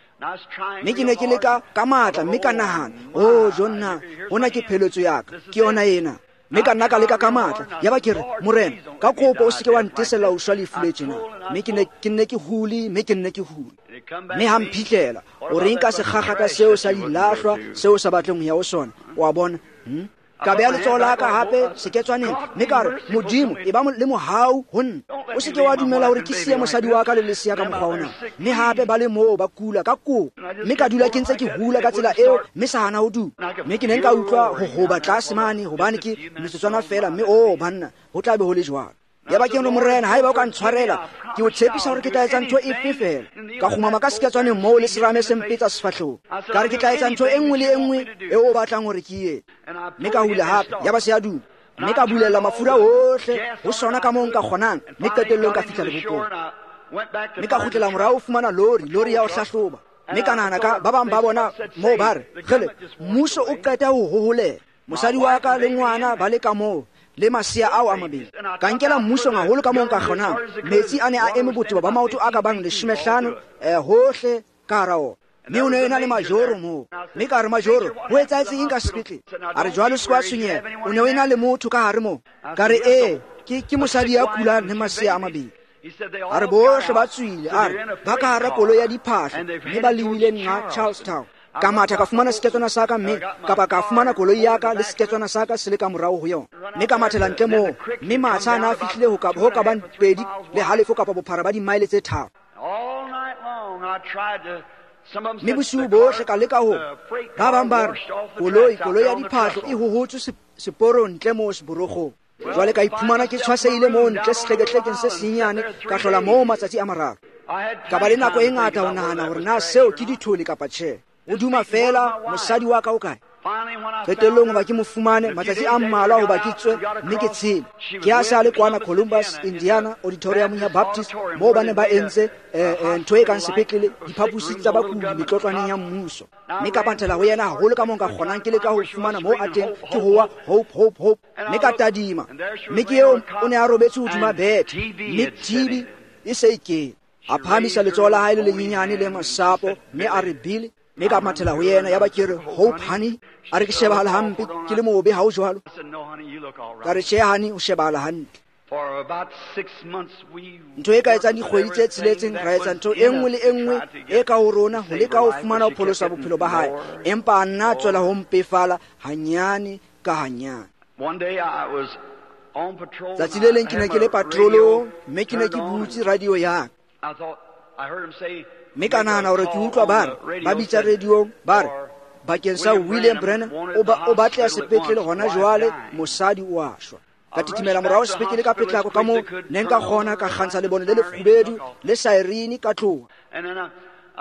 Mme ke ne ke leka ka matla, mme ka nahana, oh Jonna, hona ke pheletso ya ka, ke yona ena. Mme ka nna ka leka ka matla, yaba ke re, Morena, ka kopo o se ke wa ntesela ho shwa lefu le tjena. Mme ke nne ke hule, mme ke nne ke hule. Mme ha mphihlela, o reng ka sekgakgata seo sa dilahlwa seo sa batleng ho ya ho sona, o a bona? Ka beha letsoho la ka hape seketswaneng, mme ka re, Modimo, e ba le mohau ho nna. O se ke wa dumela hore ke siye mosadi wa ka le lesea ka mokgwa ona. Mme hape ba le moo ba kula ka kopo. Mme ka dula ke ntse ke hula ka tsela eo, mme sa hana ho duma. Mme ke ne nka utlwa ho hoba tlase mane, hobane ke metsotswana feela, mme oh banna, ho tla be ho le jwalo. Yaba ke re, Morena, haeba o ka ntshwarela, ke o tshepisa hore ke tla etsa ntho efe feela. Ka kgumama ka seketswaneng moo le serame se mpetsa sefahlehong. Ka re ke tla etsa ntho e nngwe le e nngwe eo o batlang hore ke e etse. Mme ka hula hape, yaba se a duma. Mme ka bulela mafura ohle ho sona ka moo nka kgonang, mme qetellong ka fihla lebopong. Mme ka kgutlela morao ho fumana lori ya ho hlahloba. Mme ka nahana ka ba bang ba bona moo ba re, kgele, mmuso o qeta ho hoholela. Mosadi wa ka le ngwana ba le ka moo, le masea ao a mabedi. Ka nkela mmusong haholo ka moo nka kgonang. Metsi a ne a eme botebo ba maoto a ka bang 15 hohle ka hara ona. Mme o ne ena le majoro moo. Mme ka re, majoro, ho etsahetse eng ka sepetlele? A re, jwalo se wa tshwenyeha, o ne o ena le motho ka hare moo. Ka re, ee, ke mosadi ya kulang le masea a mabedi. A re, bohle ba tswile. A re, ba ka hara koloi ya diphahlo, mme ba lebile nqa Charlestown. Ka matha ka fumana seketswana sa ka, mme kapa ka fumana koloi ya ka le seketswana sa ka se le ka morao ho yona. Mme ka mathela ntle moo, mme matsha a na a fihlile ho ka bang 2.5 kapa bophara ba dimaele tse 3. Mme bosiu bohle ka leka ho ba bang ba re, koloi ya diphahlo e hohotswe seporong ntle moo seborogong. Jwale ka iphumana ke tshwasehile moo ntle sehlekehlekeng se senyenyane, ka hlola moo matsatsi a mararo. Ka ba le nako e ngata ho nahana hore na seo ke dithole kapa tjhe. O duma fela mosadi wa ka o kae. Qetellong hoba ke mo fumane matsatsi a mmalwa hoba ke tswe mme ke tshele. Ke a sa le kwana Columbus, Indiana, auditorium ya Baptist moo ba ne ba entse ntho e kang sepetlele, diphaposi tsa bakudi metlotlwaneng ya mmuso. Mme ka panthela ho yena haholo ka moo nka kgonang ke leka ho fumana moo a teng, ke howa Hope, Hope, Hope. Mme ka tadima, mme ke eo o ne a robetse hodima bethe, mme TB e se e kene. A phahamisa letsoho la hae le lenyenyane le masapo mme a re Billy. Mme ka mathela ho yena, yaba ke re Hope honey. A re ke shebahala hampe, ke le mobe ha o jwalo. Ka re tjhe honey, o shebahala hantle. Ntho e ka etsang dikgwedi tse tsheletseng ra etsa ntho e nngwe le e nngwe e ka ho rona ho leka ho fumana ho pholosa bophelo ba hae, empa a nna tswela ho mpefala hanyane ka hanyane. Tsatsi le leng ke ne ke le patrolong mme ke ne ke butse radio ya ka. Mme ka nahana hore ke utlwa ba re ba bitsa radiong ba re bakeng sa William Branham o batleha sepetlele hona jwale, mosadi o a shwa. Ka titimela morao sepetlele ka potlako ka moo ne nka kgona, ka kgantsha lebone le lefubedu le saerine ka tloha.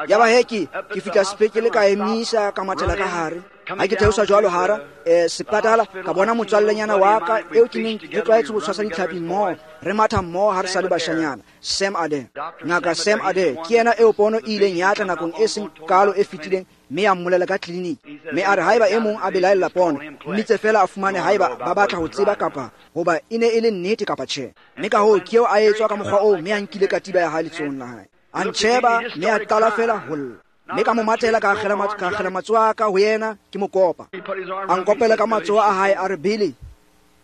Yaba he ke fihla sepetlele ka emisa ka mathela ka hare. Ha ke theosa jwalo hara sepatala, ka bona motswallenyana wa ka eo ke neng ke tlwaetse ho tshwasa ditlhapi mmoho, re matha mmoho ha re sa le bashanyana, Sam Adair. Ngaka Sam Adair ke yena eo pono e ileng ya tla nakong e seng kaalo e fetileng mme ya mmolela ka tleliniki. Mme a re haeba e mong a belaella pono, mmitse fela a fumane haeba ba batla ho tseba kapa hoba e ne e le nnete kapa tjhe. Mme ka hoo ke eo a etswa ka mokgwa oo mme a nkile katiba ya hae letsohong la hae. A ntjheba mme a qala fela ho lla. Mme ka mo mathela ka akgela matsoho a ka ho yena ke mo kopa. A nkopela ka matsoho a hae a re Billy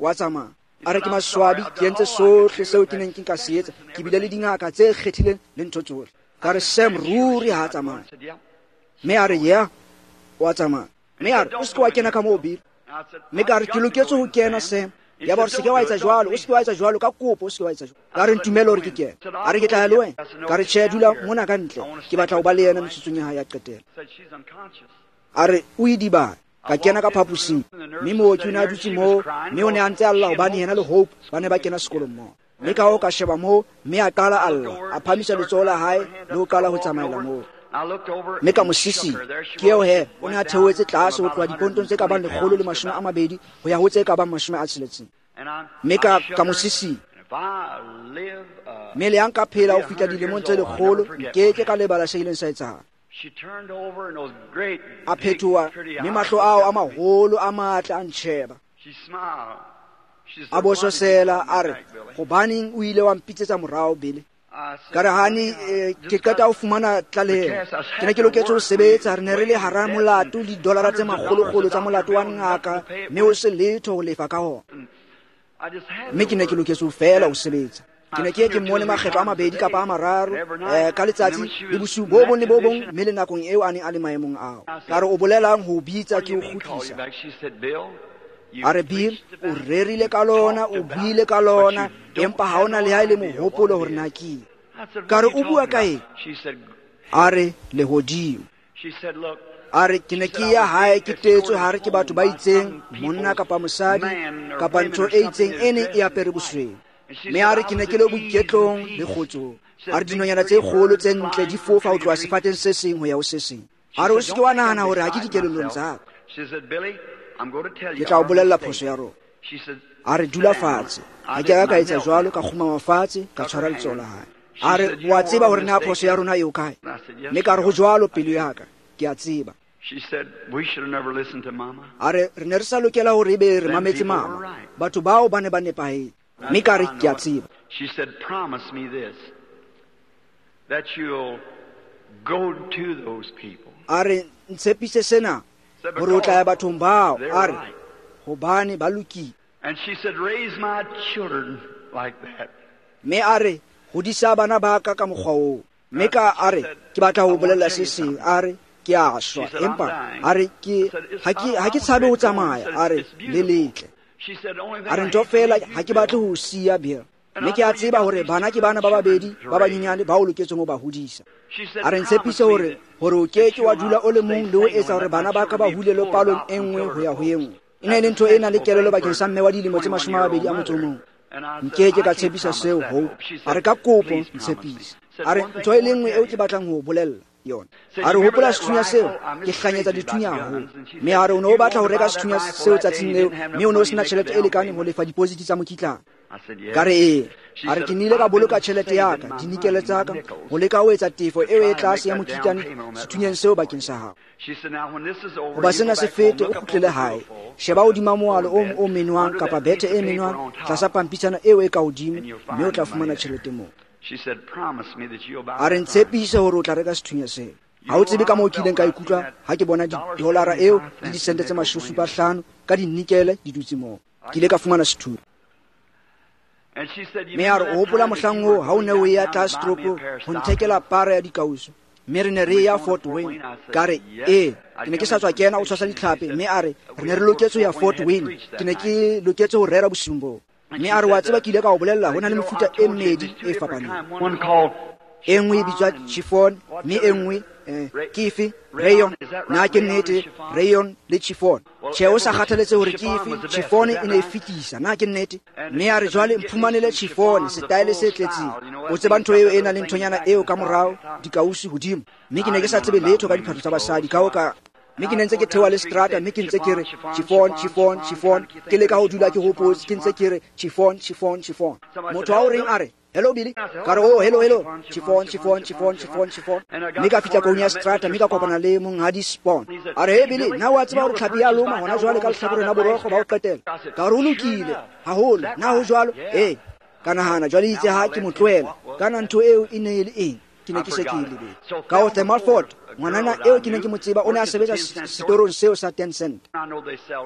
wa tsamaya. A re ke maswabi, ke entse sohle seo ke neng ke nka se etsa, ke bile le dingaka tse kgethileng le ntho tsohle. Ka re Sam ruri ha a tsamaya. Mme a re yeah, wa tsamaya. Mme a re o se ke wa kena ka moo Billy. Mme ka re ke loketse ho kena Sam. Ya ba re se ke wa etsa jwalo, o se ke wa etsa jwalo, ka kopo o se ke wa etsa jwalo. Ka re ntumele hore ke kene. A re ke tla ya le wena. Ka re tjhe, dula mona ka ntle, ke batla ho ba le yena metsotsong ya hae ya qetelo. A re o idibane. Ka kena ka phaposing, mme mooki o ne a dutse moo, mme o ne a ntse a lla hobane yena le Hope ba ne ba kena sekolong mmoho. Mme ka hoo ka sheba moo, mme a qala a lla, a phamisa letsoho la hae le ho qala ho tsamaela moo. Mme ka mo sisinya. Ke eo he, o ne a theohetse tlase ho tloha dipontong tse ka bang 120 ho ya ho tse ka bang 60. Mme ka mo sisinya. Mme le ha nka phela ho fihla dilemong tse 100, nkeke ka lebala se ileng sa etsahala. A phetoha, mme mahlo ao a maholo a matla a ntjheba. A bososela a re, hobaneng o ile wa mpitsetsa morao Billy? Ka re honey, ke qeta ho fumana tlaleho. Ke ne ke loketse ho sebetsa, re ne re le hara molato le didolara tse makgolokgolo tsa molato wa ngaka, mme ho se letho ho lefa ka hona. Mme ke ne ke loketse ho fela ho sebetsa. Ke ne ke ye ke mmone makgetlo a mabedi kapa a mararo ka letsatsi le bosiu bo bong le bo bong, mme le nakong eo a neng a le maemong ao. Ka re o bolelang ho bitsa ke o kgutlisa. A re Bill, o rerile ka lona, o buile ka lona, empa ha ona le ha e le mohopolo hore na ke eng. Ka re o bua ka eng? A re lehodimo. A re ke ne ke ya hae ke tetswe hare ke batho ba itseng, monna kapa mosadi kapa ntho e itseng e neng e apere bosweu. Mme a re ke ne ke le boiketlong le kgotsong. A re dinonyana tse kgolo tse ntle di fofa ho tloha sefateng se seng ho ya ho se seng. A re o se ke wa nahana hore ha ke dikelellong tsa ka. Ke tla o bolella phoso ya rona. A re dula fatshe. Ha ke a ka etsa jwalo, ka kgumama fatshe, ka tshwara letsoho la hae. A re wa tseba hore na phoso ya rona e o kae? Mme ka re ho jwalo pelo ya ka, ke a tseba. A re re ne re sa lokela hore ebe re mametse mama. Batho bao ba ne ba nepahetse. Mme ka re ke a tseba. A re ntshepise sena hore o tla ya bathong bao. A re hobane ba lokile. Mme a re hodisa bana ba ka ka mokgwa oo. Mme ka a re ke batla ho bolella se seng. A re ke a shwa, empa a re ke ha ke tshabe ho tsamaya. A re le letle. A re ntho fela ha ke batle ho siya Bill. Mme ke a tseba hore bana ke bana ba babedi ba banyenyane ba o loketseng ho ba hodisa. A re ntshepise hore o ke ke wa dula o le mong le ho etsa hore bana ba ka ba hulelwe palong e nngwe ho ya ho e nngwe. E ne e le ntho e nang le kelello bakeng sa mme wa dilemo tse 21. Nke ke ka tshepisa seo, Hope. A re ka kopo ntshepise. A re ntho e le nngwe eo ke batlang ho o bolella yona. A re hopola sethunya seo, ke hlanyetsa dithunya haholo. Mme a re o ne o batla ho reka sethunya seo tsatsing leo, mme o ne o sena tjhelete e lekaneng ho lefa deposit tsa mokitlane. Ka re ee. A re ke nnile ka boloka tjhelete ya ka, dinikele tsa ka, ho leka ho etsa tefo eo e tlase ya mokitlane sethunyeng seo bakeng sa hao. Hoba sena se fete, o kgutlele hae. Sheba hodima moalo o menwang kapa bethe e menwang tlasa pampitshana eo e ka hodimo, mme o tla fumana tjhelete moo. A re ntshepise hore o tla reka sethunya seo. Ha o tsebe ka moo ke ileng ka ikutlwa ha ke bona didolara eo le disente tse 75 ka dinikele di dutse moo. Ke ile ka fumana sethunya. Mme a re o hopola mohlang oo ha o ne o ya tlase toropong ho nthekela para ya dikauso, mme re ne re ya Fort Wayne. Ka re ee, ke ne ke sa tswa kena o tshwasa ditlhapi. Mme a re re ne re loketse ho ya Fort Wayne, ke ne ke loketse ho rera bosiung boo. Mme a re wa tseba ke ile ka o bolella ho na le mefuta e mmedi e fapaneng. E nngwe e bitswa chiffon, mme e nngwe ke efe? Rayon. Na ke nnete? Rayon le chiffon. Tjhe, o sa kgathaletse hore ke efe, chiffon e ne e fetisa. Na ke nnete? Mme a re jwale mphumanele chiffon, setaele se tletseng. O tseba ntho eo e nang le nthonyana eo ka morao, dikausi hodimo. Mme ke ne ke sa tsebe letho ka diphahlo tsa basadi, ka ho ka mme ke ne ntse ke theoha le strata, mme ke ntse ke re chiffon, chiffon, chiffon. Ke leka ho dula ke hopotse, ke ntse ke re chiffon, chiffon, chiffon. Motho a o reng a re hello Billy, ka re oh hello, hello, chiffon, chiffon, chiffon, chiffon, chiffon. Mme ka fihla koung ya strata, mme ka kopana le monghadi Spawn. A re hey Billy, na wa tseba hore tlhapi ya loma hona jwale ka lehlakoreng la borokgo ba ho qetela? Ka re o lokile haholo, na ho jwalo? Ee. Ka nahana jwale itse ha ke mo tlohela, kana ntho eo e ne e le eng? Ke ne ke se ke e lebetse. Ka ho Thelma Ford, ngwanana eo ke neng ke mo tseba, o ne a sebetsa setorong seo sa 10 cent.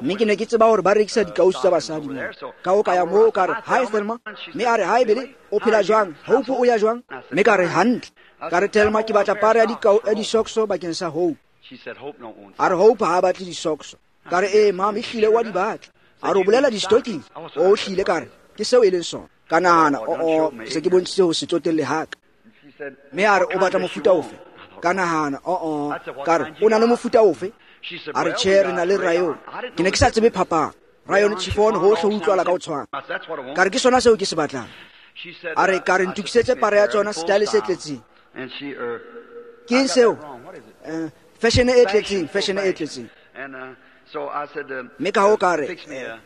Mme ke ne ke tseba hore ba rekisa dikausi tsa basadi moo. Ka ho ka ya moo ka re hi Thelma, mme a re hi Billy, o phela jwang? Hope o ya jwang? Mme ka re hantle. Ka re Thelma, ke batla para ya disokso bakeng sa Hope. A re Hope ha a batle disokso. Ka re ee mama, ehlile wa di batla. A re o bolela di-stocking? O hlile, ka re ke seo e leng sona. Ka nahana o ke se ke bontshitse ho se tsotelle haka. Mme a re o batla mofuta ofe? Ka nahana o ka re o na le mofuta ofe? A re tjhe, re na le rayon. Ke ne ke sa tsebe phapang. Rayon, chiffon, hohle ho utlwala ka ho tshwana. Ka re ke sona seo ke se batlang. A re ka re ntokisetse para ya tsona, style se tletseng. Ke eng seo? Fashion e tletseng, fashion e tletseng. Mme ka ho ka re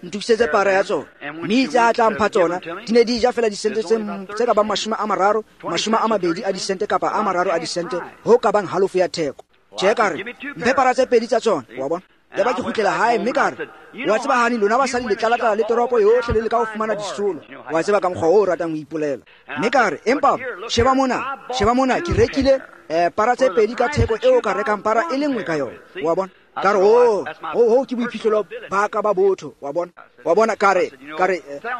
ntokisetse para ya tsona. Mme itse a tla mpha tsona, di ne di ja fela disente tse ka bang 30, 20 a disente kapa a 3 a disente, ho ka bang halofo ya theko. Tjhe, ka re mphe para tse pedi tsa tsona, wa bona. Yaba ke kgutlela hae, mme ka re wa tseba hani lona basadi le tlala-tlala le toropo yohle le leka ho fumana disolo, wa tseba ka mokgwa o o ratang ho ipolela. Mme ka re empa sheba mona, ke rekile para tse pedi ka theko eo ka rekang para e le nngwe ka yona, wa bona. Ka re ho ke boiphihlelo ba ka ba botho, wa bona. Wa bona, ka re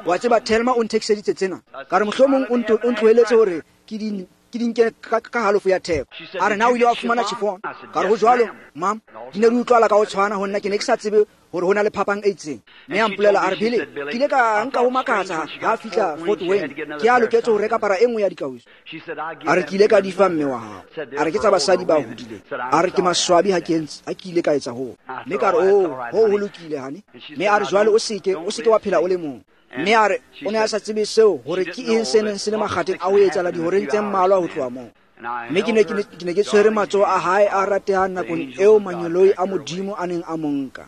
wa tseba Thelma o nthekiseditse tsena. Ka re mohlomong o ntloheletse hore ke di dinke ka halofo ya theko. A re na o ile wa fumana chiffon? Ka re ho jwalo mam, di ne di utlwala ka ho tshwana ho nna, ke ne ke sa tsebe hore ho na le phapang e itseng. Mme a mpolela a re Billy, ke ile ka nka ho makatsa ha fihla Fort Wayne, ke a loketse ho reka para e nngwe ya dikausi. A re ke ile ka di fa mme wa hao. A re ke tsa basadi ba hodileng. A re ke maswabi ha ke ile ka etsa hoo. Mme ka re ho ho lokile hane. Mme a re jwale o seke wa phela o le mong. Mme a re o ne a sa tsebe seo hore ke eng se neng se le makgatheng a ho etsahala dihoreng tse mmalwa ho tloha moo. Mme ke ne ke tshwere matsoho a hae a ratehang nakong eo manyoloi a Modimo a neng a mo nka.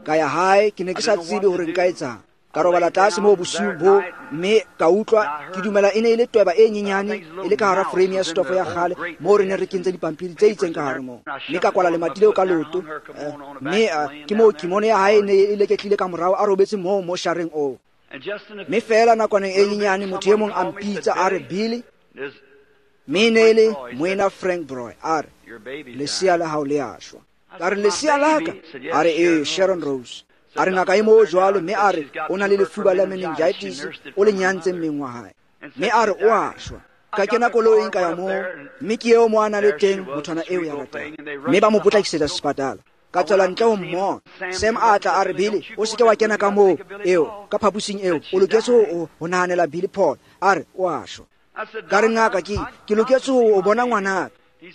Ka ya hae, ke ne ke sa tsebe hore nka etsang. Ka robala tlase moo bosiu bo, mme ka utlwa ke dumela e ne e le tweba e nyenyane e le ka hara frame ya stofo ya kgale moo re ne re kentse dipampiri tse itseng ka hare moo. Mme ka kwala lemati leo ka loto, mme ke moo kimono ya hae e ne e leketlile ka morao, a robetse moo mo shareng oo. Mme fela nakwaneng e nyenyane motho e mong a mpitsa a re Billy, mme e ne e le moena Frank Broy, a re lesea la hao le a shwa. Ka re lesea la ka? A re ee, Sharon Rose. A re ngaka e moo jwalo, mme a re o na le lefuba la meningitis, o le nyantse mmeng wa hae. Mme a re o a shwa. Ka kena koloing ka ya moo, mme ke eo mo a na le teng mothwana eo ya ratang. Mme ba mo potlakisetsa sepatala. Ka tswela ntle ho mmona. Sam a tla a re Billy, o seke wa kena ka moo eo, ka phapusing eo, o loketse ho nahanela Billy Paul. A re o a shwa. Ka re ngaka ke loketse ho bona ngwanaka.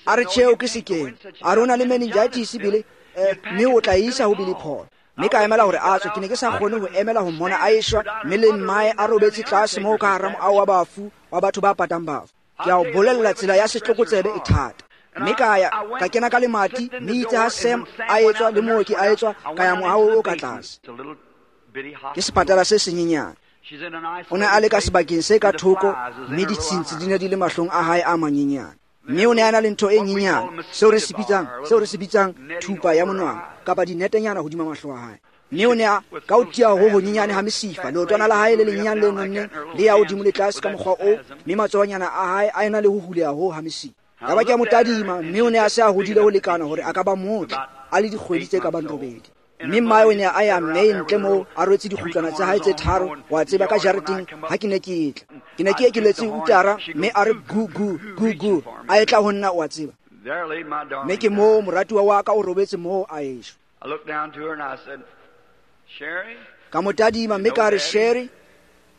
A re tjhe, o ke sekeng. A re o na le meningitis Billy, mme o tla isa ho Billy Paul. Mme ka emela hore a tswe, ke ne ke sa kgone ho emela ho mmona a eshwa, mme le mmae a robetse tlase moo ka hara moaho wa bafu wa batho ba patang bafu. Ke a o bolella, tsela ya setlokotsebe e thata. Mme ka ya ka kena ka lemati, mme itse ha Sam a etswa le mooki a etswa, ka ya moaho o ka tlase. Ke sepatala se senyenyane. O ne a le ka sebakeng se ka thoko, mme ditshintshi di ne di le mahlong a hae a manyenyane. Mme o ne a na le ntho e nyenyane, seo re se bitsang thupa ya monwana, kapa dinetenyana hodima mahlo a hae. Mme o ne a ka o tia ho honyenyane ha mesifa, leotwana la hae le lenyenyane le nonneng le ya hodimo le tlase ka mokgwa oo, mme matsohonyana a hae a ena le ho huleha ho ha mesifa. Yaba ke a mo tadima, mme o ne a se a hodile ho lekana hore a ka ba motle, a le dikgwedi tse ka bang 8. Mme mmae o ne a ya mme ntle moo a rwetse dikgutlwana tsa hae tse 3, wa tseba, ka jareteng ha ke ne ke tla. Ke ne ke ekeletse utara, mme a re gu gu gu gu, a etla ho nna, wa tseba. Mme ke moo moratuwa wa ka o robetse moo a eshwa. Ka mo tadima mme ka re, Sherry,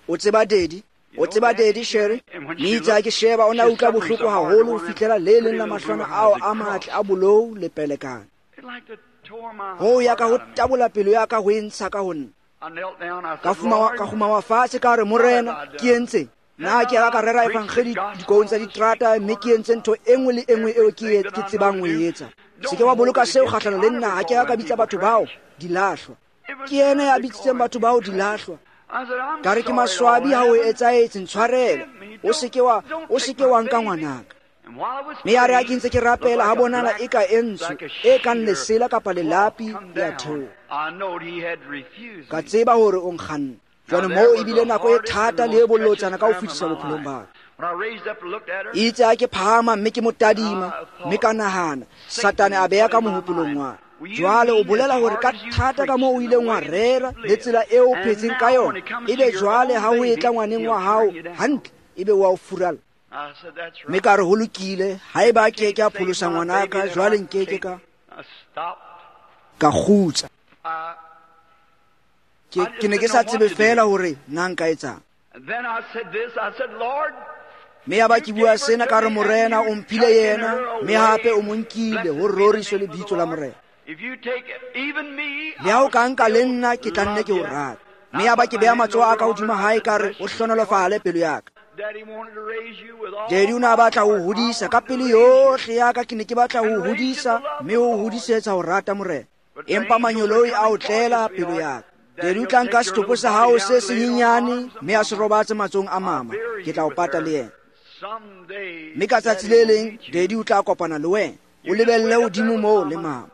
o tseba daddy? O tseba daddy, Sherry? Mme itse ha ke sheba, o ne a utlwa bohloko haholo ho fihlela le leng la mahlwana ao a matle a bolou le pelekane. Ho ya ka ho tabola pelo ya ka ho e ntsha ka ho nna. Ka kgumama fatshe ka re, Morena, ke entse nna ke ka rera evangeli dikoung tsa diterata, mme ke entse ntho e nngwe le e nngwe eo ke tsebang ho e etsa. Se ke wa boloka seo kgahlano le nna, ha ke ka bitsa batho bao dilahlwa. Ke yena ya bitsitseng batho bao dilahlwa. Ka re, ke maswabi ha o etsahetse, ntshwarele. O se ke wa nka ngwanaka. Mme ya re ha ke ntse ke rapela, ha bonala e ka e ntsho, e kang lesela kapa lelapi le a theoha. Ka tseba hore o nkganna. Jwale moo ebile nako e thata le e bolotsana ka ho fetisa bophelong ba ka. Itse ha ke phahama mme ke mo tadima, mme ka nahana, Satane a beha ka mohopolong wa ka. Jwale o bolela hore ka thata ka moo o ileng wa rera le tsela eo o phetseng ka yona, ebe jwale ha ho etla ngwaneng wa hao hantle, ebe wa o furalla. Mme ka re, ho lokile, haeba ke ke a pholosa ngwanaka, jwale nke ke ka kgutsa. Ke ne ke sa tsebe feela hore na nka etsang. Mme yaba ke bua sena ka re, Morena, o mphile yena, mme hape o mo nkile, ho roriswe lebitso la Morena. Le ha o ka nka le nna, ke tla nne ke o rata. Mme yaba ke beha matsoho a ka hodima hae, ka re, o hlohonolofale pelo ya ka. Daddy o ne a batla ho hodisa ka pelo yohle ya ka, ke ne ke batla ho hodisa, mme ho hodisetsa ho rata Morena. Empa manyoloi a o tlela pelo ya ka. Daddy o tla nka setopo sa hao se senyenyane, mme a se robatse matsohong a mama, ke tla o pata le yena. Mme ka tsatsi le leng, Daddy o tla kopana le wena, o lebelle hodimo moo le mama.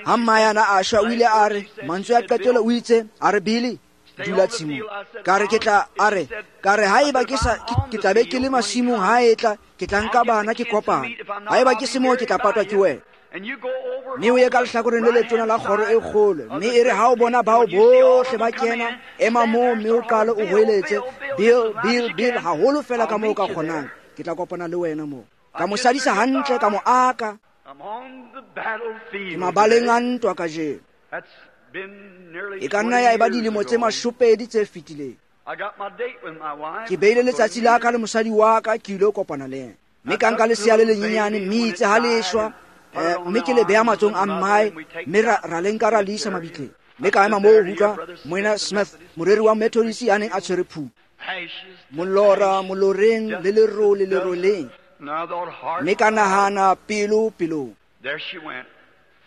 Ha mmayana a shwa, o ile a re, mantswe a qetelo o itse, a re, Billy, dula tshimong. Ka re ke tla, a re, ka re haeba ke sa, ke tla be ke le masimong ha e tla, ke tla nka bana ke kopana. Haeba ke se moo, ke tla patwa ke wena. Mme o ye ka lehlakoreng le letona la kgoro e kgolo, mme e re ha o bona bao bohle ba kena, ema moo mme o qale o hoeletse, Bill, Bill, Bill, haholo fela ka moo o ka kgonang. Ke tla kopana le wena moo. Ka mo sadisa hantle, ka mo aka. Ke mabaleng a ntwa kajeno. E ka nna ya eba dilemo tse 20 tse fetileng. Ke beile letsatsi la ka le mosadi wa ka, ke ile kopana le yena. Mme ka nka lesea le lenyenyane, mme itse ha le shwa, mme ke le beha matsohong a mmae, mme ra le nka ra le isa mabitleng. Mme ka ema moo ho utlwa Moena Smith, moreri wa Methodist ya neng a tshwere phupu. Molora moloreng le lerole leroleng. Mme ka nahana, pelo pelong.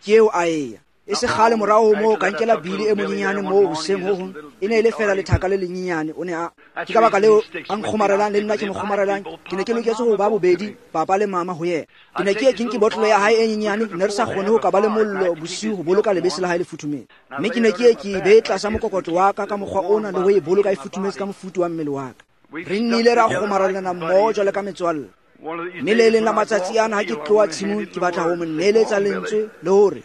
Ke eo a eya. E se kgale morao ho moo, ka nkela Billy e monyenyane moo hoseng ho hong, e ne e le feela lethaka le lenyenyane. O ne a, ke ka baka leo a nkgomarelang le nna ke mo kgomarelang. Ke ne ke loketse ho ba bobedi papa le mama ho yena. Ke ne ke ye ke nke botlolo ya hae e nyenyane, ne re sa kgone ho ka ba le mollo bosiu ho boloka lebese la hae le futhumetse. Mme ke ne ke ye ke e bee tlasa mokokotlo wa ka ka mokgwa ona, le ho e boloka e futhumetse ka mofuthu wa mmele wa ka. Re nnile ra kgomarelana mmoho jwalo ka metswalle. Mme le leng la matsatsi ana ha ke tloha tshimong, ke batla ho mo neeletsa lentswe le hore,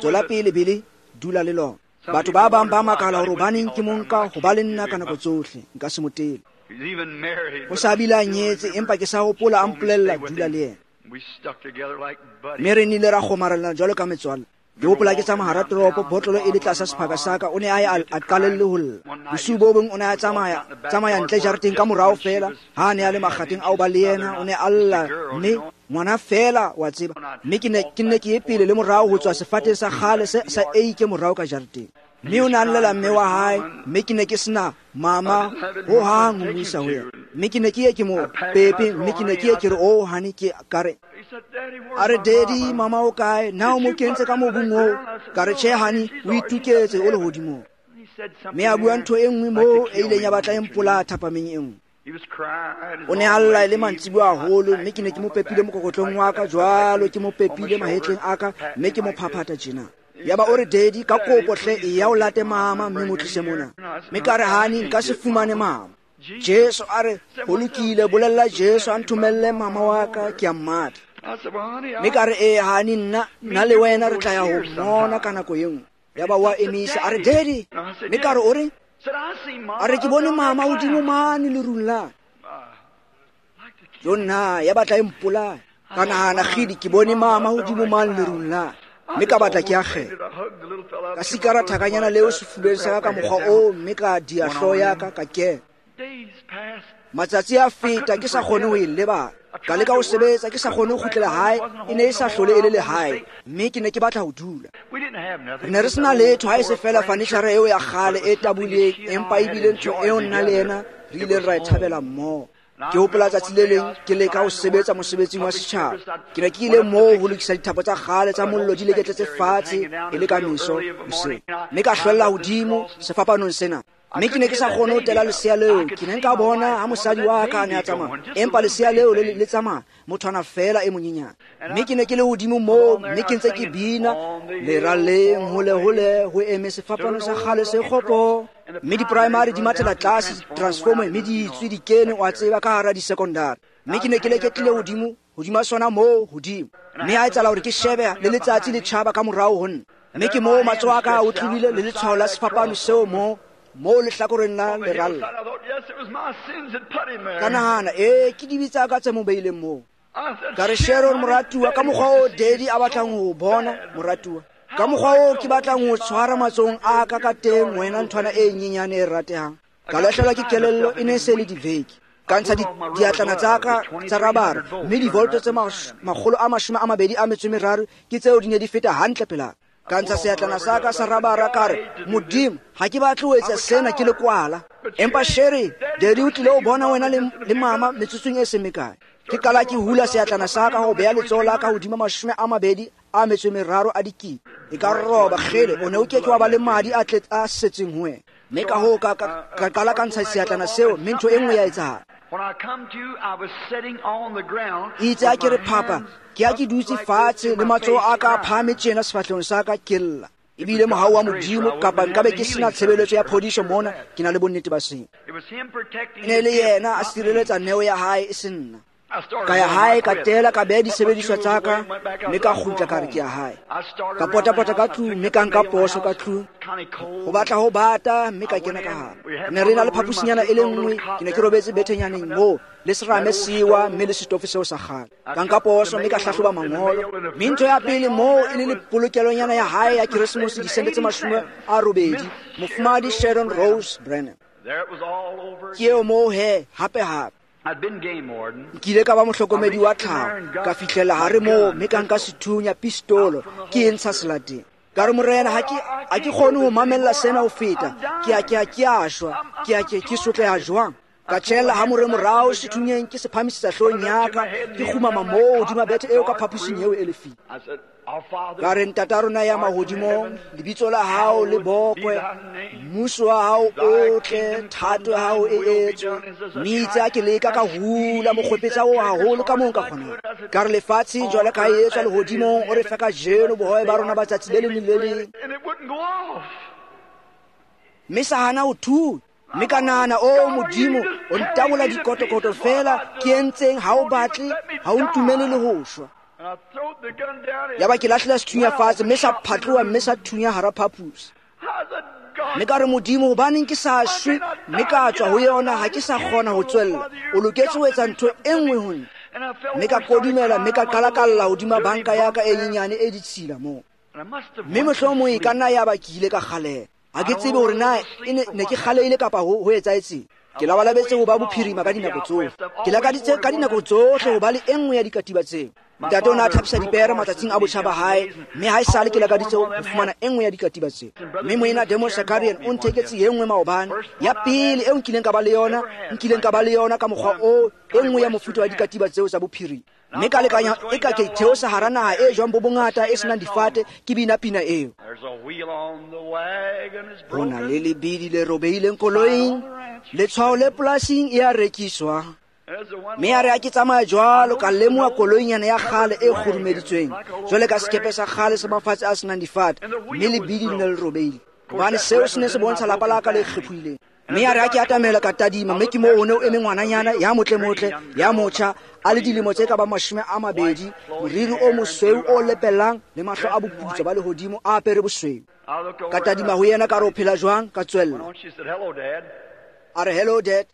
tswela pele Billy, dula le lona. Batho ba bang ba makala hore hobaneng ke mo nka ho ba le nna ka nako tsohle, nka se mo tele. O sa bile a nyetse, empa ke sa hopola a mpolella dula le yena. Mme re nnile ra kgomarelana jwalo ka metswalle. Ke hopola ke tsamaya hara toropo, botlolo e le tlasa sephaka sa ka, o ne a ye a qalelle ho lla. Bosiu bo bong o ne a tsamaya ntle jareteng ka morao feela, ha a ne a le makgatheng ao ba le yena, o ne a lla, mme ngwana feela wa tseba. Mme ke nne ke ye pele le morao ho tswa sefateng sa kgale sa eike morao ka jareteng. Mme o ne a llela mme wa hae, mme ke ne ke sena mama ho hang ho mo isa ho yena. Mme ke ne ke ye ke mo pepe, mme ke ne ke ye ke re, oh honey, ke ka re, a re, daddy, mama o kae? Na o mo kentse ka mobung oo? Ka re, tjhe honey, o ituketse o lehodimong. Mme a bua ntho e nngwe moo e ileng ya batla e mpolaya thapameng e nngwe. O ne a lla e le mantsiboya haholo, mme ke ne ke mo pepile mokokotlong wa ka jwalo, ke mo pepile mahetleng a ka, mme ke mo phaphatha tjena. Yaba o re, daddy, ka kopo hle, e ya o late mama mme mo tlise mona. Mme ka re, honey, nka se fumane mama. Jesu a re, ho lokile, bolella Jesu a nthomelle mama wa ka, ke a mmatla. Mme ka re, ee honey, nna le wena re tla ya ho mmona ka nako e nngwe. Yaba wa emisa, a re, daddy. Mme ka re, o reng? A re, ke bone mama hodimo mane lerung la. Jo nna, ya batla e mpolaya. Ka nahana, kgidi, ke bone mama hodimo mane lerung la. Mme ka batla ke akgela. Ka sikara thakanyana leo sefubeng sa ka mokgwa oo, mme ka dia hlooho ya ka, ka kena. Matsatsi a feta, ke sa kgone ho e lebala. Ka leka ho sebetsa, ke sa kgone ho kgutlela hae, e ne e sa hlole e le lehae, mme ke ne ke batla ho dula. Re ne re sena letho ha e se feela fanitjhara eo ya kgale e taboleng, empa ebile ntho eo nna le yena re ileng ra e thabela mmoho. Ke hopola tsatsi le leng ke leka ho sebetsa mosebetsing wa setjhaba. Ke ne ke ile moo ho lokisa dithapo tsa kgale tsa mollo di leketletse fatshe e le ka meso hoseng. Mme ka hlwella hodimo sefapanong sena. Mme ke ne ke sa kgone ho tela lesea leo. Ke ne nka bona ha mosadi wa ka a ne a tsamaya, empa lesea leo le tsamaya mothwana feela e monyenyane. Mme ke ne ke le hodimo moo, mme ke ntse ke bina leralleng hole hole ho eme sefapano sa kgale se kgopo. Mme di-primary di mathela tlase transformer, mme di itswe di kene wa tseba ka hara di-secondary. Mme ke ne ke leketlile hodimo hodima sona moo hodimo. Mme ha etsahala hore ke shebe le letsatsi le tjhaba ka morao ho nna. Mme ke moo matsoho a ka a otlile le letshwao la sefapano seo moo lehlakoreng la leralla. Ka nahana, ee, ke dibe tsa ka tse mo beileng moo. Ka re, Sharon moratuwa, ka mokgwa oo daddy a batlang ho bona moratuwa, ka mokgwa oo ke batlang ho tshwara matsohong a ka ka teng wena nthwana e nyenyane e ratehang. Ka lahlehelwa ke kelello, e ne se le diveke. Ka ntsha diatlana tsa ka tsa rabara, mme divolto tse 223 ke tseo di ne di feta hantle pela. Ka ntsha seatlana sa ka sa rabara, ka re, Modimo, ha ke batle ho etsa sena ke le kwala. Empa Sherry, daddy o tlile ho bona wena le mama metsotsong e seng mekae. Ke qala ke hula seatlana sa ka ho beha letsoho la ka hodima 23 a dikete. E ka roba kgele, o ne o ke ke wa ba le madi a tle a setseng ho wena. Mme ka hoo ka qala ka ntsha seatlana seo, mme ntho e nngwe ya etsahala. Itse a ke re phapa, ke a ke dutse fatshe le matsoho a ka a phahame tjena sefahlehong sa ka, ke lla. Ebile mohau wa Modimo, kapa nkabe ke sena tshebeletso ya phodiso mona, ke na le bonnete ba sena. E ne le yena a sireletsa neo ya hae, e se nna. Ka ya hae, ka tela, ka beha disebediswa tsa ka, mme ka kgutla ka re ke ya hae. Ka potapota ka tlung, mme ka nka poso ka tlung. Ho batla ho bata, mme ka kena ka hare. Re ne re na le phaposinyana e le nngwe, ke ne ke robetse bethenyaneng moo, le serame sewa, mme le setofo seo sa kgale. Ka nka poso, mme ka hlahloba mangolo. Mme ntho ya pele moo e le polokelonyana ya hae ya Keresemose, disente tse 80, Mofumahadi Sharon Rose Branham. Ke eo moo he, hape hape. Nkile ka ba mohlokomedi wa tlhaho, ka fihlela hare moo, mme ka nka sethunya pistolo, ke e ntsha selateng. Ka re, Morena, ha ke kgone ho mamella sena ho feta. Ke a shwa, ke sotleha jwang. Ka tjhella ha more morao sethunyeng, ke se phamisetsa hloohong ya ka, ke kgumama moo hodima bethe eo ka phaposing eo e lefile. Ka re, Ntata rona ya mahodimong, lebitso la hao le bokwe, mmuso wa hao o tle, thato ya hao e etswe. Mme itse ha ke leka ka hula mokgwepetsa oo haholo ka moo nka kgonang. Ka re, lefatshe jwale ka e etswa lehodimong, o re fe kajeno bohobe ba rona ba tsatsi le leng le le leng. Mme sa hana ho thunya. Mme ka nahana, o Modimo, o ntabola dikotokoto feela, ke entseng ha o batle, ha o ntumele le ho shwa. Yaba ke lahlela sethunya fatshe, mme sa phatloha, mme sa thunya hara phaposi. Mme ka re, Modimo, hobaneng ke sa shwe, mme ka tswa ho yona, ha ke sa kgona ho tswella. O loketse ho etsa ntho e nngwe ho nna. Mme ka kodumela, mme ka qala ka lla hodima banka ya ka e nyenyane e ditshila moo. Mme mohlomong e ka nna ya ba ke ile ka kgaleha. Ha ke tsebe hore na e ne ke kgalehile kapa ho etsahetseng. Ke labalabetse ho ba bophirima ka dinako tsohle. Ke lakaditse ka dinako tsohle ho ba le e nngwe ya dikatiba tseo. Ntate o ne a thapisa dipere matsatsing a botjha ba hae, mme ha esale ke lakaditse ho fumana e nngwe ya dikatiba tseo. Mme moena Demos Shakarian o ntheketse e nngwe maobane, ya pele eo nkileng ka ba le yona, nkileng ka ba le yona ka mokgwa oo, e nngwe ya mofuta wa dikatiba tseo tsa bophirima. Mme ka lekanya e ka ke theosa hara naha e jwang bo bongata e senang difate, ke bina pina eo. Ho na le lebidi le robehileng koloing, letshwao le polasing e a rekiswa. Mme a re ha ke tsamaya jwalo ka lemoha koloinyana ya kgale e kgurumeditsweng jwale ka sekepe sa kgale sa mafatshe a senang difate, mme lebidi le ne le robehile. Hobane seo se ne se bontsha lapa la ka le kgephohileng. Mme a re ha ke atamela ka tadima, mme ke moo ho ne o eme ngwananyana ya motlemotle, ya motjha, a le dilemo tse ka bang 20, moriri o mosweu o lepellang le mahlo a boputswa ba lehodimo a apere bosweu. Ka tadima ho yena ka re o phela jwang, ka tswella. A re hello dad.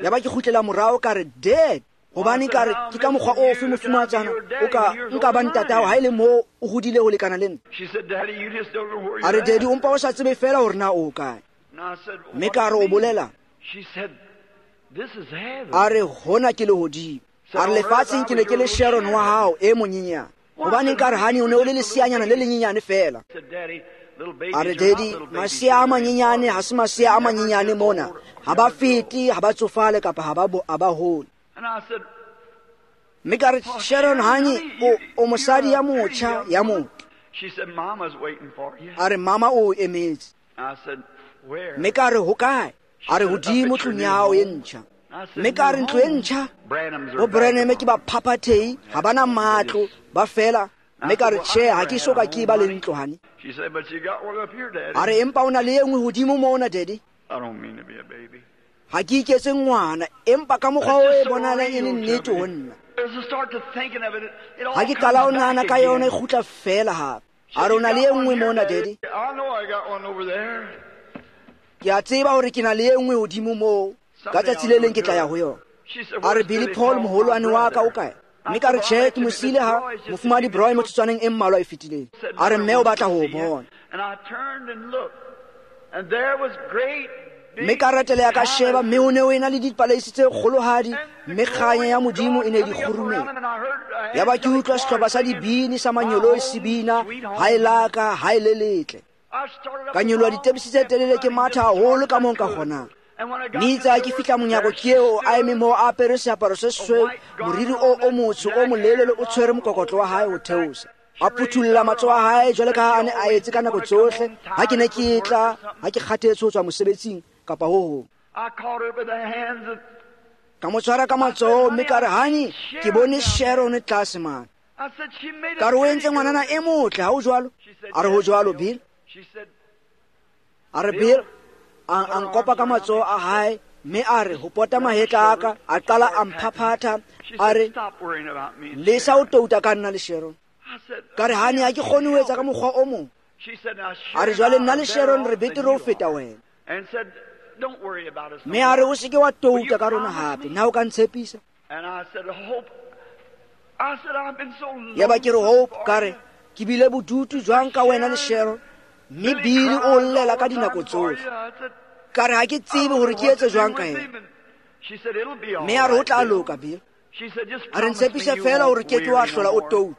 Ya ba ke kgutlela morao ka re dad. Hobane ka re ke ka mokgwa ofe mofumatsana o ka nka ba ntatao ha e le moo o hodile ho lekana le nna. A re daddy o mpa o sa tsebe fela hore na o kae. Mme ka re o bolela. A re hona ke lehodimo. A re lefatsheng ke ne ke le Sharon wa hao e monyenyane. Hobane ka re hani o ne o le leseanyana le lenyenyane fela. A re daddy masea a manyenyane ha se masea a manyenyane mona. Ha ba fete, ha ba tsofale kapa ha ba hole. Mme ka re Sharon hani o mosadi ya motjha ya motle. A re mama o emetse. Mme ka re ho kae? A re hodimo tlung ya hao e ntjha. Mme ka re ntlo e ntjha? Bo Branham ke ba phaphathehi, ha bana matlo, ba fela. Mme ka re tjhe, ha ke so ka ke ba le ntlo hani. A re empa o na le e nngwe hodimo mona daddy. Ha ke iketse ngwana, empa ka mokgwa o e bonahalang e le nnete ho nna. Ha ke qala ho nahana ka yona e kgutla fela hape. A re o na le e nngwe mona daddy. Ke a tseba hore ke na le e nngwe hodimo moo. Ka tsatsi le leng ke tla ya ho yona. A re Billy Paul moholwane wa ka o kae? Mme ka re tjhe, ke mo siile ha mofumahadi Broy motsotswaneng e mmalwa e fetileng. A re mme o batla ho o bona. Mme ka reteleha ka sheba, mme ho ne ho ena le dipaleisi tse kgolohadi, mme kganya ya Modimo e ne di kgurumela. Ya ba ke utlwa sehlopha sa dibini sa manyoloi se bina, ha e laka, ha e le letle. Ka nyoloha ditepisi tse telele ke matha haholo ka moo nka kgonang. Mme itse ha ke fihla monyako ke eo a eme moo a apere seaparo se sesweu, moriri o motsho o molelele o tshwere mokokotlo wa hae ho theosa. A phuthulla matsoho a hae jwale ka ha a ne a etse ka nako tsohle ha ke ne ke tla, ha ke kgathetse ho tswa mosebetsing kapa ho hong. Ka mo tshwara ka matsoho mme ka re hani ke bone Sharon tlase mane. Ka re o entse ngwanana e motle, ha o jwalo? A re ho jwalo Bill. A re Bill, a nkopa ka matsoho a hae mme a re ho pota mahetla a ka, a qala a mphaphatha, a re lesa o touta ka nna le Sharon. Ka re hani ha ke kgone ho etsa ka mokgwa o mong. A re jwale nna le Sharon re betere ho feta wena. Mme a re o se ke wa touta ka rona hape, na o ka ntshepisa? Ya ba ke re Hope, ka re ke bile bodutu jwang ka wena le Sharon, mme Billy o llela ka dinako tsohle. Ka re ha ke tsebe hore ke etse jwang ka yena. Mme a re ho tla loka Bill. A re ntshepise fela hore ke ke wa hlola o touta.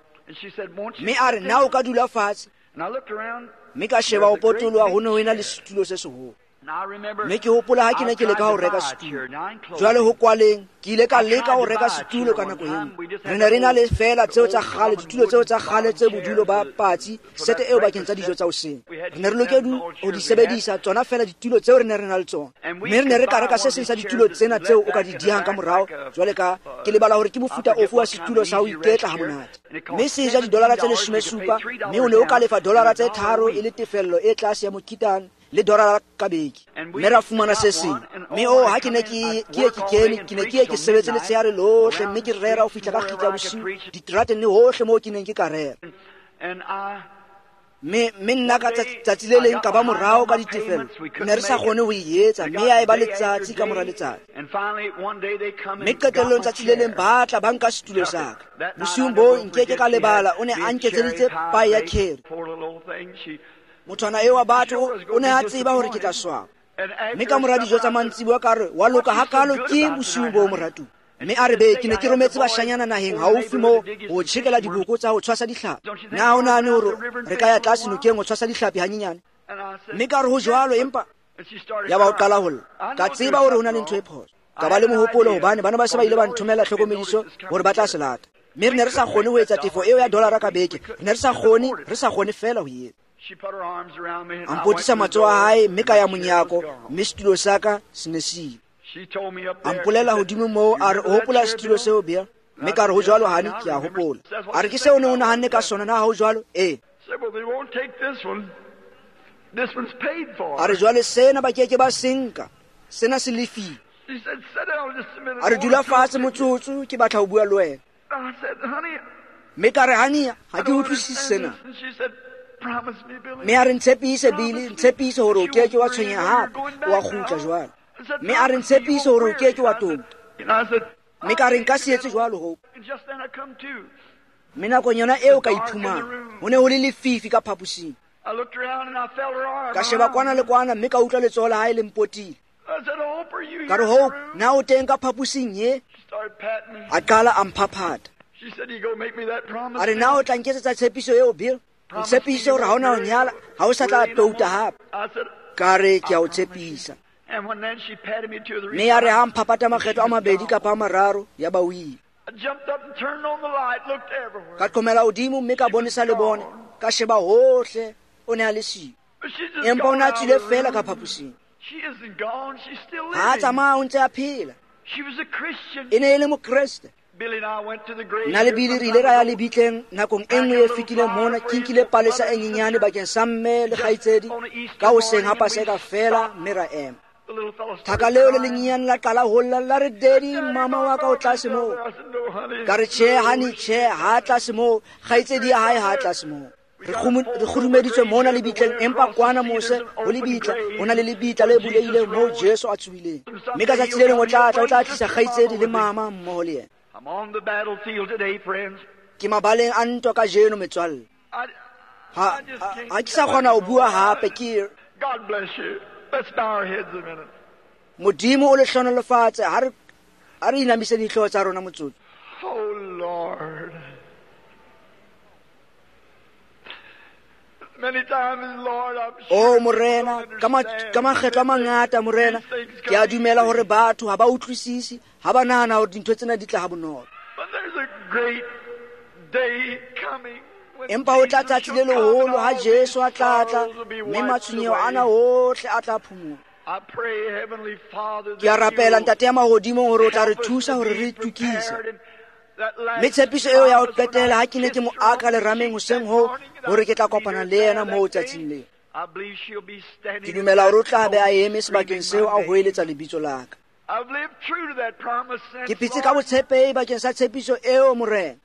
Mme a re na o ka dula fatshe. Mme ka sheba ho potoloha, ho ne ho ena le setulo se seholo. Mme ke hopola ha ke ne ke leka ho reka setulo. Jwale ho kwaleng, ke ile ka leka ho reka setulo ka nako e nngwe. Re ne re na le fela tseo tsa kgale, ditulo tseo tsa kgale tse bodulo ba patsi, sete eo bakeng tsa dijo tsa hoseng. Re ne re lokela ho di sebedisa tsona fela ditulo tseo re ne re na le tsona. Mme re ne re ka reka se seng sa ditulo tsena tseo o ka di dihang ka morao, jwale ka ke lebala hore ke mofuta ofe wa setulo sa ho iketla ha monate. Mme se ja didolara tse 17, mme o ne o ka lefa dolara tse 3 e le tefello e tlase ya mokitane le dolara ka beke. Mme ra fumana se seng. Mme o ha ke ne ke ke kene, ke ne ke ke sebetse letshehare lohle, mme ke rera ho fihla ka kgitla bosiu diterateng le hohle moo ke neng ke ka rera. Mme nna ka tsatsi le leng ka ba morao ka ditefello, ne re sa kgone ho e etsa, mme ya eba letsatsi ka mora letsatsi. Mme qetellong tsatsi le leng ba tla ba nka setulo sa ka. Bosiung boo nkeke ka lebala, o ne a nketseditse pae ya curry. Mothwana eo wa batho o ne a tseba hore ke tla swaba. Mme ka mora dijo tsa mantsiboya ka re, wa loka hakalo ke bosiung boo moratuwa. Mme a re be ke ne ke rometse bashanyana naheng haufi moo ho tjhekela diboko tsa ho tshwasa dihlapi. Na o nahane hore re ka ya tlase nokeng ho tshwasa dihlapi hanyenyane? Mme ka re ho jwalo, empa yaba o qala ho lla. Ka tseba hore ho na le ntho e phoso. Ka ba le mohopolo hobane bana ba se ba ile ba nthomela tlhokomediso hore ba tla se lata. Mme re ne re sa kgone ho etsa tefo eo ya dollara ka beke. Re ne re sa kgone fela ho e etsa. A mpotisa matsoho a hae mme ka ya monyako, mme setulo sa ka se ne se ile. A mpolela hodimo moo, a re, o hopola setulo seo, Bill? Mme ka re, ho jwalo, honey, ke a hopola. A re, ke seo o ne o nahanne ka sona, na ha ho jwalo? Ee. A re, jwale sena ba keke ba se nka, sena se lefile. A re, dula fatshe motsotso, ke batla ho bua le wena. Mme ka re, honey, ha ke utlwisise sena. Mme a re, ntshepise, Billy, ntshepise hore o keke wa tshwenyeha hape, o a kgutla jwale. Mme a re, ntshepise hore o keke wa touta. Mme ka re, nka se etse jwalo, Hope. Mme nakong yona eo ka iphumana, ho ne ho le lefifi ka phaposing. Ka sheba kwana le kwana, mme ka utlwa letsoho la hae le mpotile. Ka re, Hope, na o teng ka phaposing ye? A qala a mphaphata. A re, na o tla nketsetsa tshepiso eo, Bill? Ntshepise hore ha o na ho nyala, ha o sa tla touta hape. Ka re, ke a o tshepisa. Mme ya re ha mphapata makgetlo a mabedi kapa a mararo, ya ba o ile. Ka qhomela hodimo mme ka bonesa lebone, ka sheba hohle, o ne a le siyo. Empa o ne a tswile feela ka phaposing. Ha a tsamaya o ntse a phela. E ne e le Mokreste. Nna le Billy re ile ra ya lebitleng nakong e nngwe e fetileng mona, ke nkile palesa e nyenyane bakeng sa mme le kgaitsedi ka hoseng ha Paseka feela, mme ra ema. Thaka leo le lenyenyane la qala ho lla, la re, Daddy, mama wa ka o tlase moo. Ka re, tjhe, honey, tjhe, ha tlase moo, kgaitsedi ya hae ha tlase moo. Re kgurumeditswe mona lebitleng, empa kwana mose ho lebitla, ho na le lebitla le bulehileng moo Jesu a tsohileng. Mme ka tsatsi le leng o tla tla, o tla tlisa kgaitsedi le mama mmoho le yena. Ke mabaleng a ntwa kajeno, metswalle. Ha ke sa kgona ho bua hape, ke Modimo o le hlohonolofatse. Ha re inamise dihlooho tsa rona motsotso. Oh Lord. Many times, Lord, I'm sure Oh Morena, ka makgetlo a mangata, Morena, ke a dumela hore batho ha ba utlwisise, ha ba nahana hore dintho tsena di tla ha bonolo. But there's a great day coming when Empa ho tla tsatsi le leholo ha Jesu a tla tla, mme matshwenyeho ana ohle a tla phumola. I pray, Heavenly Father, Ke a rapela, Ntate ya mahodimong, hore o tla re thusa hore re itukise. Mme tshepiso eo ya ho qetela ha ke ne ke mo aka lerameng hoseng hoo, hore ke tla kopana le yena moo tsatsing leo. Ke dumela hore o tla be a eme sebakeng seo a hoeletsa lebitso la ka. Ke phetse ka botshepehi bakeng sa tshepiso eo, Morena.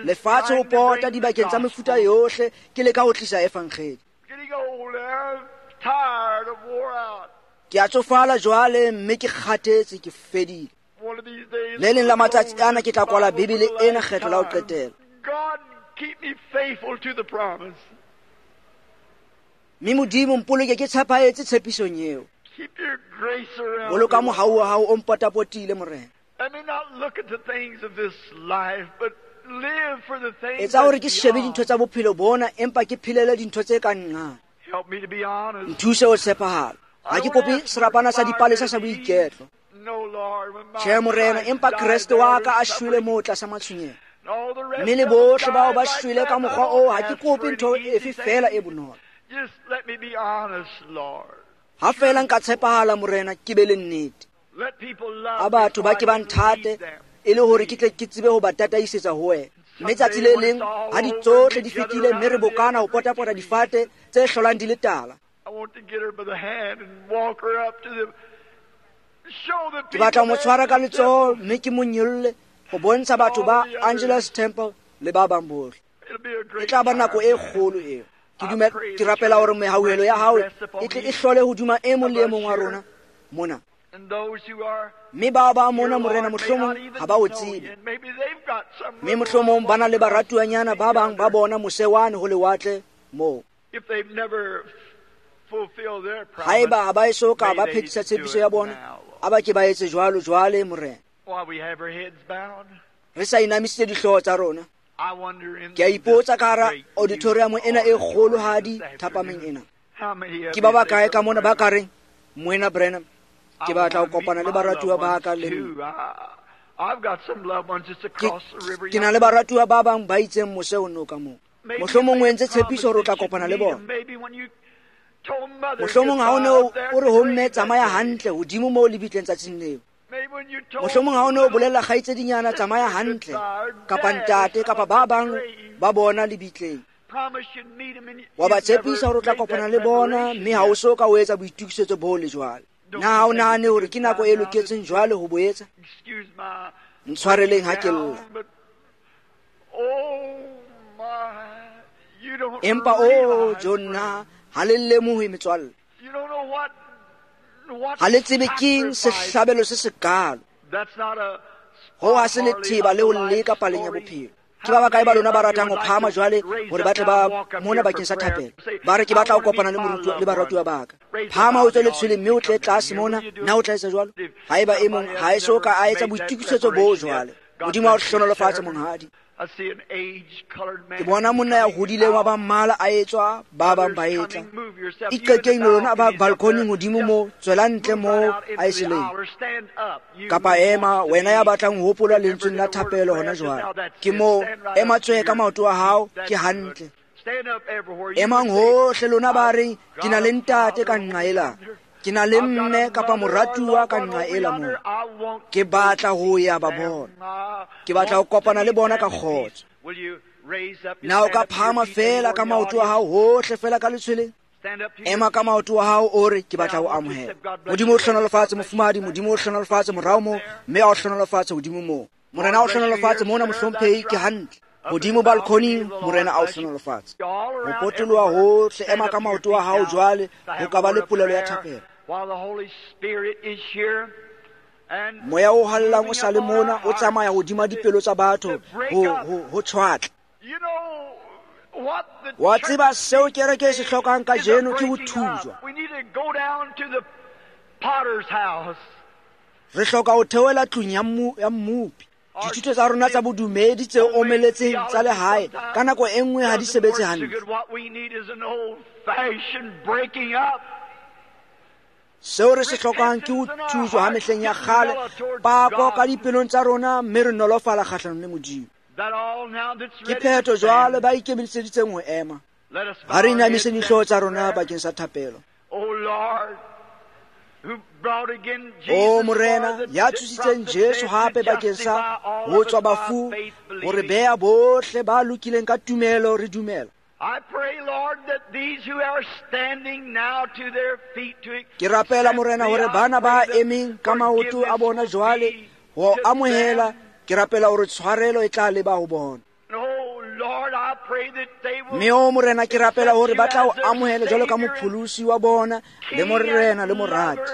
Lefatshe ho pota dibakeng tsa mefuta yohle, ke leka ho tlisa evangeli. Ke a tsofala jwale, mme ke kgathetse, ke fedile. Le leng la matsatsi ana ke tla kwala Bibele ena kgetlo la ho qetela. Mme Modimo mpoloke ke tshepahetse tshepisong eo. Boloka mohau wa hao o mpotapotile, Morena. Etsa hore ke shebe dintho tsa bophelo bona, empa ke phelele dintho tse ka nqane. Nthuse ho tshepahala. Ha ke kope serapana sa dipalesa sa boiketlo. Tjhe, Morena, empa Kreste wa ka a shwele moo tlasa matshwenyeho. Mme le bohle bao ba shwele ka mokgwa oo, ha ke kope ntho efe feela e bonolo. Ha feela nka tshepahala, Morena, ke be le nnete. A batho ba ke ba nthate, e le hore ke tle ke tsebe ho ba tataisetsa ho wena. Mme tsatsi le leng ha di tsohle di fetile, mme re bokana ho potapota difate tse hlolang di le tala. Ke batla ho mo tshwara ka letsoho mme ke mo nyolle ho bontsha batho ba Angelus Temple le ba bang bohle. E tla ba nako e kgolo eo. Ke dumela, ke rapela hore mehauhelo ya hao e tle e hlole hodima e mong le e mong wa rona mona. Mme bao ba mona, Morena, mohlomong ha ba o tsebe. Mme mohlomong ba na le baratuanyana ba bang ba bona mose wane ho lewatle moo. Haeba ha ba eso ka ba phethisa tshepiso ya bona, a ba ke ba etse jwalo jwale, Morena. Re sa inamisitse dihlooho tsa rona. Ke a ipotsa ka hara auditorium ena e kgolohadi thapameng ena. Ke ba bakae ka mona ba ka reng, Moena Branham, ke batla ho kopana le baratuwa ba ka le nna. Ke na le baratuwa ba bang ba itseng mose o noka moo. Mohlomong o entse tshepiso hore o tla kopana le bona. Mohlomong ha o ne o re ho mme tsamaya hantle hodimo moo lebitleng tsatsing leo. Mohlomong ha o ne o bolella kgaitsedinyana tsamaya hantle, kapa ntate, kapa ba bang ba bona lebitleng. Wa ba tshepisa hore o tla kopana le bona, mme ha o so ka o etsa boitokisetso bo le jwale. Na ha o nahane hore ke nako e loketseng jwale ho bo etsa? Ntshwareleng ha ke lla. Empa o jonna, ha le lemohe metswalle. Ha le tsebe keng sehlabelo se sekalo. Ho ha se letheba le ho leka paleng ya bophelo. Ke ba bakae ba lona ba ratang ho phahama jwale hore ba tle ba mona bakeng sa thapelo? Ba re ke batla ho kopana le moruti le baratuwa ba ka. Phahama o tswe letshweleng mme o tle tlase mona. Na o tla etsa jwalo? Haeba e mong ha e so ka a etsa boitokisetso bo jwale. Modimo a o hlohonolofatse, monghadi. Ke bona monna ya hodileng wa ba mmala a etswa, ba bang ba etla. Iqekeng lona ba balkoning hodimo moo, tswela ntle moo aeseleng. Kapa ema, wena ya batlang ho hopola lentsweng la thapelo hona jwale. Ke moo, ema tswe ka maoto a hao, ke hantle. Emang hohle lona ba reng, ke na le ntate ka nqa ela. Ke na le mme kapa moratuwa ka nqa ela moo. Ke batla ho ya ba bona. Ke batla ho kopana le bona ka kgotso. Na o ka phahama fela ka maoto a hao hohle fela ka letshweleng? Ema ka maoto a hao o re, ke batla ho amohela. Modimo o hlohonolofatse mofumahadi, Modimo o hlohonolofatse morao moo, mme a o hlohonolofatse hodimo moo. Morena o hlohonolofatse mona mohlomphehi, ke hantle. Hodimo balkoning, Morena a o hlohonolofatse. Ho potoloha hohle, ema ka maoto a hao jwale, ho ka ba le polelo ya thapelo. Moya o hallang o sa le mona, o tsamaya hodima dipelo tsa batho ho tshwatla. Wa tseba seo kereke e se hlokang kajeno ke ho thujwa. Re hloka ho theohela tlung ya mmopi. Dithuto tsa rona tsa bodumedi tse omeletseng tsa lehae ka nako e nngwe ha di sebetse hantle. Seo re se hlokang ke ho thujwa ha mehleng ya kgale, pako ka dipelong tsa rona, mme re nolofala kgahlanong le Modimo. Ke phetho jwale ba ikemiseditseng ho ema. Ha re inamiseng dihlooho tsa rona bakeng sa thapelo. O Morena, ya tsositseng Jesu hape bakeng sa ho tswa bafu, ho re beha bohle ba lokileng ka tumelo re dumela. Ke rapela Morena hore bana ba emeng ka maoto a bona jwale ho amohela, ke rapela hore tshwarelo e tla leba ho bona. Mme o Morena, ke rapela hore ba tla o amohela jwalo ka mopholosi wa bona le Morena le morati.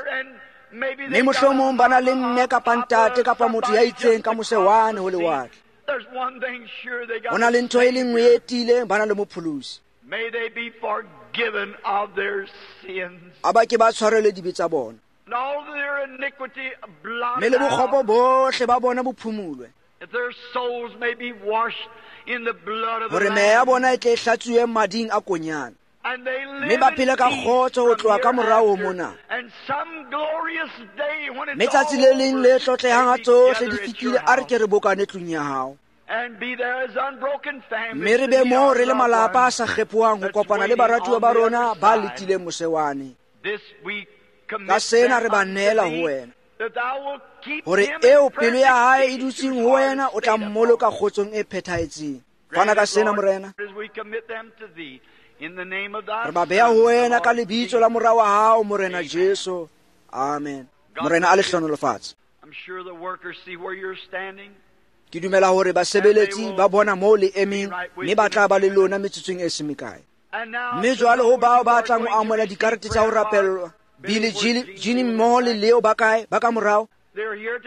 Mme mohlomong ba na le mme kapa ntate kapa motho ya itseng ka mose wane ho lewatle. Ho na le ntho e le nngwe e tiileng, ba na le mopholosi. A ba ke ba tshwarelwe dibe tsa bona. Mme le bokgopo bohle ba bona bo phumulwe. Hore meya ya bona e tle e hlatsuwe mading a konyana. Mme ba phele ka kgotso ho tloha ka morao ho mona. Mme tsatsi le leng le tlotlehang ha tsohle di fetile, a re ke re bokane tlung ya hao. Mme re be moo re le malapa a sa kgephohang ho kopana le baratuwa ba rona ba letileng mose wane. Ka sena re ba neela ho wena, hore eo pelo ya hae e dutseng ho wena o tla mmoloka kgotsong e phethahetseng. Fana ka sena, Morena. Re ba beha ho wena ka lebitso la mora wa hao, Morena Jesu. Amen. Morena a le hlohonolofatse. Ke dumela hore basebeletsi ba bona moo le emeng, mme ba tla ba le lona metsotsong e seng mekae. Mme jwale ho bao ba tlang ho amohela dikarete tsa ho rapellwa, Billy, Gene mmoho le Leo ba kae ba ka morao?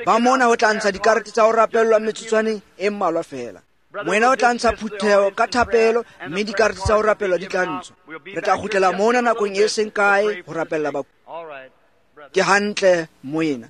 Ba mona ho tla ntsha dikarete tsa ho rapellwa metsotswaneng e mmalwa feela. Moena o tla ntsha phutheho ka thapelo, mme dikarete tsa ho rapellwa di tla ntshwa. Re tla kgutlela mona nakong e seng kae ho rapella ba. Ke hantle, moena.